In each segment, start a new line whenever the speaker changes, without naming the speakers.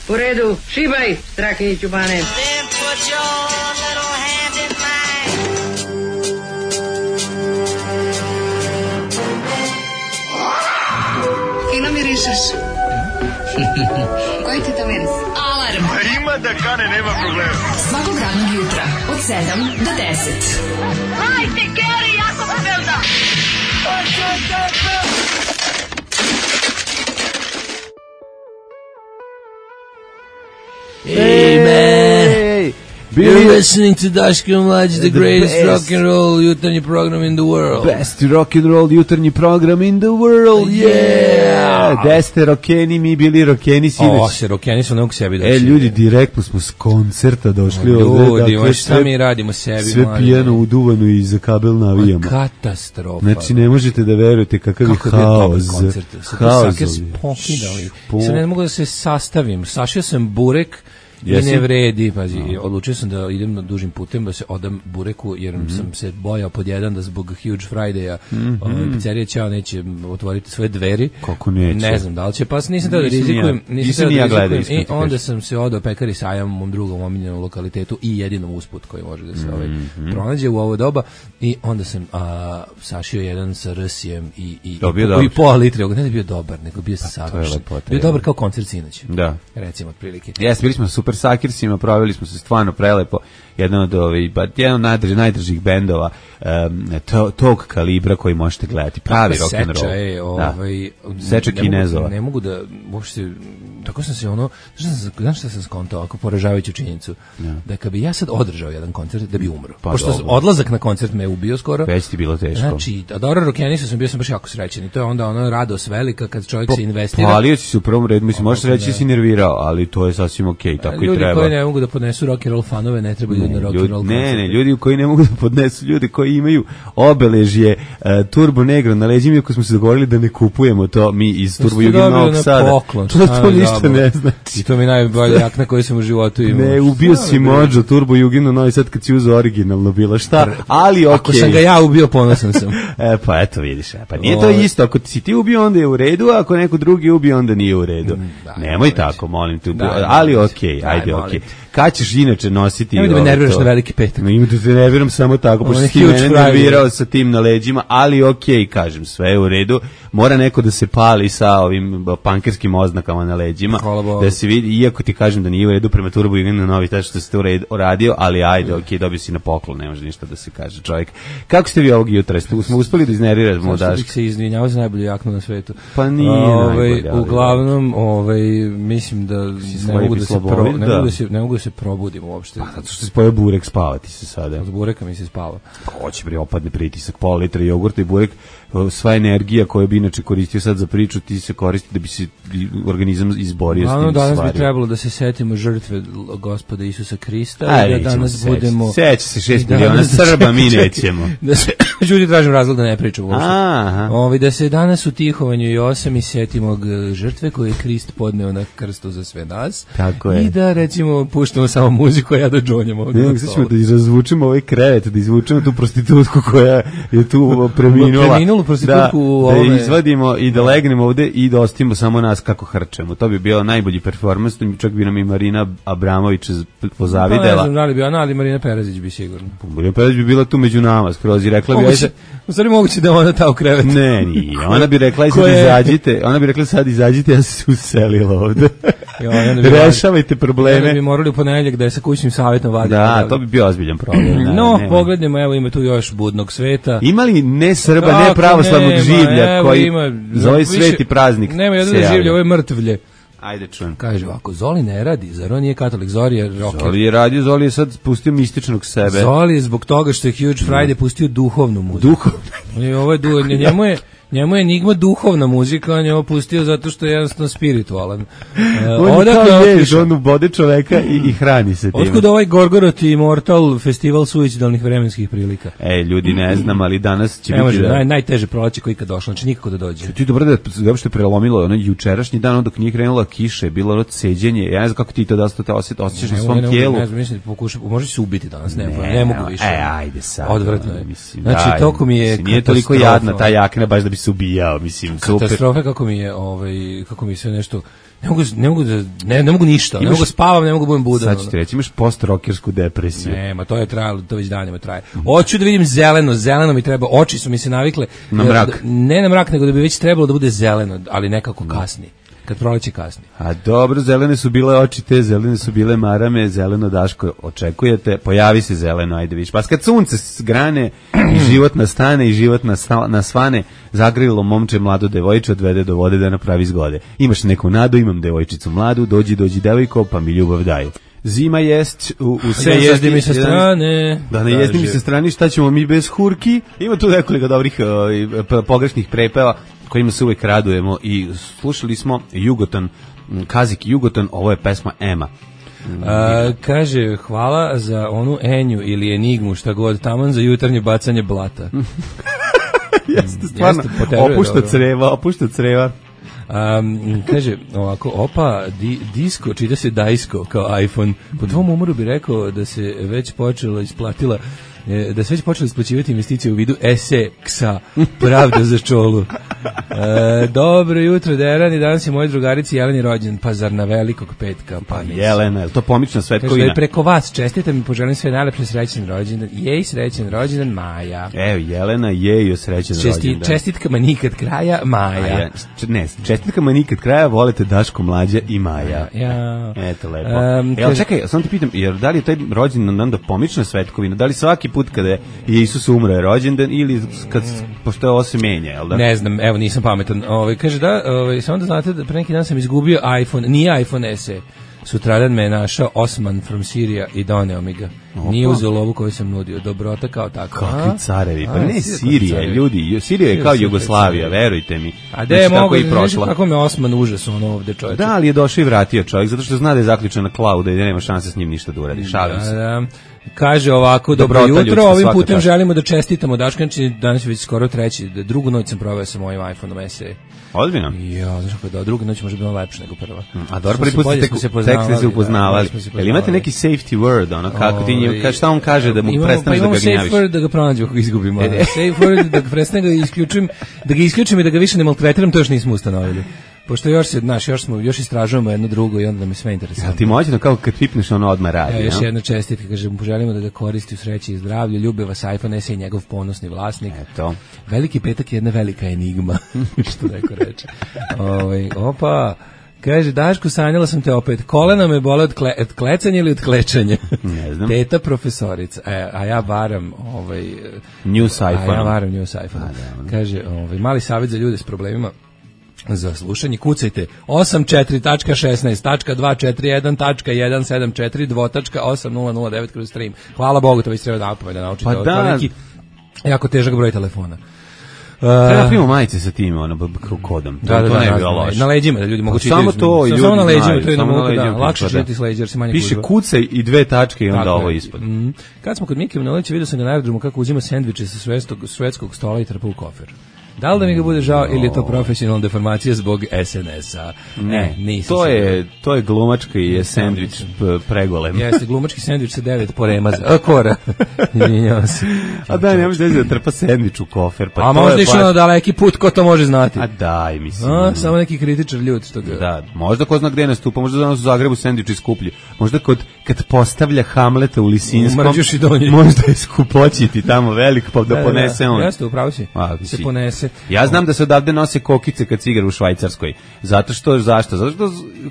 U redu, šibaj, Strahinji Ćubane.
Fino mirišeš. Koji ti to miris?
Alarm.
Ima da kane, nema problema.
Svakog radnog jutra od 7 do 10.
Hajde, Keri, jako se velda.
Hey man, you're listening to Daško Mlađe, the greatest
best
rock and roll jutarnji program in the world.
Best rock and roll jutarnji program in the world, yeah! Da ste rokeni, mi bili rokeni sinoć.
Se rokeni su nekog sebi došli.
Ljudi, direktno smo s koncerta došli.
Ljudi, dakle, šta mi radimo sebi?
Sve pijano uduvano i za kabel navijamo.
Katastrofa.
Znači, ne možete da verujete kakav je haos.
Haos. Sad ne mogu da se sastavim. Sašio sam burek, i ne vredi, pazi, odlučio sam da idem na dužim putem, da se odam bureku, jer sam se bojao pod jedan da zbog Huge Friday-a pizzerija Ćao neće otvoriti svoje dveri.
Kako neće?
Ne znam da li će, pa nisam tada da rizikujem.
Nisam ni ja gledao.
I onda sam se odao Pekari Sajam, mom drugom omiljenom lokalitetu i jedinom usput koji može da se pronađe u ovo doba. I onda sam sašio jedan sa rsijem i pola litre. Ne da je bio dobar, nego bio savršen. Bio dobar kao koncert sinoć.
Da.
Recimo, otprilike.
Jes, bili smo super sakirsima, proveli smo se stvarno prelepo, jedan od najdržih bendova tog kalibra koji možete gledati, pravi rock and roll. Seča Kinezova.
Ne mogu da uopšte, tako sam se znaš šta sam skontao, ako poražavajuću činjenicu, da kad bi ja sad održao jedan koncert, da bi umro. Pošto odlazak na koncert me ubio skoro.
Već ti bilo teško.
Znači, a dobro, rockenisu bio sam baš jako srećan i to je onda ono radost velika kad čovjek se investira.
Palio si se u prvom redu, mislim, možeš reći da si nervirao, ali to je sasvim okej, tako i treba.
Ljudi koji ne mogu da podnesu rock and roll fanove, ne treba ljudi na rock and roll koncert.
Ne, ljudi koji ne mogu da podnesu, ljudi koji imaju obeležje Turbo Negro na leđima, ako smo se dogovorili da ne kupujemo to mi iz Turbo Juge Novog Sada. To ništa ne znači.
I to mi najbolja jakna koju sam u životu imao.
Ne, ubio si Mođo Turbo Juginu Novi Sad kad si uzeo originalno bilo šta, ali okej.
Ako sam ga ja ubio, ponosan sam.
Pa eto vidiš, pa nije to isto, ako si ti ubio onda je u redu, a ako neko drugi ubio onda nije u redu. Nemoj tako, molim te, ali okej, ajde okej. Kad ćeš inače nositi...
Nemoj da me nerviraš na Veliki petak.
Ima da se nerviram samo tako, pošto si mene nervirao sa tim na leđima, ali okej, kažem, sve je u redu. Mora neko da se pali sa ovim pankerskim oznakama na leđima, da se vidi, iako ti kažem da nije u redu prema Turbo Juginu Novi Sad što ste uradio, ali ajde, okej, dobio si na poklon, ne može ništa da se kaže čovjek. Kako ste vi ovog jutra? Smo uspeli da iznerviramo Daška?
Zašto bih se izvinjavao za najbolju jaknu na svetu?
Pa nije najbolja.
Uglavnom, mislim da ne mogu da se probudim uopšte.
Pa zato što se pojeo burek, spavati se sada.
Od bureka mi se spava.
Hoće bre, opadne pritisak, pola litra jogurta i burek, sva energija koju bi inače koristio sad za priču, ti se koristi da bi se organizam izborio s tim stvarima.
Danas bi trebalo da se setimo žrtve Gospoda Isusa Krista i da danas budemo...
Seća se 6 miliona Srba, mi nećemo.
Da se, ljudi tražim razlog da ne pričamo uopšte. Da se danas u tihovanju i 8 i setimo žrtve koje je Krist podneo na krstu za sve nas.
Tako je.
I da recimo puštamo samo muziku, a ja da džonjam ovdje.
Ne, sad ćemo da razvučemo ovaj krevet, da izvučemo tu prostitutku koja je tu preminula.
Prostitutku
da izvadimo i da legnemo ovde i da ostavimo samo nas kako hrčemo. To bi bio najbolji performans, čak bi nam i Marina Abramović pozavidela.
Ne znam da li bi ona, ali Marina Perazić bi sigurno.
Marina Perazić bi bila tu među nama, skroz i rekla bi...
U stvari moguće da ona ta u krevet.
Ne, nije. Ona bi rekla sad izađite, ja se uselila ovde. Rešavajte probleme.
Onda bi morali u ponedeljak da je sa kućnim savjetom vaditi.
Da, to bi bio ozbiljan problem.
No, pogledajmo, evo ima tu još budnog sveta.
Ima li ne Srba, ne pravoslavnog življa koji za ovaj sveti praznik se
nema jedno življe, ovo je mrtvlje.
Ajde čujem.
Kaže ovako, Zoli ne radi, zar on nije katolik, Zoli je rocker.
Zoli je radio, Zoli je sad pustio mističnog sebe.
Zoli je zbog toga što je Huge Friday pustio duhovnu muziku. Njemu je Enigma duhovna muzika, on je ovo pustio zato što je jednostavno spiritualan.
On ubode čoveka i hrani se tim.
Otkud ovaj Gorgorot Immortal festival suicidalnih vremenskih prilika?
Ljudi ne znam, ali danas će biti...
Najteže proleće koji kad došlo, znači nikako da dođe.
Ti dobro da je što je prelomilo, ono jučerašnji dan, onda dok nije krenula kiša, je bilo ono ceđenje, ja ne znam kako ti to da te osjećaš na svom tijelu.
Ne znam, mislim, možeš se ubiti danas, ne mogu više.
Ajde sad.
Odvratno je. Znači, toko mi je
nije toliko jadna ta jakna, baš da bi se ubijao, mislim, super.
Katastrofe kako mi se nešto ne mogu ništa, ne mogu spavam, ne mogu budem budan.
Sad ću ti reći, imaš post-rokersku depresiju.
Nema, to je trajalo, to već danima traje. Hoću da vidim zeleno mi treba, oči su mi se navikle.
Na mrak.
Ne na mrak, nego da bi već trebalo da bude zeleno, ali nekako kasni. Kad proleće kasni.
A dobro, zelene su bile oči te, zelene su bile marame, zeleno Daško očekujete, pojavi se zeleno, ajde viš. Pa kad sunce grane i život nastane i život nasvane, zagrilo momče mlado devojče odvede do vode da napravi zgode. Imaš neku nadu, imam devojčicu mladu, dođi devojko, pa mi ljubav daj. Zima jest u sve
jezdi mi sa strane.
Da ne jezdi mi sa strane, šta ćemo mi bez hurki? Ima tu nekoliko dobrih pogrešnih prepeva kojima se uvek radujemo i slušali smo Jugoton, Kazik Jugoton, ovo je pesma Ema.
Kaže, hvala za onu Enju ili Enigmu, šta god, taman za jutarnje bacanje blata.
Jeste, stvarno, opušta creva.
Kaže ovako, opa, disko, čita se dajsko kao iPhone. Po tvom umoru bi rekao da se već počela isplatila, da se već počeli isplaćivati investicije u vidu ESE-ksa, pravda za čolu. Dobro jutro, Deran, i danas je moje drugarici Jeleni rođen, pa zar na velikog petka? Pa
Jelena, je li to pomična svetkovina?
Kaže da je preko vas, čestite mi, poželim sve najlepše, srećen rođendan. Jej, srećen rođendan, Maja.
Evo, Jelena, jej, srećen rođendan.
Čestitkama nikad kraja, Maja.
Ne, čestitkama nikad kraja, volite Daško, Mlađa i Maja.
Ja.
Eto, lepo. Evo, čekaj, samo ti pitam, jer da li je taj rođendan da pomična svetkovina, da li svaki put kada je Isus umro je rođendan ili pošto je ovo se menja, jel da?
Ne znam, evo nisam pametan. Kaže da, samo da znate da pre neki dan sam izgubio iPhone, nije iPhone SE. Sutradan me je našao Osman from Syria i doneo mi ga. Nije uzeo lovu koju sam nudio. Dobrota kao tako.
Kakvi carevi, pa ne Sirija, ljudi. Sirija je kao Jugoslavija, verujte mi.
A da je mogo i prošla. Kako me Osman užas ono ovde čovječe.
Da, ali je došao i vratio čovjek, zato što zna da je zaključena klauda i da nema šanse s njim ništa da uradi. Šalim se.
Kaže ovako, dobro jutro, ovim putem želimo da čestitamo Daškanči, danas je već skoro treći, drugu noć sam proveo sa mojim iPhone-om SE.
Ozbiljno?
Ja, znaš kako da, druga noć može biti lepša nego prva.
A dobro, prvi put ste se upoznavali. Jel imate neki safety word, ono, kako ti njim, šta on kaže da mu prestaneš da ga gnjaviš?
Pa imamo safe word da ga pronađu ako ga izgubimo. Safe word da ga prestanem da ga isključim i da ga više ne maltretiram, to još nismo ustanovili. Pošto još istražujemo jedno drugo i onda da mi sve interesuje.
Ja ti moćno kao kad pipneš ono odmah radi.
Ja, još jedna čestitka, kažem, poželimo da ga koristi u sreći i zdravlju, ljubi vas iPhone SE i njegov ponosni vlasnik.
Eto.
Veliki petak je jedna velika enigma, što neko reče. Opa, kaže, Daško, sanjala sam te opet, kolena me bole od klecanja ili od klečanja?
Ne znam.
Teta profesorica, a ja varam
News iPhone.
A ja varam News iPhone. Kaže, mali savjet za ljude s problemima za slušanje, kucajte 84.16.241.174.2.8009/stream. Hvala Bogu, to već treba da naučite.
Pa da,
neki jako težak broj telefona.
Treba primamo majice sa tim kodom. To ne bi bilo loše.
Na leđima da ljudi mogu čitati.
Samo to, ljudi
samo na leđima, to je
samo
na leđima. Lakše čitati s leđa, jer se manje
piše kucaj i 2 tačke i onda ovo ispod.
Kad smo kod Mike Manolića, vidio sam ga na aerodromu kako uzima sendviče sa švedskog stola i trpa u kofer. Da li da mi ga bude žao ili je to profesionalna deformacija zbog SNS-a? Ne, nisam.
To je glumački je sendvič pregolem.
Jeste, glumački sendvič sa 9 poremaza. Kora.
A da, ne može da trpa sendvič u kofer.
Pa a možda išao na daleki put, ko to može znati?
A daj, mislim.
Samo neki kritičar ljud.
Da, možda ko zna gde nastupa, možda danas u Zagrebu sendviči skuplji. Možda kad postavlja Hamleta u Lisinskom, možda je skupoćiti tamo velik, pa da ponese on.
Jeste, upravo si. Se ponese.
Ja znam da se odavde nose kokice kad se igra u Švajcarskoj. Zašto što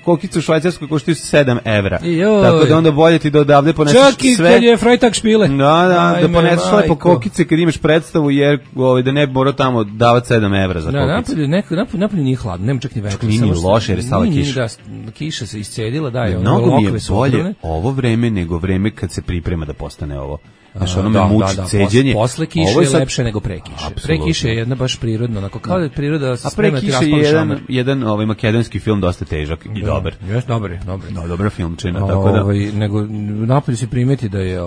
kokice u Švajcarskoj koštaju 7 evra. Tako da onda bolje ti da odavde poneseš sve.
Čak i kad je Freitag špile.
Da poneseš lepo kokice kad imaš predstavu, jer da ne bi morao tamo davati 7 evra za kokice.
Napolju nije hladno, nema čak ni vetra.
Nije loše jer je stala kiša.
Kiša se iscedila, da je.
Mnogo mi je bolje ovo vreme nego vreme kad se priprema da postane ovo. Znaš, ono me muči ceđenje.
Posle kiše je lepše nego pre kiše. Pre kiše je jedna baš prirodno, onako kao da je priroda sprema ti raspali šamer.
Jedan makedonski film dosta težak i dobar. Dobar filmčina, tako da.
Nego napolju se primeti da je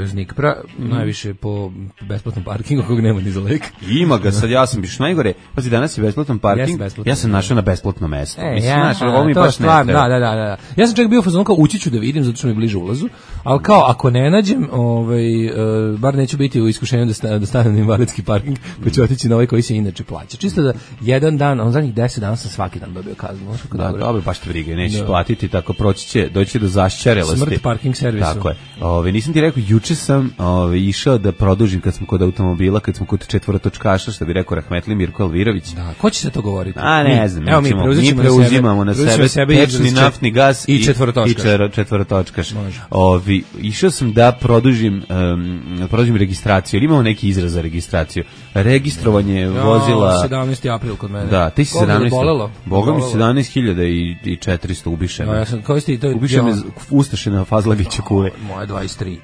Znikpra, najviše po besplatnom parkingu kog nema ni za lek.
Ima ga, sad ja sam biš najgore. Pazi, danas je besplatan parking, ja sam našao na besplatno mesto. Mislim, znaš, ovo mi baš ne treba.
Da. Ja sam čak bio u fazonu kao ući ću da vidim, zato što mi je bliže ulazu, ali kao ako ne nađem, bar neću biti u iskušenju da stanem na invalidski parking, pa ću otići na ovaj koji se inače plaća. Čisto da jedan dan, on zadnjih 10 dana sam svaki dan dobio kaznu.
Dobro, baš te brige, nećeš platiti, tako proći će, doći do zašćarelosti.
Smrt parking servisu.
Tako je. Nisam ti rekao, juče sam išao da produžim kad smo kod automobila, kad smo kod četvorotočkaša, što bi rekao rahmetli Mirko Alvirović.
Da, ko će se to govoriti?
Ne znam, mi preuzimamo na sebe tečni naftni gas i četvorotočkaš. Išao sam da produžim registraciju, ili imamo neki izraz za registraciju. Registrovanje vozila...
17. april kod mene.
Da, ti si 17. Boga mi 17.400 ubiše me.
Ja sam koristio to...
Ubiše me Ustaše na Fazlagića kule.
Moje 23.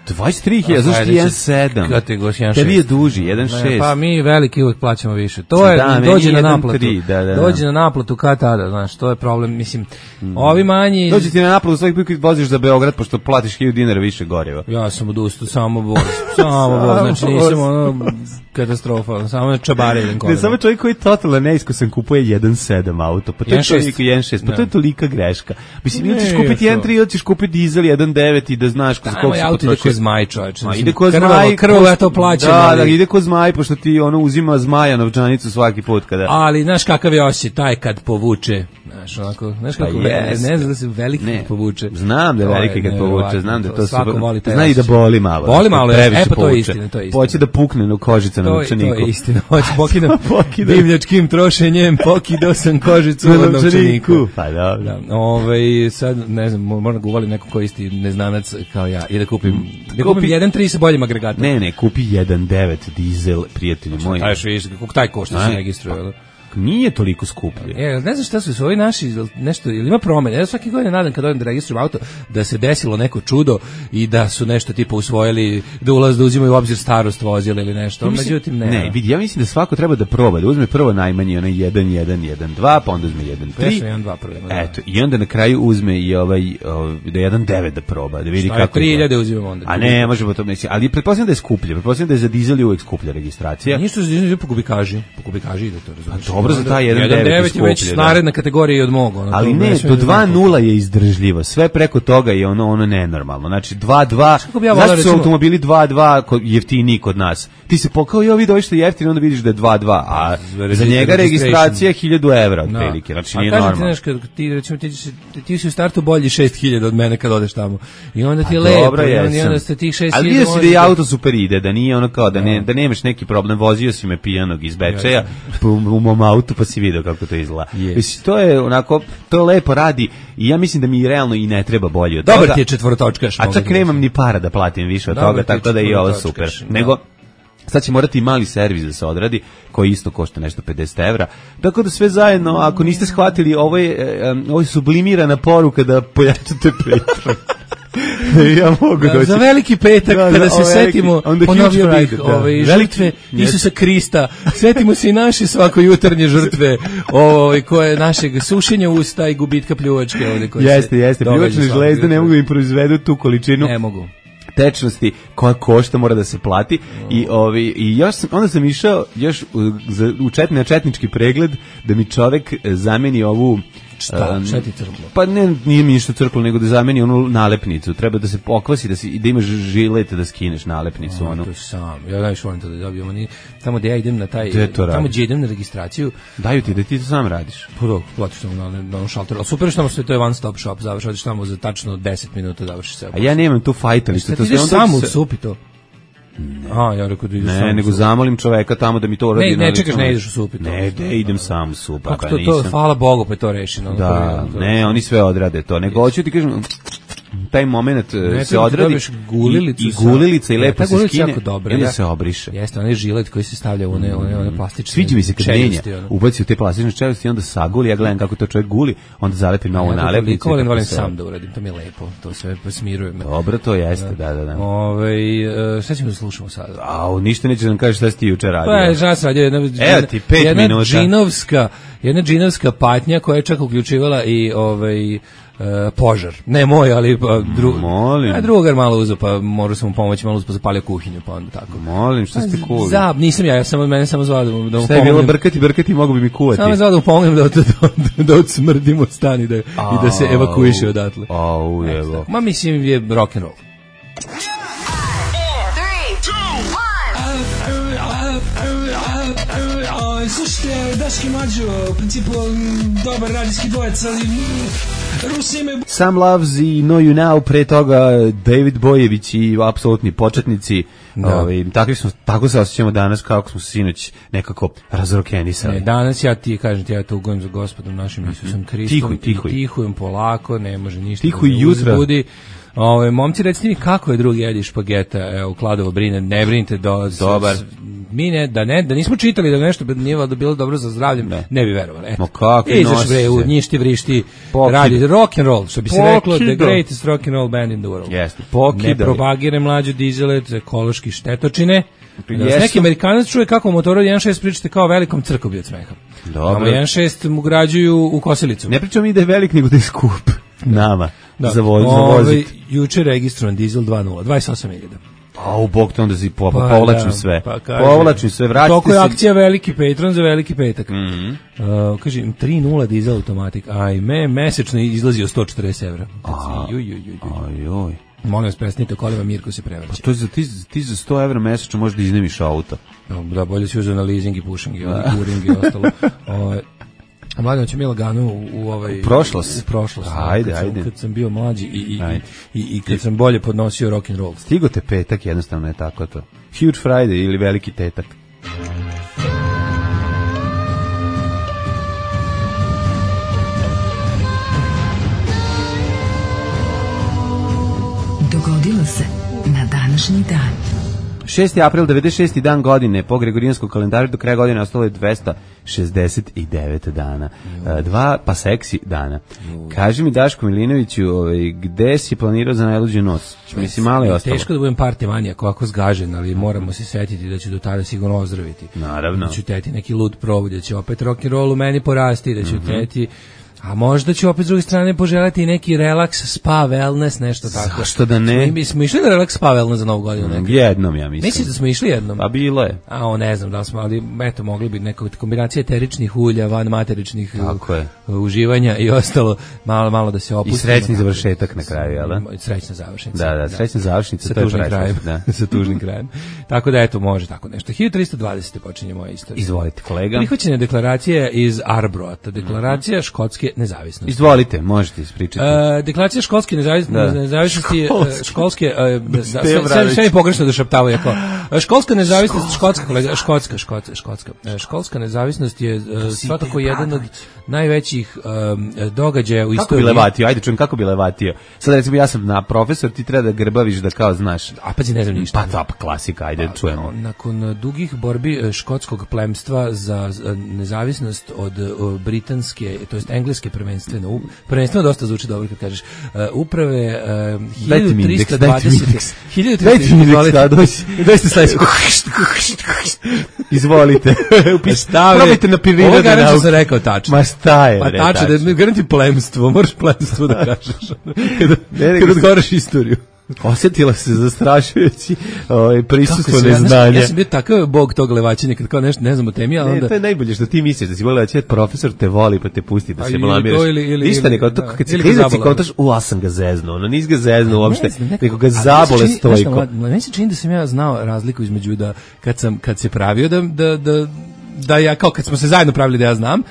23.000, zašto ti 1.7? Tebi je duži, 1.6.
Pa mi veliki uvek plaćamo više. To je, dođe na naplatu. Dođe na naplatu kad tada, znaš, to je problem, mislim. Ovi manji...
Dođe ti na naplatu svaki put kad voziš za Beograd, pošto platiš 1000 dinara više goriva.
Ja sam odustao, samo voz, znači nisam ono katastrofa, samo čabare idem kolima.
Ne, samo čovjek koji totalno neiskusan kupuje 1.7 auto, pa to je čovjek 1.6, pa to je tolika greška. Mislim, ili ćeš kupiti 1.3 ili ćeš kupiti dizel 1.9 i da znaš koliko se potroši.
Zmaj, čovječe.
Ide ko zmaj.
Krvo ja to plaćam.
Da, ide ko zmaj, pošto ti ono uzima zmaja novčanicu svaki put kada...
Ali, znaš kakav je osjećaj, taj kad povuče. Znaš kako, ne znam da se veliki kad povuče.
Znam da je veliki kad povuče, znam da to se...
Zna
i da boli malo.
Boli malo, pa to je istina.
Hoće da pukne na kožica na novčaniku.
To je istina, hoće pokidam divljačkim trošenjem, pokidao sam kožicu na novčaniku.
Pa dobro.
Sad, ne znam, moram ga uvalim neko koji isti neznanac kao ja i da kupim 1.3 sa boljim agregatom.
Ne, kupi 1.9 dizel, prijatelji moji.
Kako taj košta se registruje?
Nije toliko skuplje.
Ne znam šta su ovi naši, nešto, ili ima promene. Ja svaki godin nadam kad odem da registrujem auto, da se desilo neko čudo i da su nešto tipa usvojili, da uzimaju u obzir starost vozila ili nešto. Međutim,
ne, vidi, ja mislim da svako treba da proba, da uzme prvo najmanje onaj 1.1.1.2, pa onda uzme 1.3. Eto, i onda na kraju uzme i da 1.9 da proba, da vidi kako.
3.000 uzimamo onda.
A ne, možemo to misli, ali pretpostavljam da je skuplje, pretpostavljam da je za dizel uvek skuplja registracija.
Ništa za dizel po kubikaži ide to, razumiješ.
Dobro za taj 1.9
je već naredna kategorija i od mog.
Ali ne, do 2.0 je izdržljivo. Sve preko toga je ono nenormalno. Znači 2.2, zašto su automobili 2.2 jeftiniji kod nas? Ti se pokao i ovi došli jeftini, onda vidiš da je 2.2, a za njega registracija 1.000 evra otprilike. Znači nije normalno.
Ti si u startu bolji 6.000 od mene kad odeš tamo. I onda ti je lepo. I onda ste tih 6.000.
Ali vidio si da je auto super ide, da nije ono kao da nemaš neki problem. Vozio si me pijanog iz Bečeja u mom autu, pa si vidio kako to izgleda. Mislim, to je onako, to lepo radi i ja mislim da mi realno i ne treba bolje od toga.
Dobar ti je četvorotočkaš.
A čak nemam ni para da platim više od toga, tako da je i ovo super. Nego, sad će morati i mali servis da se odradi, koji isto košta nešto 50 evra. Tako da sve zajedno, ako niste shvatili, ovo je sublimirana poruka da pojačate Patreon. Ja mogu doći.
Za veliki petak, kada se setimo, ponovio bih žrtve Isusa Krista, setimo se i naše svako jutarnje žrtve, koje našeg sušenja usta i gubitka pljuvačke.
Jeste, pljuvačne žlezde ne mogu im proizvedu tu količinu.
Ne mogu.
Tečnosti koja košta, mora da se plati. I još onda sam išao još na četnički pregled da mi čovek zameni ovu
šta ti crklo?
Pa nije mi ništa crklo, nego da zameni onu nalepnicu. Treba da se pokvasi, da imaš žilet da skineš nalepnicu.
To sam. Ja najviše volim to da dobijem. Tamo gde ja idem na tamo gde idem na registraciju.
Daju ti da ti to sam radiš.
Prvo, platiš tamo na onom šalteru. Super što sve to je one stop shop. Završiš tamo za tačno 10 minuta završiš sve.
A ja nemam tu fajtalište.
Ti ideš samo u supi to. Ja rekao da ideš sam.
Ne, nego zamolim čoveka tamo da mi to uradi.
Ne, čekaš, ne ideš u supi.
Ne, idem sam u supi.
Kako to, hvala Bogu, pa je to rešeno.
Da, ne, oni sve odrade to. Nego hoću ti kažem, taj moment se odradi i gulilica i lepo se skine i onda se obriše.
Jeste, onaj žilet koji se stavlja u one plastične.
Sviđa mi se kad menja, ubaci u te plastične čeliosti i onda saguli, ja gledam kako to čovjek guli, onda zalepi novu nalepnicu.
Ja volim sam da uradim, to mi je lepo, to sve smiruje me.
Dobro, to jeste, da.
Šta ćemo da slušamo sad?
Ništa nećeš nam kažeš šta si ti juče radio.
Pa je žas radio jedna džinovska patnja koja je čak uključivala i požar. Ne moj, ali drugar malo uzeo, pa morao sam mu pomoći, malo uzeo, zapalio kuhinju, pa onda tako.
Molim, šta ste kuli?
Nisam ja mene samo zvao da mu pomognem.
Šta je bilo brkati, mogu bi mi kuvati.
Samo zvao da mu pomognem da odsmrdimo stan i da se evakuiše odatle.
Ujevo.
Ma mislim je rock'n'roll.
Slušajte, Daški Mađo, u principu dobar radijski dvojec, ali Rusi imaju...
Sam Loves i Know You Now, pre toga David Bojević i apsolutni početnici. Tako se osjećamo danas kako smo sinoć nekako razrokenisali.
Danas ja tugujem za Gospodom našim Isusom Hristom. Tihujem polako, ne može ništa.
Tihuj jutra.
Momci, recite mi kako je drugi jedi špageta, u Kladovo brine, ne brinite
dobar.
Mi da nismo čitali da nešto nije da bilo dobro za zdravlje, ne bi verovali.
Ma kako
nosiš u njišti vrišti, radi rock and roll, što bi se reklo, the greatest rock and roll band in the world.
Jeste,
ne propagire mlađu dizelet, ekološki štetočine. Neki Amerikanac čuje kako u motoru 1.6 pričate kao velikom crkobi od smeha. Dobro. 1.6 mu građuju u kosilicu.
Ne pričamo mi da je velik, nego da je skup nama za voziti.
Juče registrovan dizel 2.0, 28.000.
A u bog te onda povlačim sve. Povlačim sve, vratite se.
Toko je akcija Veliki Patron za Veliki petak. Kažem, 3.0 dizel automatik. Ajme, mesečno izlazi od 140 evra.
Ajoj.
Molim vas, presnite kolima, Mirko se prevrće.
Pa to ti za 100 evra mesečno možda iznemiš auto.
Da, bolje si uzeo na leasing i pušing i kuring i ostalo. Mladen, će mi lagano u
prošlost. Ajde.
Kad sam bio mlađi i kad sam bolje podnosio rock and roll.
Stigo te petak, jednostavno je tako to. Huge Friday ili veliki tetak.
Dogodilo se na današnji dan.
6. april, 96. dan godine, po Gregorijanskom kalendaru do kraja godine ostalo je 269 dana. Dva seksi dana. Kaži mi, Daško Milinoviću, gde si planirao za najluđu noć? Mislim, malo je ostalo.
Teško da budem party manijak, ovako zgažen, ali moramo se setiti da ću do tada sigurno ozdraviti.
Naravno.
Da ću teti neki lud provod, da će opet rock and roll u meni porasti, da ću teti... A možda ću opet s druge strane poželjeti neki relaks, spa, wellness, nešto tako.
Zašto da ne?
Mi smo išli na relaks, spa, wellness za Novu godinu nekako.
Jednom, ja mislim.
Misliš da smo išli jednom?
Pa bilo je.
Ne znam da li smo, ali eto, mogli bi neka kombinacija eteričnih ulja, van materičnih uživanja i ostalo, malo da se opustimo.
I srećni završetak na kraju, jel da?
Srećna završnica.
Da, srećna završnica.
Sa tužnim krajem. Sa tužnim krajem. Tako da, eto, može tako nešto. 1320. počinje moja istorija.
Izvolite, kolega.
Prihvaćena deklaracija iz Arbroata, deklaracija škotske nezavisnosti.
Izvolite, možete ispričati.
Deklaracija školske nezavisnosti, školske, sve je pogrešno da šaptavaju. Školska nezavisnost, školska nezavisnost je svakako jedan od najvećih događaja u istoriji.
Kako bi levatio? Ajde, čujem, kako bi levatio? Sad recimo, ja sam profesor, ti treba da grbaviš da kao znaš.
A pazi, ne znam ništa.
Pa klasika, ajde, čujemo.
Nakon dugih borbi škotskog plemstva za nezavisnost od britanske, to jest engleske prvenstveno dosta zvuči dobro kad kažeš uprave
1320 Izvolite. Probajte na prirodne nauke.
Ovo sam rekao tačno.
Ma šta je?
Pa tačno, da garanti plemstvo, moraš plemstvo da kažeš. Kad odgovaraš istoriju.
Osjetila se zastrašujući prisustvo neznanja.
Ja sam bio takav bog tog levaćenja, kad kao nešto ne znam o temi, a onda...
To je najbolje što ti misliš, da si volio da profesor te voli pa te pusti da se blamiraš. Ništa nego, kad si klizac i kontaš, ja sam ga zeznuo, nis ga zeznuo uopšte, nego ga zabole stojko.
Meni se čini da sam ja znao razliku između da, kad se pravio da ja, kao kad smo se zajedno pravili da ja znam,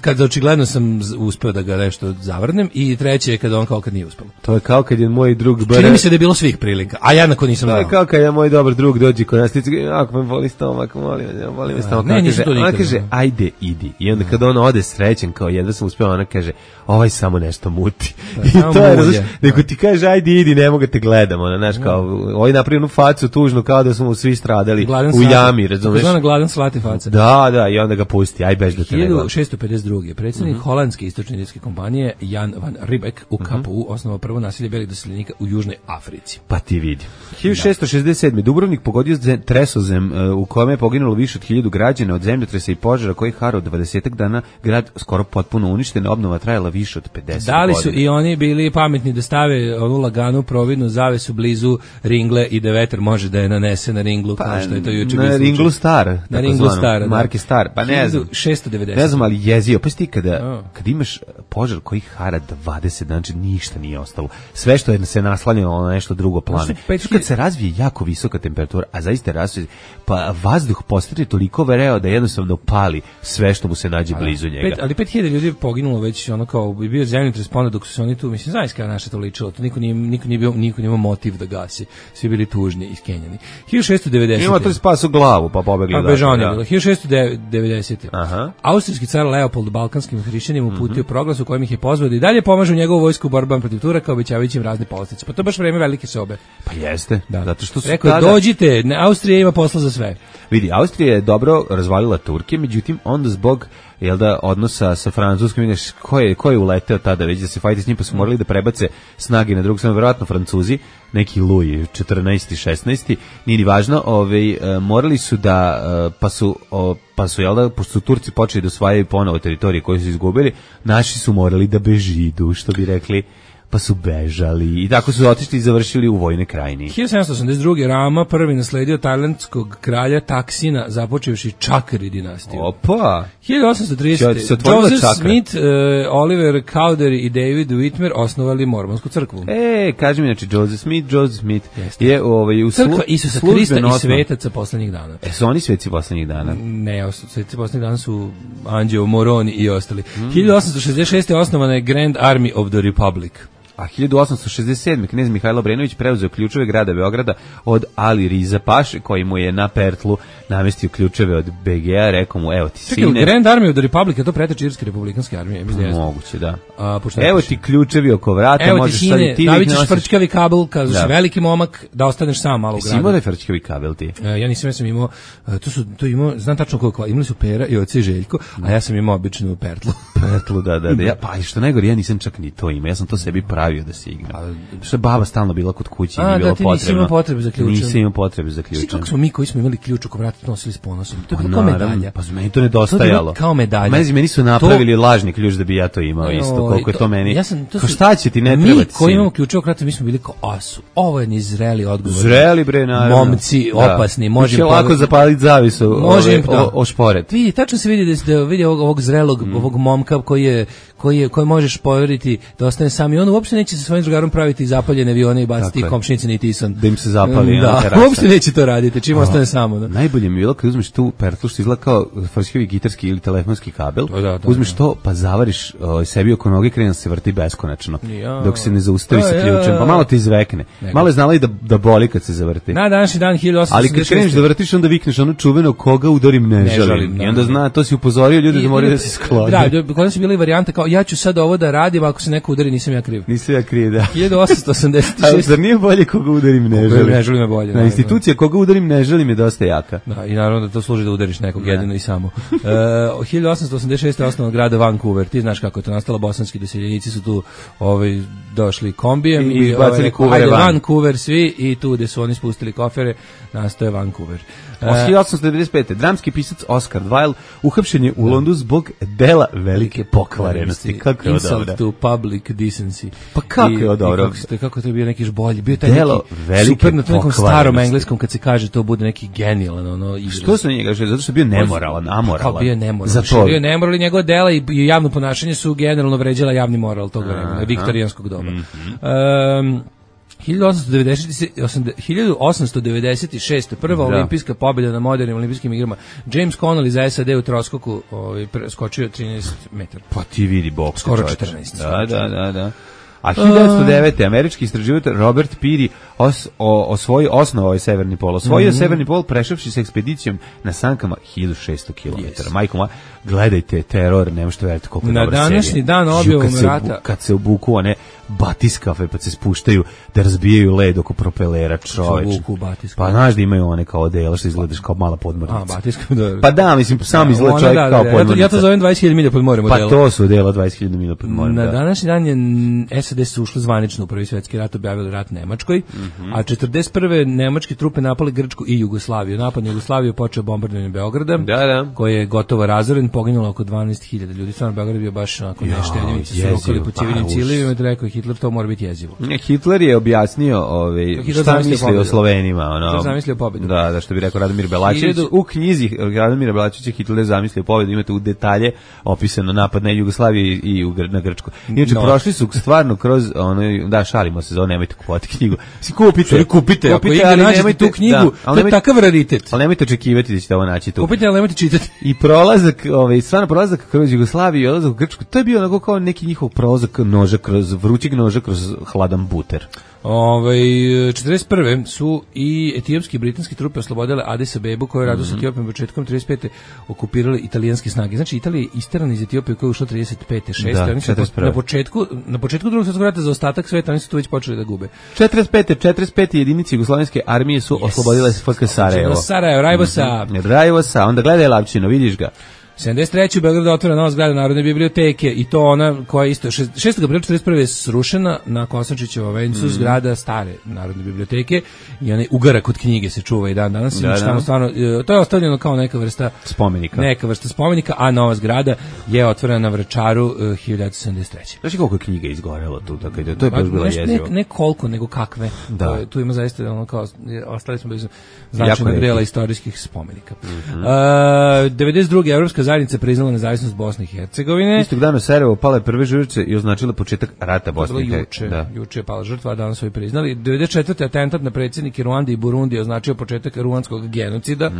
kad očigledno sam uspeo da ga nešto zavrnem, i treće je kad on kao kad nije uspelo.
To je kao kad je moj drug
čini mi se da je bilo svih prilika, a ja nakon nisam znao.
To je kao kad je moj dobar drug dođe kod nas, ako me voli stomak, voli me stomak, ona kaže, ajde, idi. I onda kad on ode srećen, kao jedva sam uspeo, ona kaže, ovaj samo nešto muti. I to je, različno, nego ti kaže, ajde, idi, ne mogu te gledamo, znaš, kao, ovaj napravi jednu facu tužnu, kao da smo svi stradali u jami, razumeš?
Gladan slati faca.
Da, i onda ga pusti, aj bež da te ne gleda.
1652. predsjednik holandske istočno-indijske kompanije Jan van Riebeck u KPU osnovao prvo naselje belih doseljenika u Južnoj Africi.
Pa ti vidi. 1667. Dubrovnik pogodio tresozem u kome je poginulo više od 1000 građana od zemljotresa i požara koji harao 20 dana, grad skoro potpuno uništen, obnova trajala više od 50 godina.
Da li su i oni bili pametni da stave onu laganu providnu zavesu blizu ringle i da vetar može da je nanese na ringlu, kao što je to juče bilo.
Na ringlu star.
Na ringlu star.
Marke star. Pa ne znam.
1690.
Ne znam, ali jezio. Pa ti kada imaš požar koji hara 20, znači ništa nije ostalo. Sve što je se naslanjalo na nešto drugo plane. Kad se razvije jako visoka temperatura, a zaista razvije, pa vazduh postane toliko vereo da jednostavno pali sve što mu se nađe blizu njega.
Ali 5000 ljudi je poginulo već, ono kao bi bio zemljotres, pa onda dok su se oni tu, mislim, znaš kada naše to ličilo, to niko nije imao motiv da gasi. Svi bili tužni i skenjani. 1690.
Ima to spasu glavu, pa pobegli.
Pa bežanje bilo. 1690. Austrijski car Leopold balkanskim hrišćanima uputio proglas u kojem ih je pozvao da i dalje pomažu njegovu vojsku u borbama protiv Turaka, obećavajući im razne povlastice. Pa to je baš vreme velike sobe.
Pa jeste. Da. Zato što su
rekao, dođite, Austrija ima posla za sve.
Vidi, Austrija je dobro razvalila Turke, međutim onda zbog odnosa sa Francuskom, vidiš ko je uleteo tada već da se fajti s njim, pa su morali da prebace snage na drugu stranu, verovatno Francuzi, neki Louis 14. 16. nije ni važno, morali su da pa su pošto su Turci počeli da osvajaju ponovo teritorije koje su izgubili, naši su morali da bežidu, što bi rekli, pa su bežali i tako su otišli i završili u vojnoj krajini.
1782. Rama prvi nasledio tajlandskog kralja Taksina, započevši Čakri dinastiju.
Opa!
1830. Joseph Smith, Oliver Cowdery i David Whitmer osnovali mormonsku crkvu.
Kaži mi, znači Joseph Smith je u
crkva Isusa Krista i svetaca poslednjih dana.
Su oni sveci poslednjih dana?
Ne, sveci poslednjih dana su Anđeo Moroni i ostali. 1866. osnovana je Grand Army of the Republic.
A 1867. knez Mihajlo Obrenović preuzeo ključeve grada Beograda od Ali Riza Paše, koji mu je na Pertlu namestio ključeve od BG-a, rekao mu, evo ti sine.
Čekaj, Grand Army of the Republic, je to preteč Irske republikanske armije?
Moguće, da. Evo ti ključevi oko vrata,
evo
možeš
ti sine, davit ćeš frčkavi kabel, kad si veliki momak, da ostaneš sam malo u gradu.
Jesi imao da je frčkavi kabel ti?
Ja nisam, ja sam imao, to imao, znam tačno koliko, imali su Pera i oci Željko, a ja sam imao običnu Pertlu.
Pertlu, da. Pa što najgore, ja nisam čak ni to imao, ja sam to sebi pravio da se igra. Što je baba stalno bila kod kuće i nije bilo potrebno.
Nisi imao potrebe za ključem.
Nisam imao potrebe za ključem.
Svi kako smo mi koji smo imali ključ oko vrata nosili s ponosom. To je bilo kao medalja.
Pa meni to nedostajalo.
Kao medalja.
Meni su napravili lažni ključ da bi ja to imao isto, koliko je to meni. Šta će ti, ne treba ti.
Mi koji imamo ključe oko vrata, mi smo bili kao asu. Ovo je nizreli odgovor.
Zreli bre, naravno.
Momci, opasni, možemo
lako zapaliti zavisu, ošporet.
Vidi, tačno se vidi ovog zrelog, ovog momka koji možeš poveriti da ostane sam i on uopšte neće sa svojim drugarom praviti zapaljene avione i baciti komšnice ni Tison.
Da im se zapali.
Da, uopšte neće to raditi, čim ostane samo. Da.
Najbolje mi je bilo kad uzmeš tu pertlu što izgleda kao frčkavi gitarski ili telefonski kabel, uzmeš to pa zavariš sebi oko noge, krene se vrti beskonačno, dok se ne zaustavi sa ključem, pa malo te izvekne. Malo je znala i da boli kad se zavrti.
Na današnji dan 1866.
Ali kad kreneš da vrtiš, onda vikneš ono čuveno koga udarim ne želim. I onda zna, to si upozorio ljudi da moraju da se sklone.
Da, kod su bile varijante kao ja ću sad ovo da radim, ako se neko udari nisam ja kriv.
Nisam ja kriv, da.
1886.
Zar nije bolje koga udarim ne želim?
Ne želim je bolje.
Na institucija koga udarim ne želim je dosta jaka.
Da, i naravno da to služi da udariš nekog jedino i samo. 1886. osnovan grada Vancouver. Ti znaš kako je to nastalo, bosanski doseljenici su tu došli kombijem
i bacili kuvere van.
Vancouver svi i tu gde su oni spustili kofere, nastoje Vancouver.
1895. Dramski pisac Oscar Wilde uhapšen je u Londonu zbog dela velike pokvarenosti. Kako je
Insult to public decency.
Pa kako je dobro?
Kako to je bio neki bolji? Bio taj neki super na nekom starom engleskom kad se kaže to bude neki genijalan izraz.
Što se njega kaže? Zato što je bio nemoralan, amoralan.
Bio je nemoralan. Bio je nemoralan, njegove dela i javno ponašanje su generalno vređala javni moral tog vremena, viktorijanskog doba. 1896. prva olimpijska pobjeda na modernim olimpijskim igrama. James Connolly za SAD u troskoku skočio 13 metara.
Pa ti vidi boks.
Skoro 14.
Da. A 1909. američki istraživač Robert Peary osnovao je Severni pol. Osvojio Severni pol prešavši s ekspedicijom na sankama 1600 km. Majko moja, gledajte teror, nema što veriti koliko je dobra serija.
Na današnji dan objavom rata.
Kad se obuku one batiskafe pa se spuštaju da razbijaju led oko propelera, čoveč. Pa znaš da imaju one kao odela što izgledaš kao mala podmornica.
A, batiskafe, da.
Pa da, mislim, sam izgleda čovjek kao podmornica.
Ja to zovem 20.000 milja pod morem odela.
Pa to su odela 20.000 milja pod morem.
Na današnji dan je SAD su ušli zvanično u Prvi svjetski rat, objavili rat Nemačkoj, a 41. nemačke trupe napali Grčku i Jugoslaviju. Napad na Jugoslaviju počeo bombardovanje Beograda, koji je gotovo razoren, poginulo oko 12.000 ljudi. Stvarno Beograd bio baš onako nešteljivice, su rokali po civilnim ciljevima, rekao ih Hitler, to mora biti jezivo.
Hitler je objasnio šta misli o Slovenima.
Hitler zamislio pobedu.
Da, što bi rekao Radomir Belačević. U knjizi Radomira Belačevića Hitler zamislio pobedu, imate u detalje opisano napad na Jugoslaviju i na Grčku. Inače, prošli su stvarno kroz šalimo se, nemojte kupovati knjigu. Kupite,
ako nađete tu knjigu, to je takav raritet.
Ali nemojte očekivati da ćete ovo naći tu.
Kupite, ali nemojte čitati.
I stvarno prolazak kroz Jugoslaviju i odlazak u Grčku, to je bio onako kao neki njihov prolazak vrućeg noža kroz hladan buter.
41. su i etiopski i britanski trupe oslobodile Adis Abebu, koju radu sa Etiopijom početkom 35. okupirali italijanske snage. Znači, Italija je isterana iz Etiopije koja je ušla 35. 6. Na početku drugog svjetskog rata za ostatak sveta oni su tu već počeli da gube.
45. jedinice jugoslovenske armije su oslobodile FK Sarajevo. Rajvosa, onda gledaj Lapčino, vidiš ga.
73. u Beogradu otvara nova zgrada Narodne biblioteke i to ona koja je isto 6. aprila 41. je srušena na Kosančićevo vencu zgrada stare Narodne biblioteke i onaj ugarak od knjige se čuva i dan danas. Tamo stvarno, to je ostavljeno kao neka vrsta spomenika, a nova zgrada je otvorena na Vračaru 1973.
Znači koliko je knjiga izgorelo tu, tako da to je baš bilo jezivo.
Ne koliko, nego kakve. Da. Tu ima zaista ono kao ostali smo bez značajnog dela istorijskih spomenika. 92. Evropska zajednica priznala nezavisnost Bosne i Hercegovine.
Istog dana Sarajevo pale prve žrtve i označila početak rata Bosne i Hercegovine.
Juče je pala žrtva, a danas su i priznali. 94. atentat na predsjednike Ruande i Burundi označio početak ruandskog genocida.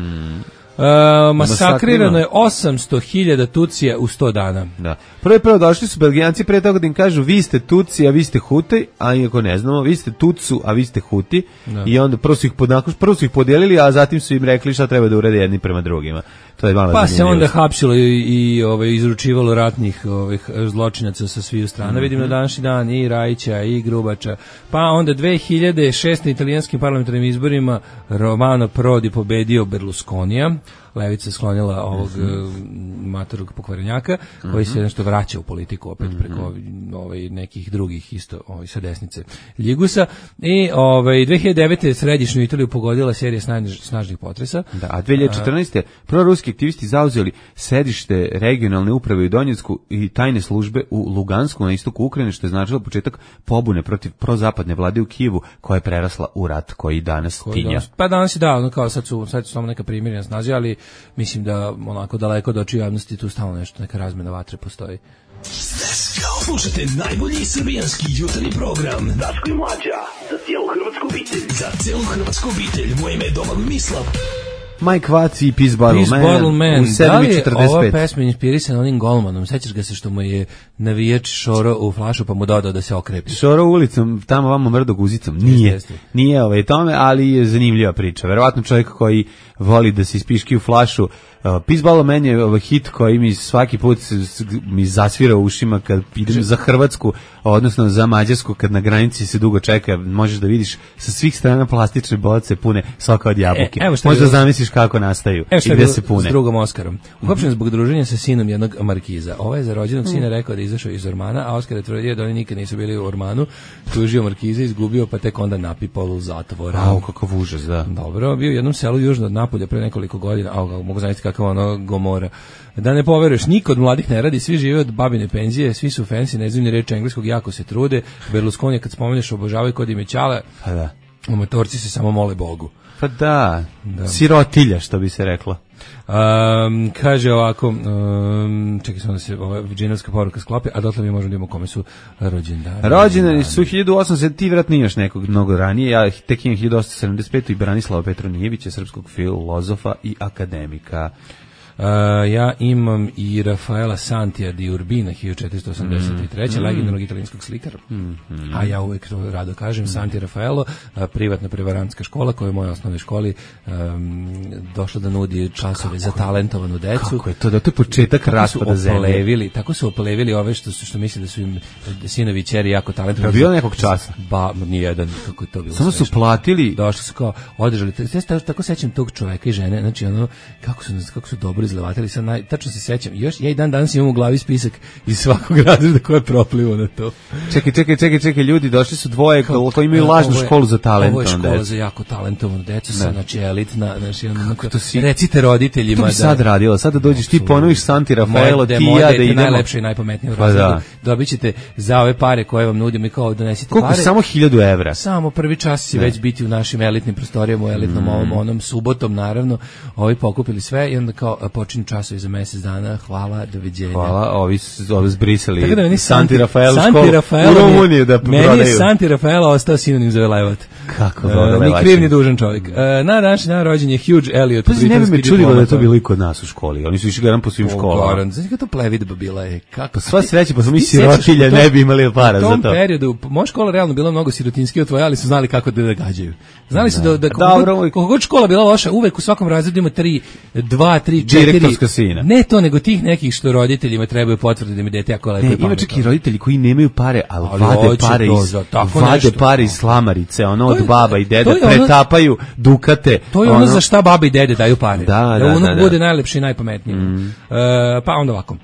Masakrirano je 800.000 Tucija u 100 dana.
Da. Prvo došli su Belgijanci pre toga da im kažu vi ste Tuci, a vi ste Huti, a iako ne znamo, vi ste Tucu, a vi ste Huti. Da. I onda prvo su ih podijelili, a zatim su im rekli šta treba da urede jedni prema drugima. To je malo
se onda hapsilo i izručivalo ratnih zločinaca sa svih strana. Vidim na današnji dan i Rajića i Grubača. Pa onda 2006. italijanskim parlamentarnim izborima Romano Prodi pobedio Berlusconija. Levica sklonila ovog matorog pokvarenjaka koji se nešto vraća u politiku opet preko nekih drugih isto sa desnice Ljigusa i 2009. središnju Italiju pogodila serija snažnih potresa.
Da, a 2014. proruski aktivisti zauzeli sedište regionalne uprave u Donjecku i tajne službe u Lugansku na istoku Ukrajine, što je značilo početak pobune protiv prozapadne vlade u Kijevu koja je prerasla u rat koji danas tinja.
Pa danas je kao sad su samo neka primirja na snazi, ali mislim da onako daleko od očiju javnosti tu stalno nešto, neka razmena vatre postoji.
Slušajte najbolji srbijanski jutarnji program Daško i Mlađa za cijelu hrvatsku obitelj. Za cijelu hrvatsku obitelj. Moje ime je Domagoj Mislav.
Mike Watts i Peace Bottle Man u 7:45.
Da li je ova pesma inspirisana onim golmanom? Sećaš ga se što mu je navijač šoro u flašu pa mu dodao da se okrepi?
Šoro ulicom, tamo vamo mrdo guzicom. Nije tome, ali je zanimljiva priča. Verovatno čovjek koji voli da se ispiški u flašu. Peace Bottle Man je hit koji mi svaki put mi zasvira u ušima kad idem za Hrvatsku, odnosno za Mađarsku, kad na granici se dugo čeka, možeš da vidiš sa svih strana plastične boce pune svaka od jabuke. Možda zamisliš kako nastaju i gde se pune.
S drugom Oskarom. Uhapšen zbog druženja sa sinom jednog markiza. Ovaj je za rođenog sina rekao da je izašao iz Ormana, a Oskar je tvrdio da oni nikad nisu bili u Ormanu, tužio markiza, izgubio, pa tek onda napipao u zatvor.
Kakav užas, da.
Dobro, bio u jednom selu južno od Napolja pre nekoliko godina, mogu zamisliti kakav ono Gomora. Da ne poveruješ, niko od mladih ne radi, svi žive od babine penzije, svi su fancy, ne znam ni reči engleskog, jako se trude. Berlusconi kad spomeneš obožavaju kod ime Ćale,
pa da.
Amatorci se samo mole Bogu.
Pa da. Sirotilja, što bi se reklo.
Kaže ovako, čekaj samo da se ova džinovska poruka sklopi, a dotle mi možemo da imamo kome su rođendani.
Rođendani su 1800, ti vratno imaš nekog mnogo ranije, ja tek imam 1875. i Branislava Petronijevića, srpskog filozofa i akademika.
Ja imam i Rafaela Santija di Urbina 1483. Legendarnog italijanskog slikara. A ja uvek to rado kažem, Santi Rafaelo, privatna prevarantska škola koja je u mojoj osnovnoj školi došla da nudi časove za talentovanu decu.
Kako je to? Da to je početak raspada zemlje.
Tako su opolevili ove što misle da su im sinovi i ćeri jako talentovani.
Je bilo nekog časa?
Nijedan, kako je to bilo.
Samo su platili.
Došli su kao, održali. Tako sećam tog čoveka i žene, znači ono, kako su dobro dobro izlevatili, sad tačno se sećam. Još ja i dan danas imam u glavi spisak iz svakog razreda ko je proplivo na to.
Čekaj, ljudi, došli su dvoje koji imaju lažnu školu za talentovanu decu.
Ovo je škola za jako talentovanu decu, znači elitna, znači recite roditeljima
da... To bi sad radila, sad da dođeš ti ponoviš Santi Rafaelo, ti
i
ja da idemo.
Najlepše i najpametnije u razredu. Dobit ćete za ove pare koje vam nudim i kao donesite
koliko,
pare.
Samo 1000 evra.
Samo prvi čas će već biti u našim elitnim prostorijama, u elitnom onom subotom, naravno. Ovi pokupili sve i onda kao počinju časovi za mjesec dana. Hvala, doviđenja.
Hvala, ovi zbrisali
da
Santi Rafaelo školu u Rumuniju da prodaju.
Meni je Santi Rafaelo ostao sinonim za velevat.
Kako
ni kriv ni dužan čovjek. Na današnji dan rođen je Hugh Elliot.
Pa ne bi me čudilo da je to bilo i kod nas u školi. Oni su išli garan po svim školama.
Znači kako to plevidba bila je. Kako
sva sreća, pa smo mi sirotilje, ne bi imali para za to.
U tom periodu, moja škola realno bila mnogo sirotinskija od tvoje, ali su znali kako da gađaju. Znali su da koliko god škola bila loša, uvek u svakom razredu ima 2, 3, 4
direktorska sina.
Ne to, nego tih nekih što roditeljima trebaju potvrde da mi dete jako lepo i pametno.
Ima čak i roditelji koji nemaju pare, ali vade pare iz slamarice, ono od baba i dede, pretapaju dukate.
To je ono za šta baba i dede daju pare.
Da
unuk bude najlepši i najpametniji. Pa onda ovako.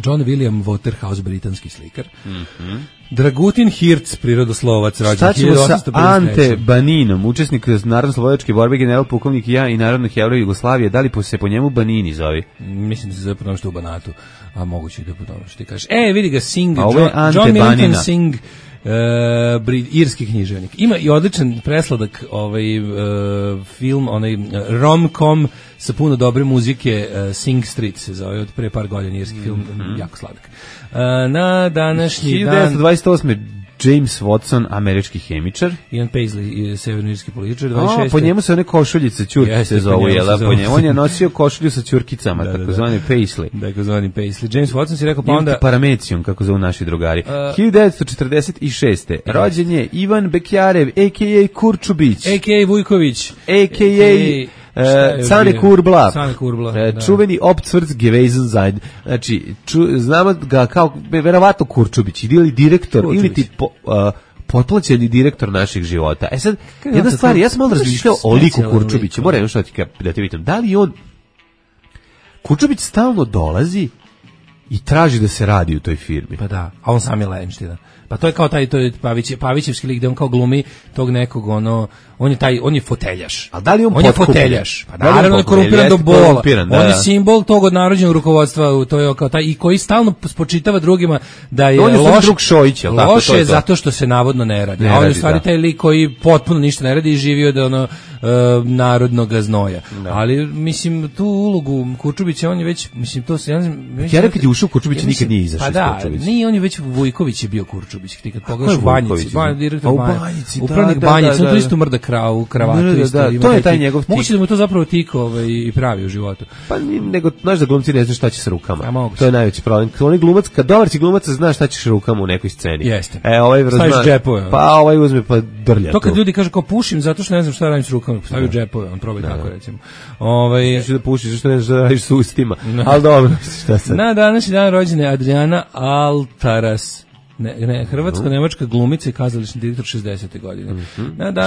John William Waterhouse, britanski slikar. Dragutin Hirc, prirodoslovac, rođen 1853.
Šta ćemo sa Ante Baninom, učesnik narodno-slobodačke borbe, general pukovnik ja i narodnog heroja Jugoslavije, da li se po njemu Banini zove?
Mislim da se zove po tome što u Banatu, a moguće i da po tome što ti kažeš. Vidi ga Singh,
John
Milton Singh, irski književnik. Ima i odličan presladak film, rom-com sa puno dobre muzike, Sing Street se zove, od pre par godina, irski film, jako sladak. Na današnji dan
1928. James Watson, američki hemičar.
Ian Paisley, severnoirski političar, 26.
Po njemu se one košuljice, ćurkice se zovu, po njemu. On je nosio košulju sa ćurkicama, takozvani Paisley.
Takozvani Paisley. James Watson si rekao, pa onda...
Paramecijum, kako zovu naši drugari. 1946. Rođen je Ivan Bekjarev, a.k.a. Kurčubić.
A.k.a. Vujković.
A.k.a. Cane Kurbla,
da.
Čuveni Opcvrc Gewesen. Znači, znamo ga kao verovatno Kurčubić, ili direktor, ili ti potplaćeni direktor naših života. Sad, jedna stvar, ja sam malo razmišljao o liku Kurčubića, moram još da ti vidim, da li on, Kurčubić stalno dolazi i traži da se radi u toj firmi.
Pa da, a on sam je lenština. Pa to je kao to je Pavićevski lik gde on kao glumi tog nekog on je foteljaš.
A da li
on je foteljaš? Pa naravno je korumpiran do bola. On je simbol tog odnarođenog rukovodstva, to je kao taj i koji stalno spočitava drugima da je loš
drug Šojić, al tako
loše zato što se navodno ne radi. A on je u stvari taj lik koji potpuno ništa ne radi i živio da narodnog znoja. Ali mislim tu ulogu Kurčubića on je već to se
ja rekao ti ušao Kurčubić nikad nije izašao.
Pa da, nije on je već Vujković je bio Kurčubić. Ti kad pogledaš u Banjici, direktor Banjici, upravnik Banjici, on to isto mrda kravu, kravatu isto.
To je taj njegov tik.
Moguće da mu to zapravo tik i pravi u životu.
Pa nego, znaš da glumci ne znaju šta će s rukama. To je najveći problem. Oni glumac, kad dobar si glumac, znaš šta ćeš rukama u nekoj sceni.
Jeste.
Staviš
džepove.
Pa ovaj uzme pa drlja.
To kad ljudi kažu kao pušim zato što ne znam šta radim s rukama, stavio džepove, on probaj tako recimo.
Znači da pušiš, zašto ne znaš da radiš s ustima. Al dobro, šta sad.
Na današnji dan rođena je Adriana Altaras. Hrvatsko-nemačka glumica i kazališni direktor 60. godine.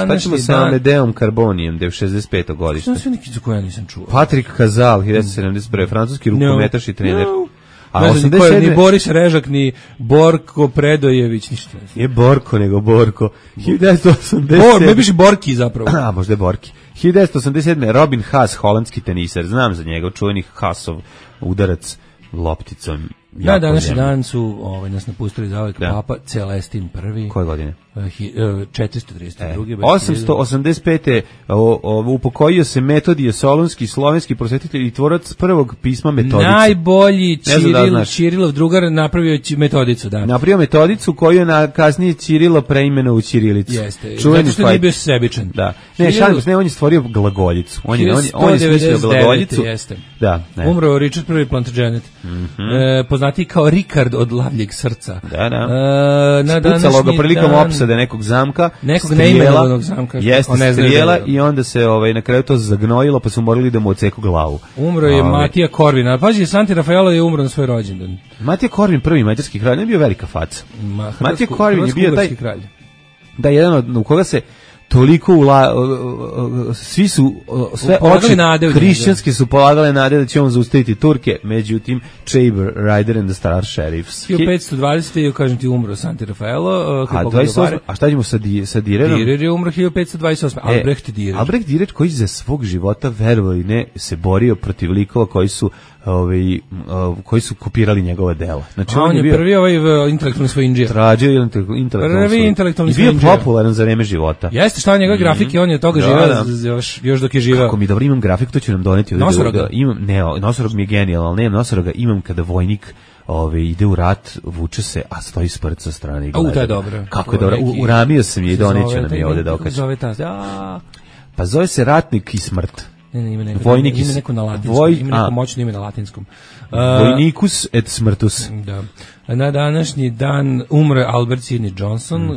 Šta ćemo sa Amedeom Carbonijem, da je u 65. godište?
Što sve neki za koje ja nisam čuo?
Patrik Kazal, 1971. Francuski rukometaš i trener.
A 87. Ni Boris Režak, ni Borko Predojević, ništa.
Nije Borko, nego Borko. 1987.
Ne biš Borki zapravo.
A, možda je Borki. 1987. Robin Haas, holandski teniser. Znam za njega, čuveni Haasov udarac lopticom.
Na današnji dan su nas napustili zauvek Papa Celestin I.
Koje godine?
432.
885. Upokojio se Metodije Solunski, slovenski prosvetitelj i tvorac prvog pisma Metodice.
Najbolji Ćirilov drugar napravio Metodicu, da.
Napravio Metodicu koju je kasnije Ćirilo preimenovao u ćirilicu.
Jeste, zato što nije bio sebičan.
Da. Ne, on je stvorio glagoljicu. On je smislio glagoljicu.
Da. Umro Richard I. Plantagenet. Poznati kao Rikard od lavljeg srca.
Da. Spucalo ga prilikom opsade nekog zamka.
Nekog neimenovanog zamka.
Jeste, strijela i onda se na kraju to zagnojilo, pa su morali da mu odseku glavu.
Umro je Matija Korvin. A pazi, Santi Rafaelo je umro na svoj rođendan.
Matija Korvin, prvi mađarski kralj, ne bio velika faca. Matija Korvin je bio taj kralj. Da, jedan u koga se toliko svi su sve oči hrišćanski su polagali nade da će on zaustaviti Turke, međutim Saber Rider and the Star Sheriffs
1520. kažem ti umro Santi Raffaello,
a šta ćemo sa Direrom?
Direr je umro 1528. Albrecht
Direr koji za svog života, verovali ne, se borio protiv likova koji su kopirali njegove dela. Znači
on je bio prvi intelektualni svojindžija.
Tražio intelektualni svojindžija. I bio popularan za vreme života.
Jeste, šta njegove grafike, on je toga živeo još dok je živeo.
Kako mi dobro imam grafiku, to će nam doneti. Nosorog mi je genijalan, ali nemam Nosoroga, imam kada vojnik ide u rat, vuče se, a stoji spred sa strane i gleda.
To je dobro.
Kako je dobro. Uramio sam je i doneću nam je ovde da okačem. Pa zove se Ratnik i smrt.
Ima neko na latinskom. Ima neko moćno ime na latinskom.
Vojnikus et smrtus.
Da. Na današnji dan umre Albert Sidney Johnson,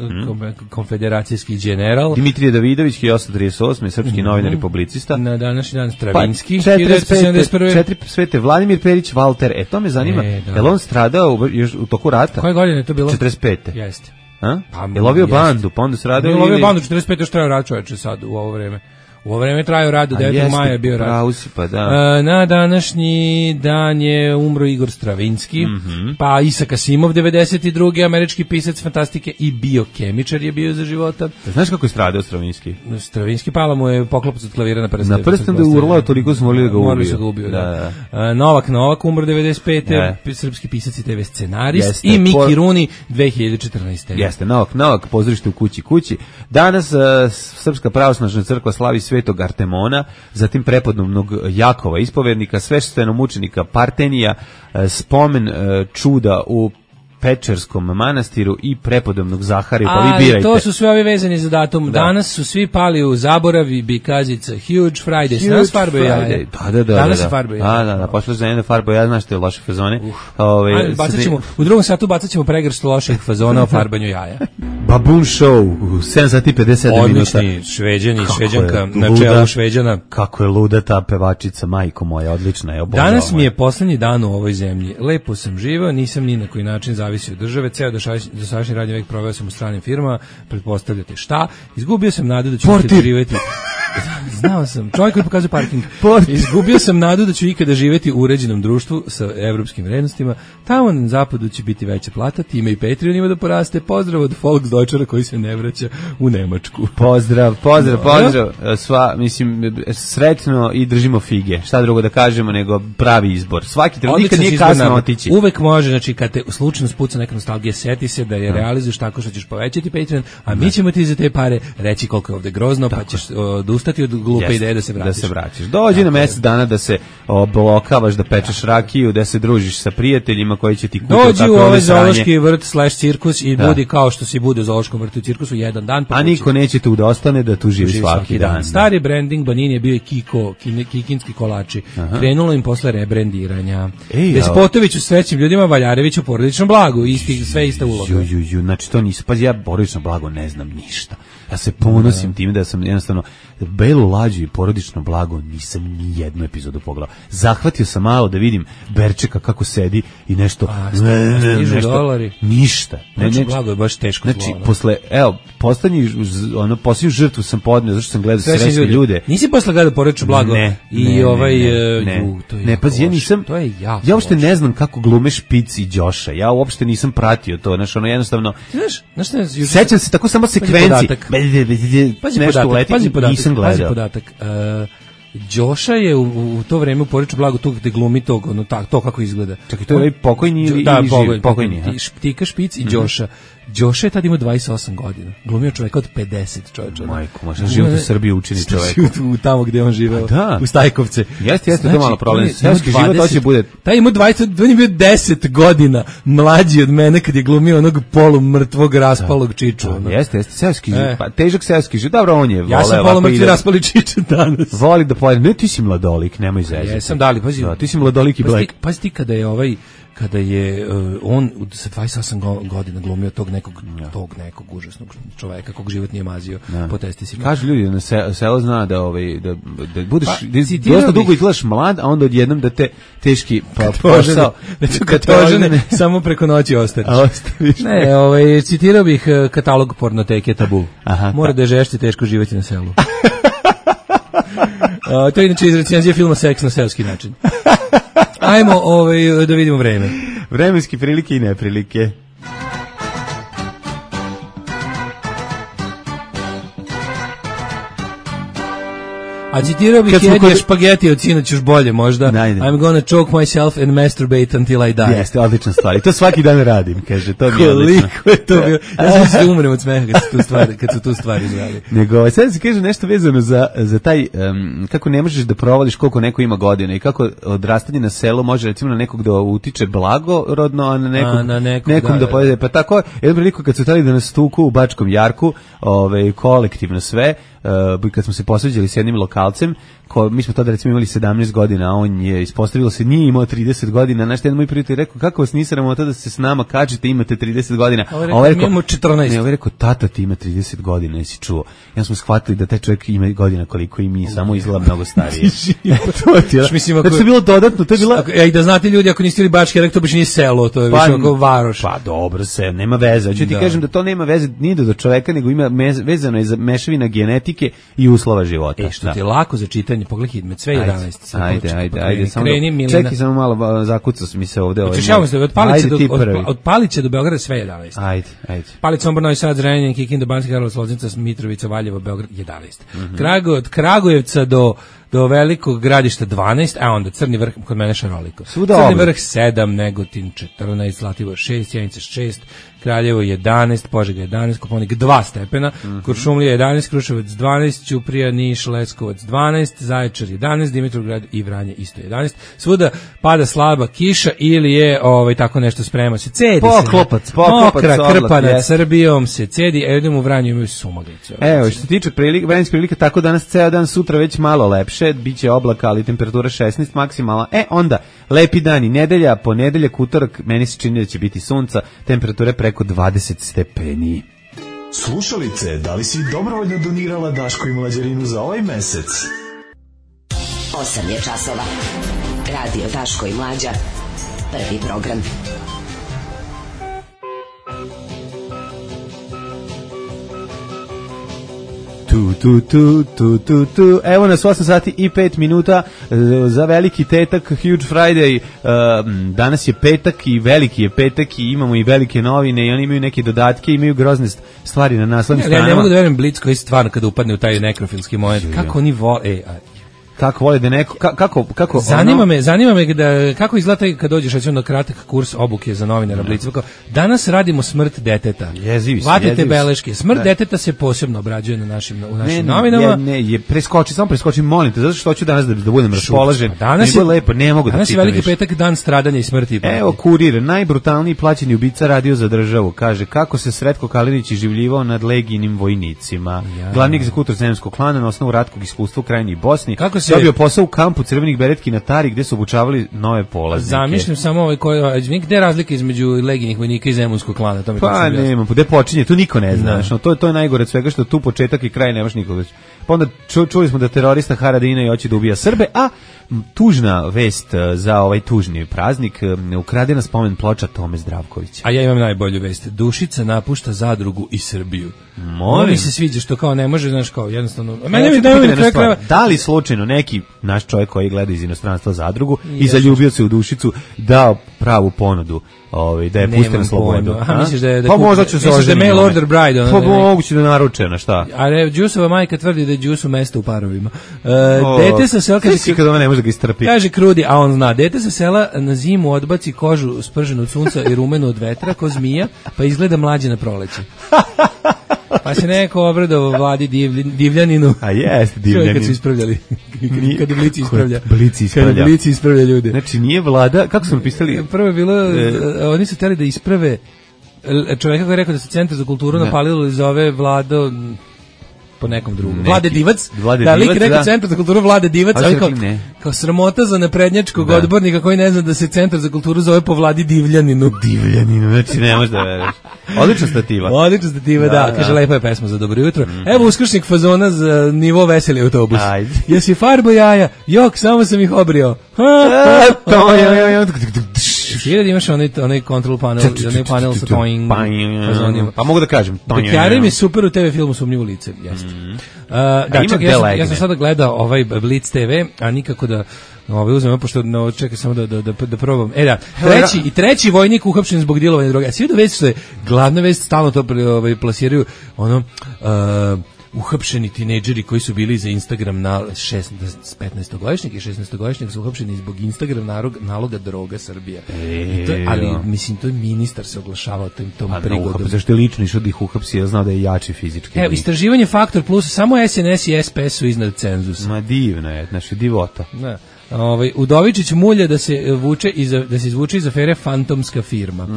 konfederacijski general.
Dimitrije Davidović, 1838, srpski novinar i publicista.
Na današnji dan Stravinski, 1971.
Svete Vladimir Perić, Valter. To me zanima. Je li on stradao još u toku rata?
Koje godine je to bilo?
45.
Jeste.
Je lovio bandu, pa onda stradao?
Je lovio bandu, 45. još trajao rat, čoveče, sad u ovo vreme. U ovo vreme trajao rad, do 9. maja je bio rad.
Pa da.
Na današnji dan je umro Igor Stravinski, pa Isaac Asimov, 92. američki pisac fantastike i biokemičar je bio za života.
Znaš kako je stradao Stravinski?
Stravinski pala mu je poklopac od klavira na prste.
Na prstom da je urlao, toliko smo morali da ga ubiju.
Morali su ga ubiju, da. Novak umro 95. Srpski pisac i TV scenarist. I Miki Rooney, 2014.
Jeste, Novak, pozorište u kući. Danas Srpska pravoslavna crkva slavi Svetog Artemona, zatim prepodobnog Jakova ispovednika, sveštenomučenika Partenija, spomen čuda u Pečerskom manastiru i prepodobnog Zahariju, pa vi birajte.
To su sve ovi vezani za datum. Danas su svi pali u zaboravi because it's a huge Friday. Danas farbaju jaje. Danas se farbaju jaje.
Da, pošlo za jedne farbaju jaje, znaš te loše fazone.
U drugom satu bacat ćemo pregršt loših fazona o farbanju jaja.
Baboon Show, 7 sati 57 minuta.
Odlični Šveđanka, na čelu Šveđana.
Kako je luda ta pevačica, majko moja, odlična je.
Danas mi je poslednji dan u ovoj zemlji. Lepo sam živeo, nisam ni na koji način zavisi od države, ceo dosadašnji radni vek proveo sam u stranim firmama, pretpostavljate šta, izgubio sam nadu da ću ikada živjeti. Znao sam, čovjek koji pokazuje parking. Izgubio sam nadu da ću ikada živjeti u uređenom društvu sa evropskim vrednostima. Tamo na zapadu će biti veća plata, time i Patreon ima da poraste. Pozdrav od Volksdeutschera koji se ne vraća u Nemačku.
Pozdrav. Sva, mislim, sretno i držimo fige. Šta drugo da kažemo nego pravi izbor. Svaki trenutak nikad nije kasno otići.
Uvek može, znači kad te slučajno spuca neka nostalgija, seti se da je realizuješ tako što ćeš povećati Patreon, a mi ćemo ti za te pare reći koliko je ovde grozno, pa ćeš odustati od glupe ideje da se vratiš.
Dođi na mesec dana da se oblokavaš, da pečeš rakiju, da se družiš sa prijateljima koji će ti kupiti tako.
Dođi u ovaj zoološki vrt / cirkus i budi kao što si bude u zoološkom vrtu i cirkusu jedan dan.
A niko neće tu da ostane da tu živi svaki dan.
Stari branding Banini je bio i kikinski kolači. Krenulo im posle rebrendiranja. Despotović u srećnim ljudima, Valjarević u porodičnom blagu. Sve ista uloga.
Znači to nisu, pa ja porodično blago ne znam ništa. Ja se ponosim time da sam jednostavno Belu lađu i porodično blago nisam ni jednu epizodu pogledao. Zahvatio sam malo da vidim Berčeka kako sedi i nešto.
$100.
Ništa.
Blago je baš teško.
Znači, posljednju žrtvu sam podneo, zašto sam gledao srećne ljude.
Nisi posle gledao porodično blago?
Ne, pazi, ja nisam, ja uopšte ne znam kako glume Špic i Đoša. Ja uopšte nisam pratio to, znači ono jednostavno. Sećam se tako samo sekvenci.
Pazi podatak. Đoša je u to vreme u porodičnom blagu tu gde glumi to kako izgleda.
Čekaj, to je pokojni ili
pokojni? Tika Špic i Đoša. Đoša je tad imao 28 godina. Glumio čoveka od 50, čoveča.
Majko, možda život u Srbiji učini čoveka.
Tamo gde on živeo, u Stajkovce.
Jeste, to malo problem. Seoski život hoće bude.
Taj ima 20, on je bio 10 godina mlađi od mene kad je glumio onog polumrtvog raspalog čiču.
Jeste, seoski život. Pa težak seoski život. Dobro, on je voleo.
Ja sam polumrtvi raspali čiču danas.
Voli da pojede. Ne, ti si mladolik, nemoj zezati.
Jesam, dali, pazi.
Ti si mladolik i black.
Pazi ti kada je kada je on sa 28 godina glumio tog nekog užasnog čoveka kog život nije mazio po testisima.
Kažu ljudi na selo zna da budeš dosta dugo izgledaš mlad, a onda odjednom da te teški posao
katožene samo preko noći ostaviš. Ne, citirao bih katalog pornoteke Tabu. Mora da je žešće teško živjeti na selu. To je inače iz recenzije filma Seks na selski način. Ajmo da vidimo vreme.
Vremenske prilike i neprilike.
A citirao bih jedje špageti od sinoć još bolje možda. I'm gonna choke myself and masturbate until I die.
Jeste, odlična stvar. I to svaki dan radim, kaže. To mi je odlično.
Koliko je to bio? Ja sam se umrem od smeha kad su tu stvari izgledali.
Nego, sad se kaže nešto vezano za taj, kako ne možeš da provališ koliko neko ima godina i kako odrastanje na selu može recimo na nekog da utiče blagorodno, a na nekom da pojede. Pa tako, jednom priliku kad su tali da nas tuku u Bačkom Jarku, kolektivno sve, kad smo se posveđali s jednim lokalcem, mi smo tada recimo imali 17 godina, a on je ispostavilo se nije imao 30 godina. Znaš, jedan moj prijatelj rekao, kako vas nisam tada se s nama kačite, imate 30 godina.
A ovaj rekao, imamo 14.
Ne, ovaj rekao, tata ti ima 30 godina, jesi čuo. Ja smo shvatili da taj čovjek ima godina koliko i mi, samo izgleda mnogo starije. Znači, to je bilo dodatno, to je bila...
I da znate ljudi, ako niste ili Bački Jarek, to baš nije selo, to je više oko varoš.
Pa dobro se, nema veze. Hoću ti kažem da to nema veze ni do čoveka, nego ima vezano je za mešavina genetike i uslova života.
Što ti je lako za čitanje, pogledaj Hidmet, sve 11.
Ajde, samo čekaj, samo malo zakucao mi se ovde.
Od Palića do Beograda sve 11.
Ajde.
Palić, Sombor, Novi Sad, Zrenjanin, Kikinda, Banski Karlovac, Loznica, Mitrovica, Valjevo, Beograd 11. Od Kragujevca do Velikog Gradišta 12, a onda Crni Vrh kod mene šaroliko. Crni Vrh 7, Negotin 14, Zlatibor 6, Sjenica 6, Kraljevo 11, Požega 11, Koponik 2 stepena, Kuršumlija 11, Kruševac 12, Ćuprija, Niš, Leskovac 12, Zaječar 11, Dimitrovgrad i Vranje isto 11. Svuda pada slaba kiša ili je tako nešto sprema se. Cedi
poklopac,
mokra krpa nad Srbijom se cedi, idemo u Vranju imaju sumaglicu.
Evo, što se tiče vremenskih prilika, tako danas ceo dan, sutra već malo lepše, biće oblaka, ali temperatura 16 maksimalna. Onda lepi dani, nedelja, ponedeljak, utorak, meni se čini da će biti sunca, temperature preko 20 stepeni.
Slušalice, da li si dobrovoljno donirala Daško i Mlađarinu za ovaj mesec?
8 je časova. Radio Daško i Mlađa. Prvi program.
Evo nas 8 sati i 5 minuta za veliki tetak, Huge Friday. Danas je petak i veliki je petak i imamo i velike novine i oni imaju neke dodatke, imaju grozne stvari na naslovnim stranama.
Ja ne mogu da verujem Blitz koji stvarno kada upadne u taj nekrofilski moment. Kako oni vole...
Kako vole da neko kako
zanima me da kako izgleda kad dođeš recimo na kratak kurs obuke za novinara Blica. Danas radimo smrt deteta. Vatite beleške. Smrt deteta se posebno obrađuje na našim novinama.
Ne, preskoči, molim te, zato što hoću danas da budem raspoložen.
Danas je
lepo, ne mogu da
danas je veliki petak, dan stradanja i smrti.
Evo Kurir, najbrutalniji plaćeni ubica radio za državu, kaže kako se Sretko Kalinić iživljivao nad legijinim vojnicima. Glavni egzekutor Zemunskog klana na osnovu ratkog iskustva u Krajini i Bosni. Dobio posao u kampu Crvenih beretki na Tari gde su obučavali nove polaznike.
Zamišljam samo gde je razlika između legijinih vojnika i Zemunskog klana? To mi
pa nema, gde počinje, tu niko ne zna. To je najgore od svega što tu početak i kraj nemaš nikoga. Pa onda čuli smo da terorista Haradina i hoće da ubija Srbe, a tužna vest za ovaj tužni praznik, ukradena spomen ploča Tome Zdravkovića.
A ja imam najbolju vest. Dušica napušta Zadrugu i Srbiju. Mi se sviđa što kao ne može, znaš, kao jednostavno.
Da li slučajno neki naš čovjek koji gleda iz inostranstva Zadrugu i zaljubio se u Dušicu dao pravu ponudu? Da je puste na slobodu.
Misliš da je
pa možda će se
oženiti. Mail order bride.
Pa moguće da naruče na šta.
A Đusova majka tvrdi da je Đusu mesto u parovima. Dete sa sela
kad ona ne može da ga istrpi.
Kaže Krudi, a on zna. Dete sa sela na zimu odbaci kožu sprženu od sunca i rumenu od vetra ko zmija, pa izgleda mlađe na proleće. Pa se neko obradovao Vladi Divljaninu.
A jeste Divljanin.
Kad su ispravljali. Kad
Blici
ispravlja ljude.
Znači nije Vlada, kako su napisali?
Prvo je bilo, oni su htjeli da isprave čovjeka koji je rekao da se Centar za kulturu napalilo i zove Vlado... po nekom drugom. Vlade Divac, da, lik rekao Centar za kulturu Vlade Divac, ali kao sramota za naprednjačkog odbornika koji ne zna da se Centar za kulturu zove po Vladi Divljaninu.
Divljaninu, znači ne možeš da veruješ. Odlična stativa,
da. Kaže, lepa je pesma za dobro jutro. Evo uskršnjeg fazona za nivo veseli autobus. Jesi farbo jaja? Jok, samo sam ih obrio. Ti da imaš onaj control panel, onaj panel sa toing fazonima.
Pa mogu da kažem.
Bekjari mi super u TV filmu Sumnjivo lice, jeste. Da, čekaj, ja sam sada gledao ovaj Blitz TV, a nikako da uzmemo, pošto čekaj samo da probam. Treći vojnik uhapšen zbog dilovanja droge. A svi da već što je glavna vest, stalno to plasiraju, uhapšeni tinejdžeri koji su bili za Instagram na 15-godišnjak i 16-godišnjak su uhapšeni zbog Instagram naloga droga Srbija. Ali, mislim, to je ministar se oglašavao tom prigodom.
Zašto je lično išao da ih uhapsi, ja znao da je jači fizički.
Evo, istraživanje Faktor Plus, samo SNS i SPS su iznad cenzusa.
Ma divno je, znači divota.
Da. Udovičić mulja da se izvuče iz afere fantomska firma.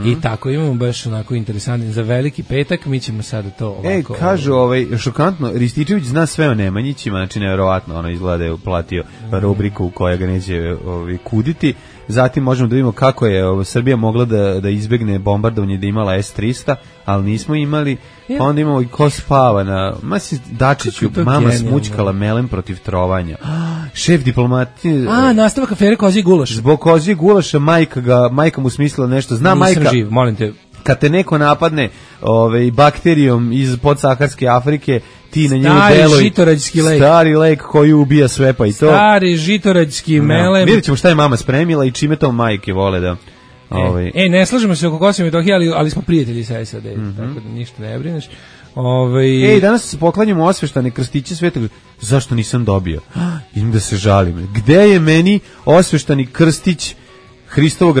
I tako imamo baš onako interesantno za veliki petak, mi ćemo sada to ovako.
Kažu šokantno, Rističević zna sve o Nemanjićima, znači nevjerovatno, izgleda da je uplatio rubriku koja ga neće kuditi. Zatim možemo da vidimo kako je Srbija mogla da izbegne bombardovanje da imala S-300, ali nismo imali. Pa onda imamo i ko spava na Masi Dačiću, mama smućkala melem protiv trovanja. Šef diplomatije.
Nastavak afere Kozji gulaš.
Zbog Kozji gulaša majka mu smislila nešto. Zna majka.
Nisam živ, molim te.
Kad te neko napadne bakterijom iz podsaharske Afrike, ti na njemu deluj.
Žitorađski lek.
Stari lek koji ubija sve pa i to.
Stari žitorađski melem.
Vidjet ćemo šta je mama spremila i čime to majke vole da...
ne slažemo se oko Kosova i Metohije, ali smo prijatelji sa SAD, tako da ništa ne brineš.
Danas se poklanjamo osveštane krstiće Svetog. Zašto nisam dobio? Idem da se žalim. Gde je meni osveštani krstić Hristovog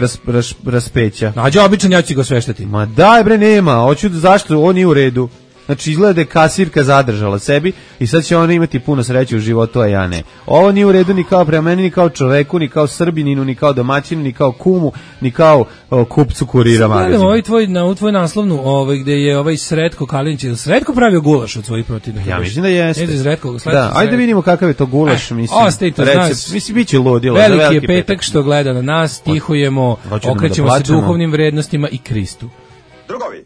raspeća?
Nađe običan, ja ću ga osveštati.
Ma daj bre, nema. Hoću zašto? On nije u redu. Znači izgleda da je kasirka zadržala sebi i sad će ona imati puno sreće u životu, a ja ne. Ovo nije u redu ni kao prema meni, ni kao čoveku, ni kao Srbininu, ni kao domaćinu, ni kao kumu, ni kao kupcu kurira magazina.
Gledam tvoj naslovnu, gde je Sretko Kalinić, je Sretko pravio gulaš od svojih protivnika?
Ja mislim da jeste.
Da,
ajde vidimo kakav je to gulaš, mislim, bit će ludilo.
Veliki je petak što gleda na nas, tihujemo, okrećemo se duhovnim vrednostima i Kristu.
Drugovi,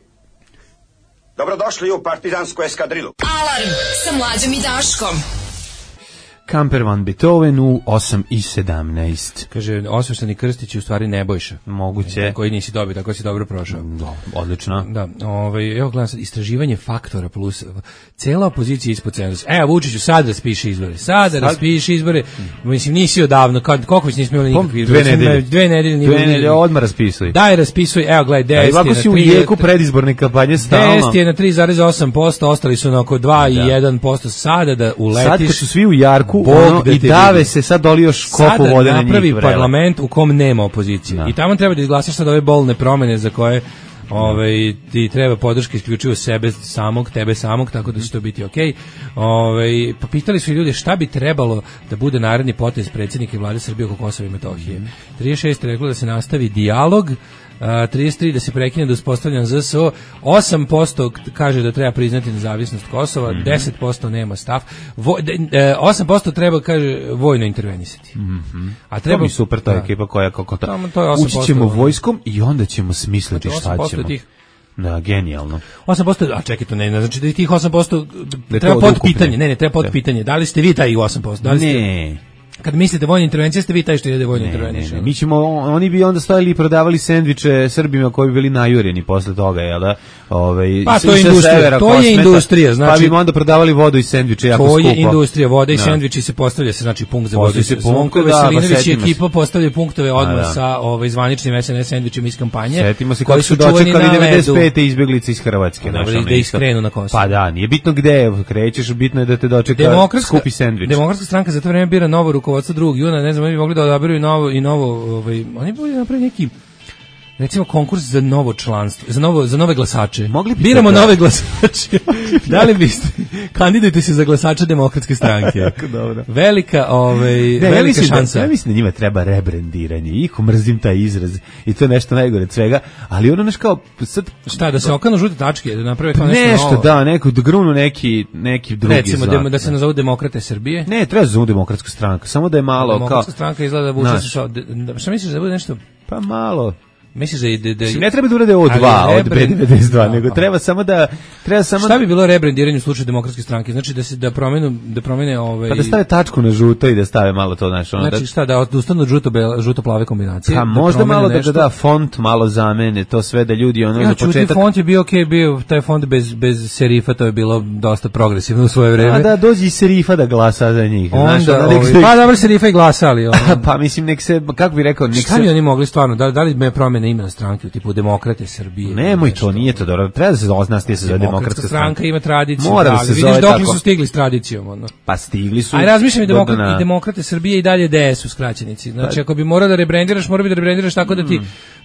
dobrodošli u partizansku eskadrilu.
Alarm sa Mlađom i Daškom.
Kamper van Beethoven u 8:17.
Kaže, osvešteni krstić je u stvari Nebojša.
Moguće.
Koji nisi dobio, tako si dobro prošao.
Odlično.
Da, evo gledam sad, istraživanje Faktora Plus. Cela opozicija ispod cenzusa. Evo, Vučiću, sad raspiši izbore. Mislim, nisi odavno, koliko već nismo imali nikakvi izbore? 2 nedelje.
Odmah raspisuj.
Daj, raspisuj, evo, gledaj, 10 je na 3.
Ovako si u jeku predizborne kampanje stalno.
10 je na 3,8%, ostali su na oko 2 i 1% sada da uletiš.
Sad kad su svi u jarku, i dave se, sad doli još kopu vode na njih.
Sada napravi parlament u kom nema opozicije. I tamo treba da izglasaš sad ove bolne promene za koje ti treba podrška isključivo tebe samog, tako da će to biti okej. Pa pitali su ljudi šta bi trebalo da bude naredni potez predsjednika i vlade Srbije oko Kosova i Metohije. 36 reklo da se nastavi dijalog, 33 da se prekine da uspostavljan ZSO, 8% kaže da treba priznati nezavisnost Kosova, 10% nema stav, 8% treba, kaže, vojno intervenisati. A treba
mi super ta ekipa koja ući ćemo vojskom i onda ćemo smisliti šta ćemo. Da, genijalno.
8%, a čekaj, to ne znači da tih 8% treba pod pitanje. Ne, treba pod pitanje. Da li ste vi taj 8%? Da li ste... Kad mislite vojna intervencija, ste vi taj što ide vojno interveniš.
Mi ćemo, oni bi onda stojali i prodavali sendviče Srbima koji bi bili najureni posle toga, jel da?
Pa to je industrija, industrija, znači.
Pa bi onda prodavali vodu i sendviče jako skupo.
To je industrija, voda i sendviči se postavlja se, znači punkt za vodu. Zvonko Veselinović i ekipa postavlja punktove odmah sa zvaničnim SNS sendvičima iz kampanje.
Setimo se kako su dočekali 95. izbeglice iz Hrvatske.
Da iskrenu na Kosovo.
Pa da, nije bitno gde krećeš, bitno je da te dočeka skupi sendvič.
Demokratska stranka za to vreme bira novo rukovodstvo 2. juna, ne znam, oni bi mogli da odaberu i novo, oni bi napravili neki recimo konkurs za novo članstvo, za nove glasače.
Biramo
nove glasače. Da li biste kandidujte se za glasača Demokratske stranke?
Dobro.
Velika šansa.
Ja mislim da njima treba rebrendiranje. Iko mrzim taj izraz i to je nešto najgore od svega, ali ono kao sad
šta da se okanu žute tačke, da naprave kao
nešto novo. Da, neko da grunu neki drugi.
Recimo da se nazovu Demokrate Srbije.
Ne, treba se zove Demokratska stranka, samo da je malo
Demokratska stranka izgleda da vuče se šta misliš da bude nešto
pa malo.
Misliš da
ne treba da urade O2 od B92, nego treba samo
šta bi bilo rebrendiranje u slučaju Demokratske stranke? Znači da promene
pa da stave tačku na žuto i da stave malo to
znači šta da odustanu od žuto-plave kombinacije.
Pa možda malo da font malo zamene, to sve da ljudi za početak.
Font je bio bio taj font bez serifa, to je bilo dosta progresivno u svoje vreme.
A da dođi i serifa da glasa za njih.
Pa dobro, serifa i glasali.
Pa mislim nek se, kako bi rekao,
šta bi oni mogli stvarno, da li me promene ime stranke u tipu Demokrate Srbije.
Nemoj to, nije to dobro. Treba da se oznasti se zove Demokratska stranka.
Ima tradiciju.
Mora da se
vidiš dokle su stigli s tradicijom.
Pa stigli su.
Aj razmišljam i Demokrate Srbije i dalje DS u skraćenici. Znači ako bi morao da rebrandiraš, mora bi da rebrandiraš tako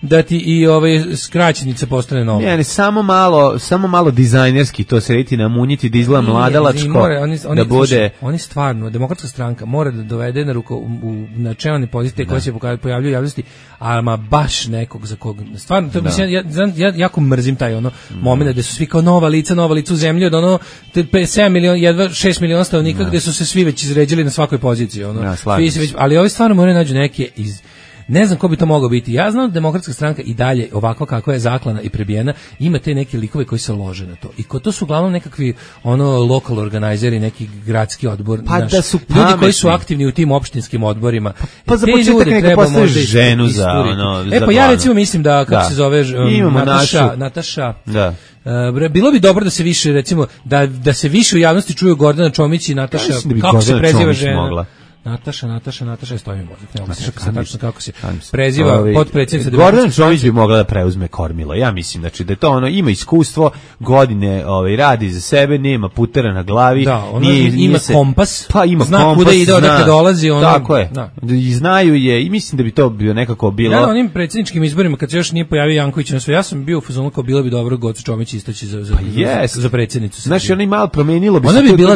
da ti i skraćenica postane nova.
Ne, samo malo dizajnerski to se reti namunjiti da izgleda mladalačko. Da bude.
Oni stvarno Demokratska stranka mora da dovede na čelne pozicije koje se pojavljuju u javnosti, a baš nekog za kog stvarno to mislim ja jako mrzim taj momenat da su svi kao nova lica u zemlji od 7 miliona jedva 6 miliona stanovnika gde su se svi već izređali na svakoj poziciji ali ovi stvarno moraju nađu neke iz ne znam ko bi to mogao biti. Ja znam da Demokratska stranka i dalje ovako kako je zaklana i prebijena ima te neke likove koji se lože na to. I to su uglavnom nekakvi local organizeri, neki gradski odbor,
da su
ljudi koji su aktivni u tim opštinskim odborima.
Pa za početak neka postaviš ženu za
pa ja recimo mislim da kako se zove Nataša.
Da.
Bilo bi dobro da se više recimo da se više u javnosti čuju Gordana Čomić i Nataša, kako se preziva žena. Nataša je stojim mozak. Ne znam tačno kako se preziva potpredsjednica.
Gordana Čomić bi mogla da preuzme kormilo. Ja mislim znači da je to ima iskustvo, godine radi za sebe, nema putera na glavi,
ima kompas.
Pa ima
zna
kompas,
kuda ide, odakle dolazi,
tako je. I znaju je i mislim da bi to bio nekako bilo.
Ja na onim predsjedničkim izborima kad se još nije pojavio Janković na sve, ja sam bio u fazonu kao bilo bi dobro Goca Čomić istaći za predsjednicu.
Znači ona i malo promenilo bi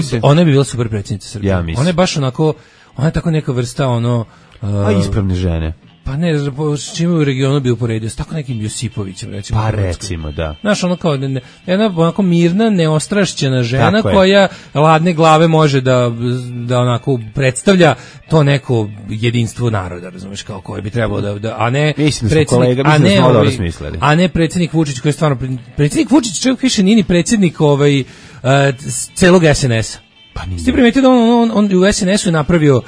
se. Ona bi bila super predsjednica Srbije. Ona je baš onako ona je tako neka vrsta
ispravne žene.
Pa ne, s čime u regionu bi uporedio, s tako nekim Josipovićem, recimo.
Pa recimo, da.
Znaš, kao jedna onako mirna, neostrašćena žena koja ladne glave može da onako predstavlja to neko jedinstvo naroda, razumeš, kao koje bi trebalo a ne
predsjednik,
a ne predsjednik Vučić koji je stvarno, predsjednik Vučić čovjek više nije ni predsjednik celog SNS-a. Ste primetili da on u SNS-u je napravio